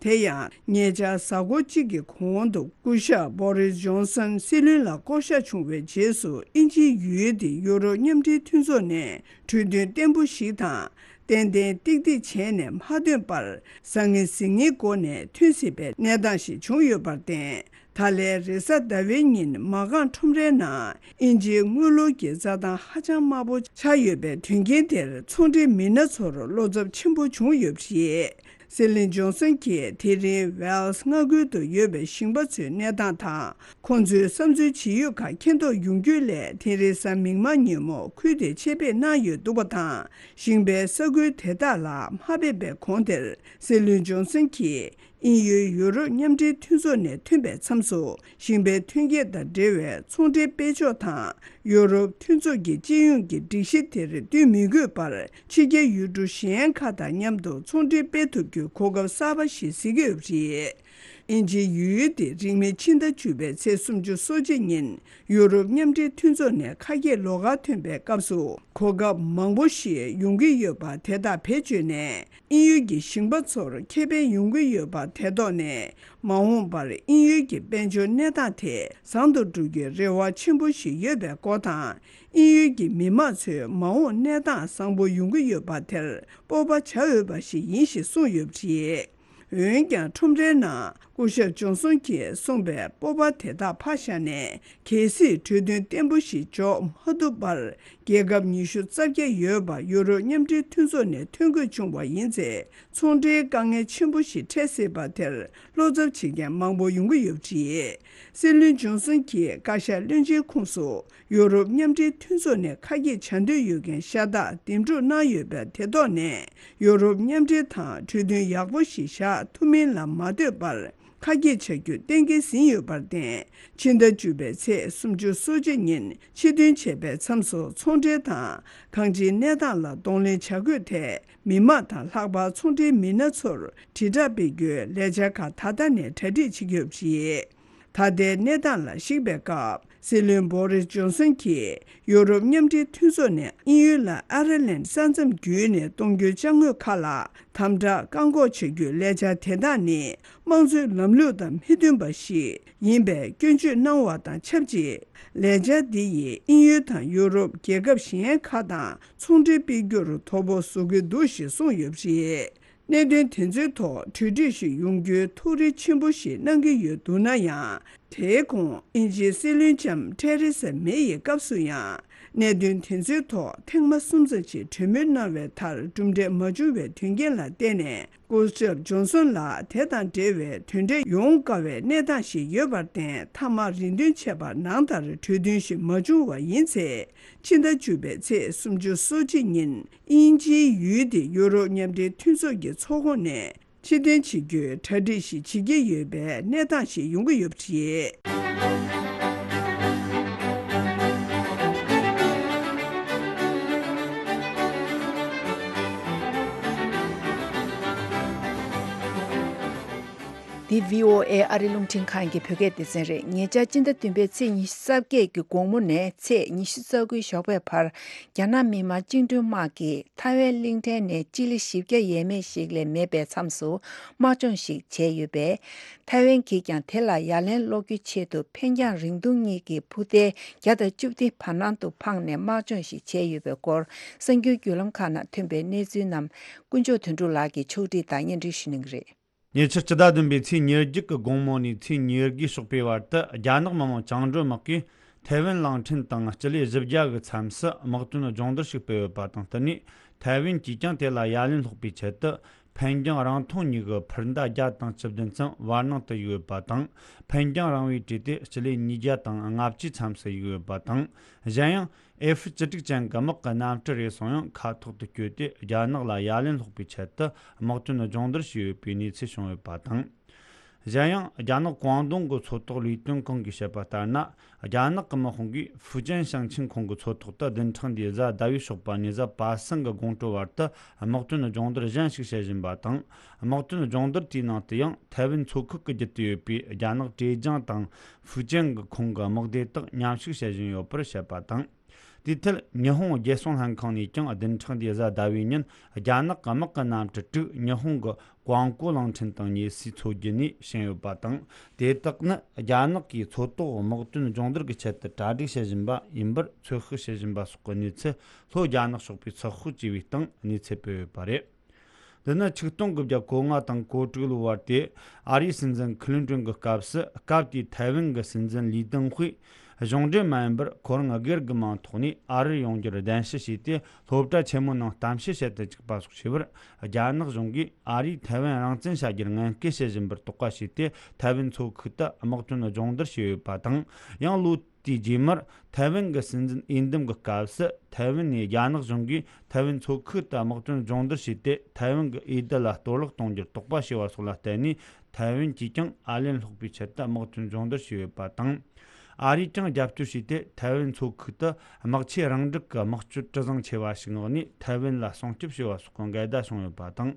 དེ་ཡང་ཉེ་ཆར་གཟའ་འཁོར་གཅིག་གི་གོང་དུ་སྐུ་ཞབས་བོ་རིས་ཇོན་སན་སྲིད་བློན་ལ་བསྐོ་གཞག་བྱུང་བའི་རྗེས་སུ། དབྱིན་ཇིའི་ཡུལ་དེ་ཡུ་རོབ་མཉམ་འབྲེལ་མཐུན་ཚོགས་ནས་གྲོས་མཐུན་བརྟན་པོ་ཞིག་དང་། ཏན་ཏན་ཏིག་ཏིག་བྱས་ནས་མ་ཐོན་པར་ཟང་ངེ་ཟིང་ངེའི་སྒོ་ནས་ཐོན་སྲིད་པའི་གནས་སྟངས་ཤིག་བྱུང་ཡོད་པར་བརྟེན། ད་ལན་རེས་གཟའ་ཟླ་བའི་ཉིན་མ་རྐང་ཁྲོམ་རའི་ནང་དབྱིན་ཇིའི་དངུལ་ལོར་གྱི་རྩྭ་ཐང་ཧ་ཅང་དམའ་པོ་ཆགས་ཡོད་པའི་དོན་རྐྱེན་དེར་ཚོང་འབྲེལ་མི་སྣ་ཚོར་བློ་འཚབ་ཆེན་པོ་བྱུང་ཡོད་པ་རེད། སྲིད་བློན་ཇོན་སན་གྱིས་དེ་རིང་ཝེལ་སི་མངའ་ཁུལ་དུ་ཡོད་པའི་ཞིང་པ་ཚོའི་གནས་སྟངས་དང་། ཁོང་ཚོའི་བསམ་ཚུལ་ཇི་ཡོད་ཁག་མཁྱེན་རྟོགས་ཡོང་རྒྱུའི་སླད་དེ་རིང་གཟའ་མིག་དམར་ཉིན་མོ་ཁུལ་དེར་ཆེད་ཕེབས་གནང་ཡོད་འདུག་པ་དང་། ཞིང་པའི་ས་ཁུལ་དེ་དག་ལ་མ་ཕེབས་པའི་གོང་དེར་སྲིད་བློན་ཇོན་སན་གྱིས། དབྱིན་ཡུལ་ཡུ་རོབ་མཉམ་འབྲེལ་མཐུན་ཚོགས་ནས་ཐོན་པའི་མཚམས་སུ་ཞིང་པའི་ཐོན་སྐྱེད་དང་འབྲེལ་བའི་ཚོང་འབྲེལ་སྤེལ་ཕྱོགས་དང་། ཡུ་རོབ་མཐུན་ཚོགས་ཀྱི་སྤྱི་ཡོངས་ཀྱི་སྒྲིག་གཞི་དེར་བསྟུན་མི་དགོས་པར་ཕྱི་རྒྱལ་ཡུལ་གྲུ་གཞན་ཁག་དང་མཉམ་དུ་ཚོང་འབྲེལ་སྤེལ་ཐུབ་རྒྱུའི་གོ་སྐབས་གསར་པ་ཞིག་གཟིགས་ཀྱི་ཡོད་པ་རེད། དབྱིན་ཇིའི་ཡུལ་དེ་རིང་མིན་ཕྱི་ཟླ་བཅུ་པའི་ཚེས་སུམ་ཅུ་སོ་གཅིག་ཉིན་ཡུ་རོབ་མཉམ་འབྲེལ་མཐུན་ཚོགས་ནས་ཁ་གྱེས་ལོགས་ཀར་ཐོན་པའི་སྐབས་སུ་གོ་སྐབས་མང་པོ་ཞིག་ཡོང་གི་ཡོད་པ་དེ་དག་བེད་སྤྱོད་ནས། དབྱིན་ཡུལ་གྱི་ཞིང་པ་ཚོར་ཁེ་ཕན་ཡོང་གི་ཡོད་པ་དེ་ཐོག་ནས། མ་འོངས་པར་དབྱིན་ཡུལ་གྱི་དཔལ་འབྱོར་གནས་སྟངས་དེ་བཟང་དུ་འགྲོ་རྒྱུའི་རེ་བ་ཆེན་པོ་ཞིག་ཡོད་པའི་སྐོར་དང་། དབྱིན་ཡུལ་གྱི་མི་དམངས་ཚོའི་མ་འོངས་གནས་སྟངས་བཟང་པོ་ཡོང་གི་ཡོད་པ་དེར་སྤོབས་པ་བྱ་འོས་པ་ཞིག་ཡིན་ཞེས་གསུངས་ཡོད་པ་རེད། འོན་ཀྱང་ཁྲོམ་རའི་ནང་སྐུ་ཞབས་ཇོན་སོན་གྱིས་གསུངས་པའི་སྤོབས་པ་དེ་དག་ཕར་བཞག་ནས། གལ་སྲིད་གྲོས་མཐུན་བརྟན་པོ་ཞིག་འཇོག་མ་ཐུབ་པར། རྒྱལ་ཁབ་ཉི་ཤུ་རྩ་བརྒྱད་ཡོད་པ་ཡུ་རོབ་མཉམ་འབྲེལ་མཐུན་ཚོགས་ནས་ཐོན་དགོས་བྱུང་བ་ཡིན་ཚེ། ཚོང་འབྲེལ་དཀའ་ངལ་ཆེན་པོ་ཞིག་འཕྲད་སྲིད་པ་དེར་བློ་འཚབ་བྱེད་མཁན་མང་པོ་ཡོང་གི་ཡོད་པ་རེད། སྲིད་བློན་ཇོན་སོན་གྱིས་བཀའ་ཤག་བློན་ཆེན་ཁོངས་སུ་ཡུ་རོབ་མཉམ་འབྲེལ་མཐུན་ཚོགས་ནས་ཁ་གྱེས་བྱ་འདོད་ཡོད་མཁན་ཤ་སྟག་འདེམས་སྒྲུག་གནང་ཡོད་པ་དེ་ཐོག་ནས། ཡུ་རོབ་མཉམ་འབྲེལ་དང་གྲོས་མཐུན་ཡག་པོ་ཞིག་བཞག་ཐུབ་མིན་ལ་མ་ལྟོས་པར། ཁ་གྱེས་བྱ་རྒྱུ་གཏན་འཁེལ་ཟིན་ཡོད་པར་བརྟེན། ཕྱི་ཟླ་བཅུ་པའི་ཚེས་སུམ་ཅུ་སོ་གཅིག་ཉིན་ཕྱིར་འཐེན་བྱས་པའི་མཚམས་སུ་ཚོང་འབྲེལ་དང་གང་ཅིའི་གནས་སྟངས་ལ་གདོང་ལེན་བྱ་དགོས་ཐད། མི་དམངས་དང་ལྷག་པར་ཚོང་འབྲེལ་མི་སྣ་ཚོར་དྲིལ་བསྒྲགས་སྤེལ་རྒྱུའི་ལས་འཆར་ཁག་ད་ལྟ་ནས་གྲ་སྒྲིག་བྱེད་ཀྱི་ཡོད་པ་རེད། ད་ལྟའི་གནས་སྟངས་ལ་གཞིགས་པའི་སྐབས། སྲིད་བློན་བོ་རིས་ཇོན་སོན་གྱིས་ཡུ་རོབ་མཉམ་འབྲེལ་མཐུན་ཚོགས་ནས་དབྱིན་ཡུལ་ལ་ཨ་ར་ལན་ས་མཚམས་བརྒྱུད་ནས་གཏོང་རྒྱུའི་ཅ་དངོས་ཁག་ལ་དམ་དྲག་བཀག་འགོག་བྱ་རྒྱུའི་ལས་འཆར་དེ་དག་ནི། དམངས་གཙོའི་ལམ་ལུགས་དང་མི་མཐུན་པ་ཞིག་ཡིན་པའི་སྐྱོན་བརྗོད་གནང་བ་དང་ཆབས་ཅིག་ལས་འཆར་འདི་ཡིས་དབྱིན་ཡུལ་དང་ཡུ་རོབ་རྒྱལ་ཁབ་གཞན་ཁག་དང་ཚོང་འབྲེལ་སྤེལ་རྒྱུར་དོ་ཕོག་བཟོ་གི་འདུག་ཞེས་གསུངས་ཡོད་པ་རེད། གནད་དོན་དེ་ཚོའི་ཐོག་གྲོས་འགྲིག་ཞིག་ཡོང་རྒྱུའི་ཐུགས་རེ་ཆེན་པོ་ཞིག་གནང་གི་ཡོད་འདུག་ན་ཡང་། དེའི་གོང་དབྱིན་ཇིའི་སྲིད་བློན་ལྕམ་ཐེ་རེ་ས་མེ་ཡི་སྐབས་སུ་ཡང་། གནད་དོན་དེ་ཚོའི་ཐོག་ཐེངས་མ་གསུམ་ཙམ་ཞིག་གྲོས་མོལ་གནང་བའི་མཐར་གྲུབ་འབྲས་མ་བྱུང་བའི་དོན་རྐྱེན་ལ་བརྟེན་ནས། སྐུ་ཞབས་ཇོན་སོན་ལ་དེ་དང་འབྲེལ་བའི་དོན་འབྲས་ཡོང་དཀའ་བའི་གནས་སྟངས་ཤིག་ཡོད་པར་བརྟེན། མཐའ་མ་རེ་འདུན་བྱས་པ་ནང་ལྟར་གྲོས་མཐུན་ཞིག་མ་བྱུང་བ་ཡིན་ཚེ། ཕྱི་ཟླ་བཅུ་པའི་ཚེས་སུམ་ཅུ་སོ་གཅིག་ཉིན་དབྱིན་ཇིའི་ཡུལ་དེ་ཡུ་རོབ་མཉམ་འབྲེལ་མཐུན་ཚོགས་ཀྱི་ཚོགས་ཁོངས་ནས་ཕྱིར་འཐེན་བྱེད་རྒྱུའི་གྲ་སྒྲིག་ཞིག་བྱེད་ཀྱི་ཡོད་པའི་གནས་སྟངས་ཤིག་ཡོང་གི་ཡོད་པ་རེད། འདི་བྷི་ཨོ་ཨེ་ཨ་རི་རླུང་འཕྲིན་ཁང་གི་བོད་སྐད་སྡེ་ཚན་རེད། ཉེ་ཆར་སྤྱི་ཟླ་བདུན་པའི་ཚེས་ཉི་ཤུ་རྩ་བརྒྱད་ཀྱི་དགོང་མོ་ནས་ཚེས་ཉི་ཤུ་རྩ་དགུའི་ཞོགས་པའི་བར། རྒྱ་ནག་མི་དམངས་བཅིངས་འགྲོལ་དམག་གིས་ཐའེ་ཝན་གླིང་ཕྲན་ནས་སྤྱི་ལེ་བཞི་བརྒྱ་ཡས་མས་ཤིག་ལས་མེད་པའི་མཚམས་སུ་དམག་སྦྱོང་ཞིག་བྱས་ཡོད་པས། ཐའེ་ཝན་གྱིས་ཀྱང་དེ་ལ་ཡ་ལན་སློག་རྒྱུའི་ཆེད་དུ་འཕེན་རྒྱང་རིང་ཐུང་གཉིས་ཀྱི་འཕུར་མདེལ་བརྒྱ་དང་བཅུ་བདུན་བར་སྣང་དུ་འཕངས་ནས་དམག་སྦྱོང་ཞིག་བྱས་ཡོད་པའི་སྐོར། གསར་འགྱུར་བརྒྱུད་ལམ་ཁག་ནང་ཐོན་པའི་གནས་ཚུལ་རྣམས་དཀོན་མཆོག་དོན་གྲུབ་ལགས་ཀྱིས་ཕྱོགས་སྒྲིག་དང་སྙན་སྒྲོན་ཞུ་གནང་གི་རེད། ཉེ་ཆར་སྤྱི་ཟླ་བདུན་པའི་ཚེས་ཉེར་བརྒྱད་ཀྱི་དགོང་མོ་ནས་ཚེས་ཉེར་དགུའི་ཞོགས་པའི་བར་དུ། རྒྱ་ནག་མི་དམངས་བཅིངས་འགྲོལ་དམག་གིས་ཐའེ་ཝན་གླིང་ཕྲན་དང་སྤྱི་ལེ་བཞི་བརྒྱ་གི་མཚམས་སུ་དམག་དོན་སྦྱོང་བརྡར་ཞིག་སྤེལ་ཡོད་པ་དང་བསྟུན་ནས། ཐའེ་ཝན་གྱིས་ཀྱང་དེ་ལ་ཡ་ལན་སློག་པའི་ཆེད་དུ། འཕེན་རྒྱང་རིང་ཐུང་གཉིས་ཀྱི་འཕུར་མདའ་བརྒྱ་དང་བཅུ་བདུན་ཙམ་བར་སྣང་དུ་གཡུགས་ཡོད་པ་དང་། འཕེན་རྒྱང་རིང་བའི་གྲས་དེ་སྤྱི་ལེ་ཉིས་བརྒྱ་དང་ལྔ་བཅུའི་མཚམས་སུ་གཡུགས་ཡོད་པ་དང་། གཞན་ཡང་། ཨེ་ཧྥི་བཅུ་དྲུག་ཅན་གྱི་དམག་གི་གནམ་གྲུ་རེ་ཟུང་ཡང་མཁའ་ཐོག་ཏུ་བསྐྱོད་དེ། རྒྱ་ནག་ལ་ཡ་ལན་སློག་པའི་ཆེད་དུ་དམག་དོན་སྦྱོང་བརྡར་བྱས་ཡོད་པའི་གནས་ཚུལ་བྱུང་ཡོད་པ་དང་། གཞན་ཡང་། རྒྱ་ནག་ཀོང་ཏུང་གི་མཚོ་ཐོག་ལས་དོན་ཁང་གིས་བཤད་པ་ལྟར་ན། རྒྱ་ནག་གི་དམག་དཔུང་གིས་ཧྥུ་ཅན་ཞིང་ཆེན་ཁོངས་ཀྱི་མཚོ་ཐོག་ཏུ་བདུན་ཕྲག་འདིའི་གཟའ་ཟླ་བའི་ཞོགས་པ་ནས་གཟའ་པ་སངས་ཀྱི་དགོང་དྲོ་བར་དུ་དམག་དོན་སྦྱོང་བརྡར་གཞན་ཞིག་བྱེད་བཞིན་པ་དང་། དམག་དོན་སྦྱོང་བརྡར་དེའི་ནང་དུ་ཡང་ཐའེ་ཝན་མཚོ་ཁུལ་གྱི་རྒྱུད་དུ་ཡོད་པའི་རྒྱ་ནག་ཀྲེ་ཅང་དང་ཧྥུ་ཅན་གྱི་ཁོངས་ཀྱི་དམག་སྡེ་དག་མཉམ་ཞུགས་བྱེད་བཞིན་ཡོད་པར་བཤད་པ་དང་། དེའི་ཐད་ཉི་ཧོང་རྒྱལ་སྲུང་ལྷན་ཁང་ནས་ཀྱང་བདུན་ཕྲག་འདིའི་གཟའ་ཟླ་བའི་ཉིན་རྒྱ་ནག་གི་དམག་གི་གནམ་གྲུ་དྲུག་ཉི་ཧོང་གི་ཀོང་ཀོ་གླིང་ཕྲན་དང་ཉེ་སའི་མཚོ་རྒྱུད་ནས་ཕྱིན་ཡོད་པ་དང་། དེ་དག་ནི་རྒྱ་ནག་གིས་མཚོ་ཐོག་དམག་དོན་སྦྱོང་བརྡར་གྱི་ཆེད་དུ་གྲ་སྒྲིག་བྱེད་བཞིན་པ་ཡིན་པར་ཚོད་དཔག་བྱེད་བཞིན་པ་སོགས་ཀྱི་གནས་ཚུལ་ལྷོ་རྒྱ་ནག་ཕྱོགས་པས་ཚགས་ཤོག་ཅེས་པའི་སྟེང་གནས་ཚུལ་སྤེལ་ཡོད་པ་རེད། འདི་ནི་ཆིག་སྟོང་དགུ་བརྒྱ་གོ་ལྔ་དང་གོ་དྲུག་ལོའི་བར་དུ་ཨ་རིའི་སྲིད་འཛིན་ཁི་ལིན་ཏྲོན་གྱི་སྐབས་སུ། སྐབས་དེའི་ཐའེ་ཝན་གྱི་སྲིད་འཛིན་ལི་ཏེང་ཧུའེ་གཞུང་འབྲེལ་མ་ཡིན་པར་ཁོ་རང་སྒེར་གྱི་མིང་ཐོག་ནས་ཨ་རིར་ཡོང་རྒྱུར་གདན་ཞུ་བྱས་ཏེ། སློབ་གྲྭ་ཆེན་མོའི་ནང་གཏམ་བཤད་བྱེད་དུ་བཅུག་པ་སོགས་བྱས་པར། རྒྱ་ནག་གཞུང་གིས་ཨ་རིས་ཐའེ་ཝན་རང་བཙན་བྱ་རྒྱུར་ངན་སྐུལ་བྱེད་བཞིན་པར་དོགས་པ་བྱས་ཏེ། ཐའེ་ཝན་མཚོ་ཁུལ་དུ་དམག་དོན་སྦྱོང་བརྡར་བྱས་ཡོད་པ་དང་། ཡང་ལོ་དེའི་རྗེས་མར་ཐའེ་ཝན་གྱི་སྲིད་འཛིན་འོས་འདེམས་ཀྱི་སྐབས་སུ། ཐའེ་ཝན་ནས་རྒྱ་ནག་གཞུང་གིས་ཐའེ་ཝན་མཚོ་ཁུལ་དུ་དམག་དོན་སྦྱོང་བརྡར་བྱས་ཏེ། ཐའེ་ཝན་གྱི་འོས་བསྡུ་ལ་གཏོར་བརླག་གཏོང་རྒྱུར་དོགས་པ་བྱས་པ་སོགས་ལ་བརྟེན་ནས། ཐའེ་ཝན་གྱིས་ཀྱང་ཨ་ལན་སློག་པའི་ཆེད་དུ་དམག་དོན་སྦྱོང་བརྡར་བྱས་ཡོད་པ་དང་། ཨ་རིས་ཀྱང་རྒྱབ་སྐྱོར་བྱས་ཏེ། ཐའེ་ཝན་མཚོ་ཁུལ་དུ་དམག་ཆས་རང་འགྲིག་གི་དམག་སྤྱོད་གྲུ་གཟིངས་ཆེ་བ་ཞིག་མངགས་ནས། ཐའེ་ཝན་ལ་སྲུང་སྐྱོབ་བྱས་པ་སོགས་ཀྱི་འགལ་ཟླ་བྱུང་ཡོད་པ་དང་།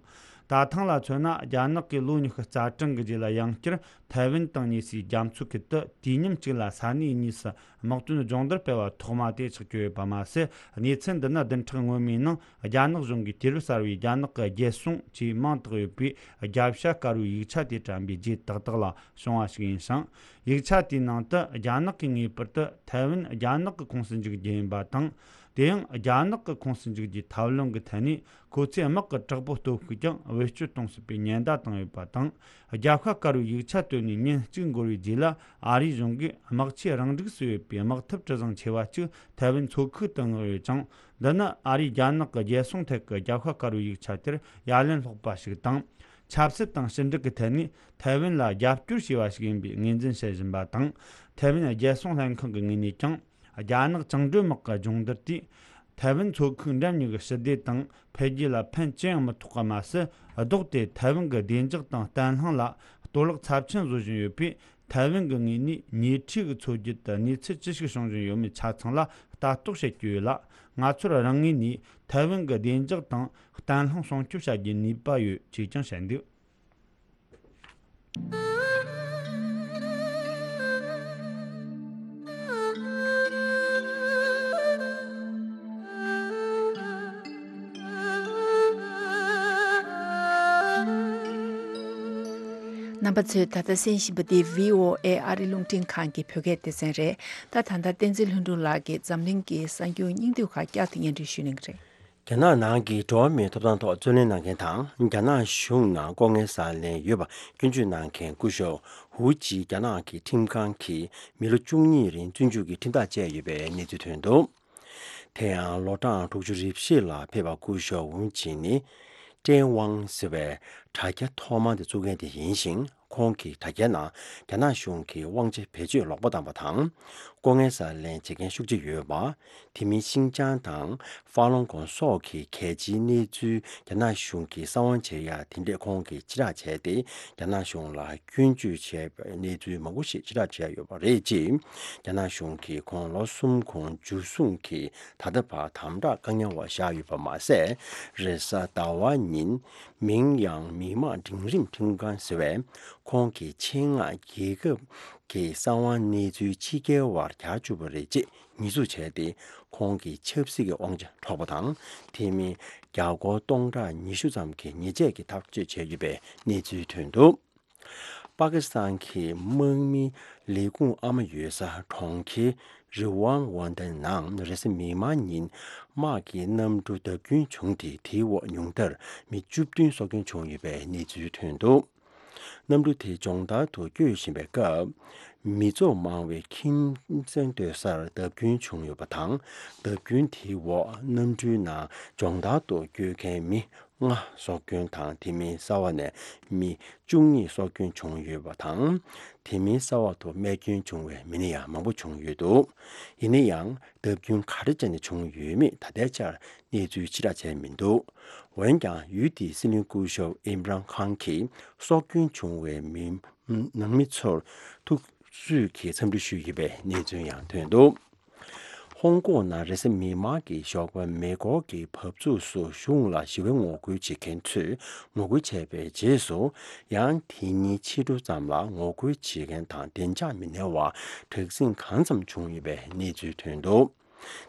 ད་ཐེངས་ལ་མཚོན་ན། རྒྱ་ནག་གིས་ལོ་ཉི་ཤུ་རྩ་གྲངས་ཀྱི་རྗེས་ལ་ཡང་བསྐྱར་ཐའེ་ཝན་དང་ཉེ་སའི་རྒྱ་མཚོའི་ཁུལ་དུ་དུས་མཉམ་གཅིག་ལ་ས་གནས་གཉིས་སུ་དམག་དོན་སྦྱོང་བརྡར་སྤེལ་བ་ཐོག་མ་དེ་ཆགས་ཀྱི་ཡོད་པ་མ་ཟད། གནས་ཚུལ་འདི་ནི་བདུན་ཕྲག་སྔོན་མའི་ནང་རྒྱ་ནག་གཞུང་གིས་དུས་རབས་གསར་བའི་རྒྱ་ནག་གི་རྒྱལ་སྲུང་ཅེས་མིང་བཏགས་ཡོད་པའི་རྒྱབ་ཤ་དཀར་པོའི་ཡིག་ཆ་དེ་དྲན་པའི་རྗེས་ཏག་ཏག་ལ་བྱུང་བ་ཞིག་ཡིན་ཞིང་། ཡིག་ཆ་དེའི་ནང་དུ་རྒྱ་ནག་གིས་ངེས་པར་དུ་ཐའེ་ཝན་རྒྱ་ནག་གི་ཁོངས་སུ་འཇུག་རྒྱུ་ཡིན་པ་དང་། དེ་ཡང་རྒྱ་ནག་གི་ཁོངས་སུ་འཇུག་རྒྱུའི་ཐབས་ལམ་གྱི་ཐད་ནས། ཁོ་ཚོས་དམག་གི་དྲག་པོ་སྟོབས་ཤུགས་ཀྱང་བེད་སྤྱོད་གཏོང་སྲིད་པའི་ཉེན་བརྡ་བཏང་ཡོད་པ་དང་། རྒྱབ་ཤ་དཀར་པོའི་ཡིག་ཆ་བཏོན་ནས་ཉིན་གཅིག་འགོར་བའི་རྗེས་ལ། ཨ་རིའི་གཞུང་གིས་དམག་ཆས་རང་འགྲིགས་སུ་ཡོད་པའི་དམག་འཐབ་གྲུ་གཟིངས་ཆེ་བ་གཅིག་ཐའེ་ཝན་མཚོ་ཁུལ་དུ་མངགས་ཡོད་ཅིང་། འདི་ནི་ཨ་རིས་རྒྱ་ནག་གི་རྒྱལ་སྲུང་ཐད་ཀྱི་རྒྱབ་ཤ་དཀར་པོའི་ཡིག་ཆ་དེར་ཡ་ལན་སློག་པ་ཞིག་དང་། ཆབ་སྲིད་དང་ཕྱི་འབྲེལ་གྱི་ཐད་ནས་ཐའེ་ཝན་ལ་རྒྱབ་སྐྱོར་བྱས་པ་ཞིག་ཡིན་པའི་ངོས་འཛིན་བྱེད་བཞིན་པ་དང་། ཐའེ་ཝན་རྒྱལ་སྲུང་ལྷན་ཁང་གི་ངོས་ནས་ཀྱང་། རྒྱ་ནག་བཅིངས་འགྲོལ་དམག་གི་སྦྱོང་བརྡར་དེས། ཐའེ་ཝན་མཚོ་ཁུལ་འགྲམ་གཉིས་ཀྱི་ཞི་བདེ་དང་འཕེལ་རྒྱས་ལ་ཕན་ཅི་ཡང་མི་ཐོགས་པ་མ་ཟད། ལྡོག་སྟེ་ཐའེ་ཝན་གྱི་བདེ་འཇགས་དང་བརྟན་ལྷིང་ལ་གཏོར་བརླག་ཚབས་ཆེན་བཟོ་བཞིན་ཡོད་པས། ཐའེ་ཝན་གྱི་ངོས་ནས་ཉེ་འཁྲིས་ཀྱི་མཚོ་རྒྱུད་དུ་གནས་ཚུལ་ཅི་ཞིག་བྱུང་བཞིན་ཡོད་མེད་ཆ་ཚང་ལ་ལྟ་རྟོག་བྱེད་ཀྱི་ཡོད་ལ། ང་ཚོར་རང་ངོས་ནས་ཐའེ་ཝན་གྱི་བདེ་འཇགས་དང་བརྟན་ལྷིང་སྲུང་སྐྱོབ་བྱ་རྒྱུའི་ནུས་པ་ཡོད་ཅེས་ཀྱང་བཤད་འདུག། རྣམ་པ་ཚོས་ད་ལྟ་གསན་བཞིན་པ་འདི་བྷི་ཨོ་ཨེ་ཨ་རི་རླུང་འཕྲིན་ཁང་གི་བོད་སྐད་སྡེ་ཚན་རེད། ད་ད་ལྟ་བསྟན་འཛིན་ལྷུན་གྲུབ་ལགས་ཀྱིས་འཛམ་གླིང་གི་གསར་འགྱུར་སྙིང་བསྡུས་ཁག་བསྐྱར་དུ་སྙན་སྒྲོན་ཞུ་གནང་གི་རེད། རྒྱ་ནག་ནང་གི་འགྲོ་བ་མིའི་ཐོབ་ཐང་ཐོག་རྩོད་ལེན་གནང་མཁན་དང་། རྒྱ་ནག་གཞུང་ནང་ལྐོག་རྔན་ཟ་ལེན་ཡོད་པ་སྐྱོན་བརྗོད་གནང་མཁན་སྐུ་ཞབས་ཧུའུ་ཅི་རྒྱ་ནག་གི་ཁྲིམས་ཁང་གིས་མི་ལོ་བཅུ་གཉིས་རིང་བཙོན་འཇུག་གི་ཁྲིམས་ཐག་བཅད་ཡོད་པའི་གནས་ཚུལ་ཐོན་འདུག། དེ་ཡང་ལོ་གྲངས་དྲུག་ཅུ་རེ་བཞི་ལ་ཕེབས་པ་སྐུ་ཞབས་ཧུའུ་ཅི་ནི་ཀྲེན་ཝང་ཟེར་བའི་དྲ་རྒྱ་ཐོག་མ་དེ་བཙུགས་མཁན་དེ་ཡིན་ཞིང་། ཁོང་གི་དྲ་རྒྱའི་ནང་རྒྱ་ནག་གཞུང་གིས་དབང་ཆ་བེད་སྤྱོད་ལོག་པ་བཏང་བ་དང་། ལྐོག་རྔན་ཟ་ལེན་བྱེད་མཁན་ཤུགས་ཆེ་ཡོད་པ། དེ་མིན་ཤིན་ཅང་དང་ཧྥ་ལུན་གོང་སོགས་ཀྱི་གལ་ཆེའི་གནས་ཚུལ་རྒྱ་ནག་གཞུང་གིས་གསང་བ་བྱེད་ཡ་དེ་འདྲས་ཁོང་གིས་ཕྱིར་བསྒྲགས་བྱས་ཏེ། རྒྱ་ནག་གཞུང་ལ་སྐྱོན་བརྗོད་བྱས་པའི་གནས་ཚུལ་མང་པོ་ཞིག་ཕྱིར་བསྒྲགས་བྱས་ཡོད་པ་རེད། ཅེས་རྒྱ་ནག་གཞུང་གིས་ཁོང་ལོ་གསུམ་གོང་འཇུ་བཟུང་གིས་ད་ལྟ་བར་དམ་དྲག་བཀག་ཉར་འོག་བཞག་ཡོད་པ་མ་ཟད། རེས་གཟའ་ཟླ་བ་ཉིན་མིང་ཡང་མི་དམངས་འབྲིང་རིམ་ཁྲིམས་ཁང་ཟེར་བས། ཁོང་གིས་ཆེད་མངགས་རྒྱལ་ཁབ་ཀྱི་གསང་བ་གནས་ཚུལ་ཕྱི་རྒྱལ་བར་གྱར་བཅུག་པ་རེད་ཅེས་ཉེས་འཛུགས་བྱས་ཏེ། ཁོང་གི་ཆབ་སྲིད་ཀྱི་དབང་ཆ་འཕྲོག་པ་དང་། དེ་མིན་རྒྱ་སྒོར་སྟོང་ཕྲག་ཉི་ཤུ་ཙམ་གྱི་ཉེས་ཆད་ཀྱི་ཐག་གཅོད་བྱས་ཡོད་པའི་གནས་ཚུལ་ཐོན་འདུག། པ་ཀི་སི་ཐན་གྱི་དམག་མི་ལས་ཁུངས་ཨ་མ་ཡོད་ས་གྲོང་ཁྱེར་རི་ཝང་ཝན་ཏན་ནང་རེས་གཟའ་མིག་དམར་ཉིན་དམག་གི་གནམ་གྲུ་བརྡབ་སྐྱོན་བྱུང་སྟེ། དེའི་འོག་ཉུང་མཐར་མི་བཅུ་བདུན་སྲོག་སྐྱོན་བྱུང་ཡོད་པའི་གནས་ཚུལ་ཐོན་འདུག། གནམ་གྲུ་དེ་སྦྱོང་བརྡར་དུ་བསྐྱོད་བཞིན་པའི་སྐབས། མི་ཚོགས་མང་བའི་ཁྱིམ་ཚང་སྡོད་སར་བརྡབ་སྐྱོན་བྱུང་ཡོད་པ་དང་། བརྡབ་སྐྱོན་དེའི་འོག་གནམ་གྲུའི་ནང་སྦྱོང་བརྡར་དུ་བསྐྱོད་མཁན་མི་ལྔ་སྲོག་སྐྱོན་དང་། དེ་མིན་གསར་པ་ནས་མི་བཅུ་གཉིས་སྲོག་སྐྱོན་བྱུང་ཡོད་པ་དང་། དེ་མིན་གསར་པ་དུ་རྨས་སྐྱོན་བྱུང་བའི་མི་སྣ་ཡང་མང་པོ་བྱུང་ཡོད་འདུག། ཡིན་ན་ཡང་། བརྡབ་སྐྱོན་ག་རེ་བྱས་ནས་བྱུང་ཡོད་མེད་ད་ལྟའི་ཆར་གནས་ཚུལ་ཕྱིར་བསྒྲགས་བྱས་མི་འདུག། འོན་ཀྱང་། ཡུལ་དེའི་སྲིད་བློན་སྐུ་ཞབས་ཨིམ་རཱན་ཁཱན་གྱིས་སྲོག་སྐྱོན་བྱུང་བའི་མི་ནང་མི་ཚོར་ཐུགས་གསོས་ཀྱི་འཚམས་འདྲི་ཞུས་ཡོད་པའི་གནས་ཚུལ་ཡང་ཐོན་འདུག། ཧོང་ཀོང་ནང་རེས་གཟའ་མིག་དམར་གྱི་ཞོགས་པ་མེ་འཁོར་གྱི་བབས་ཚུགས་སུ་གཞུང་ལ་ཞི་བའི་ངོ་རྒོལ་བྱེད་མཁན་ཚོས་ངོ་རྒོལ་བྱས་པའི་རྗེས་སུ། ཡང་དེ་ཉིན་ཕྱི་དྲོ་ཙམ་ལ་ངོ་རྒོལ་བྱེད་མཁན་དང་བདེ་འཇགས་མི་སྣའི་བར་དྲག་ཟིང་གང་འཚམ་བྱུང་ཡོད་པའི་གནས་ཚུལ་ཐོན་འདུག།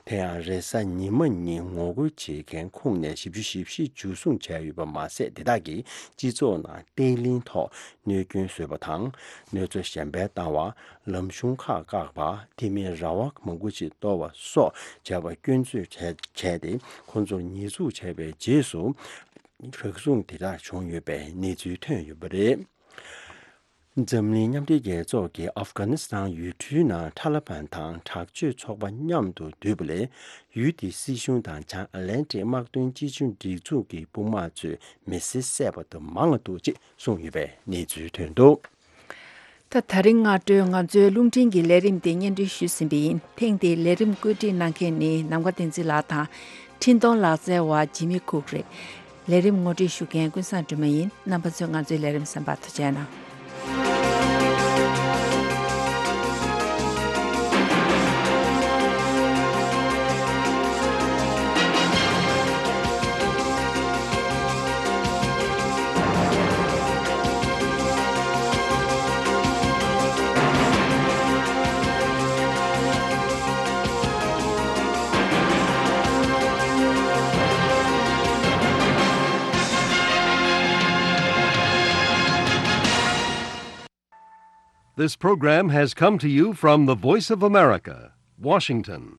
དེ་ཡང་རེས་གཟའ་ཉི་མ་ཉིན་ངོ་རྒོལ་བྱེད་མཁན་ཁོངས་ནས་བཞི་བཅུ་ཞེ་བཞི་འཇུ་བཟུང་བྱས་ཡོད་པ་མ་ཟད། དེ་དག་གིས་སྤྱི་ཚོགས་ནང་བརྟན་ལྷིང་ཐོག་གནོད་སྐྱོན་བཟོས་པ་དང་། གནོད་འཚེ་གཞན་ཕན་བཏང་བ། ལམ་གཞུང་ཁག་བཀག་པ། དེ་མིན་ར་བ་མང་པོ་ཞིག་གཏོར་བ་སོགས་བྱས་པ་སྐྱོན་བརྗོད་བྱས་བྱས་ཏེ། ཁོང་ཚོར་ཉེས་འཛུགས་བྱས་པའི་རྗེས་སུ། རག་ཟུང་དེ་དག་བྱུང་ཡོད་པའི་གནས་ཚུལ་ཐོན་ཡོད་པ་རེད། འཛམ་གླིང་མཉམ་འབྲེལ་རྒྱལ་ཚོགས་ཀྱིས་ཨབ་གྷ་ནི་སི་ཐན་ཡུལ་གྲུའི་ནང་ཐ་ལི་བན་དང་དྲག་སྤྱོད་ཚོགས་པ་མཉམ་དུ་འདུས་པ་ལས། ཡུལ་དེའི་སྲིད་གཞུང་དང་བྱང་ཨ་ལན་ཏིག་དམག་དོན་སྤྱི་ཆིངས་སྒྲིག་འཛུགས་ཀྱི་དཔུང་དམག་ཚོས་མི་སེར་བསད་པ་དང་མང་བ་འདུག་ཅེས་གསུངས་ཡོད་པའི་གནས་ཚུལ་ཐོན་འདུག་ད་ད་རིང་སྔ་དྲོའི་ང་ཚོའི་རླུང་འཕྲིན་གྱི་ལས་རིམ་དེ་སྙན་སྒྲོན་ཞུས་ཟིན་པ་ཡིན། ཐེངས་འདིའི་ལས་རིམ་བཀོད་སྒྲིག་གནང་མཁན་ནི་ནམ་མཁའ་བསྟན་འཛིན་ལགས་དང་། འཕྲིན་གཏོང་ལག་རྩལ་བ་ཇི་མི་ཁུག་རེད། ལས་རིམ་ངོ་སྤྲོད་ཞུ་མཁན་ཀུན་བཟང་སྒྲོལ་མ་ཡིན། རྣམ་པ་ཚོས་ང་ཚོའི་ལས་རིམ་གསན་པར་ཐུགས་རྗེ་གནང་། This program has come to you from the Voice of America, Washington.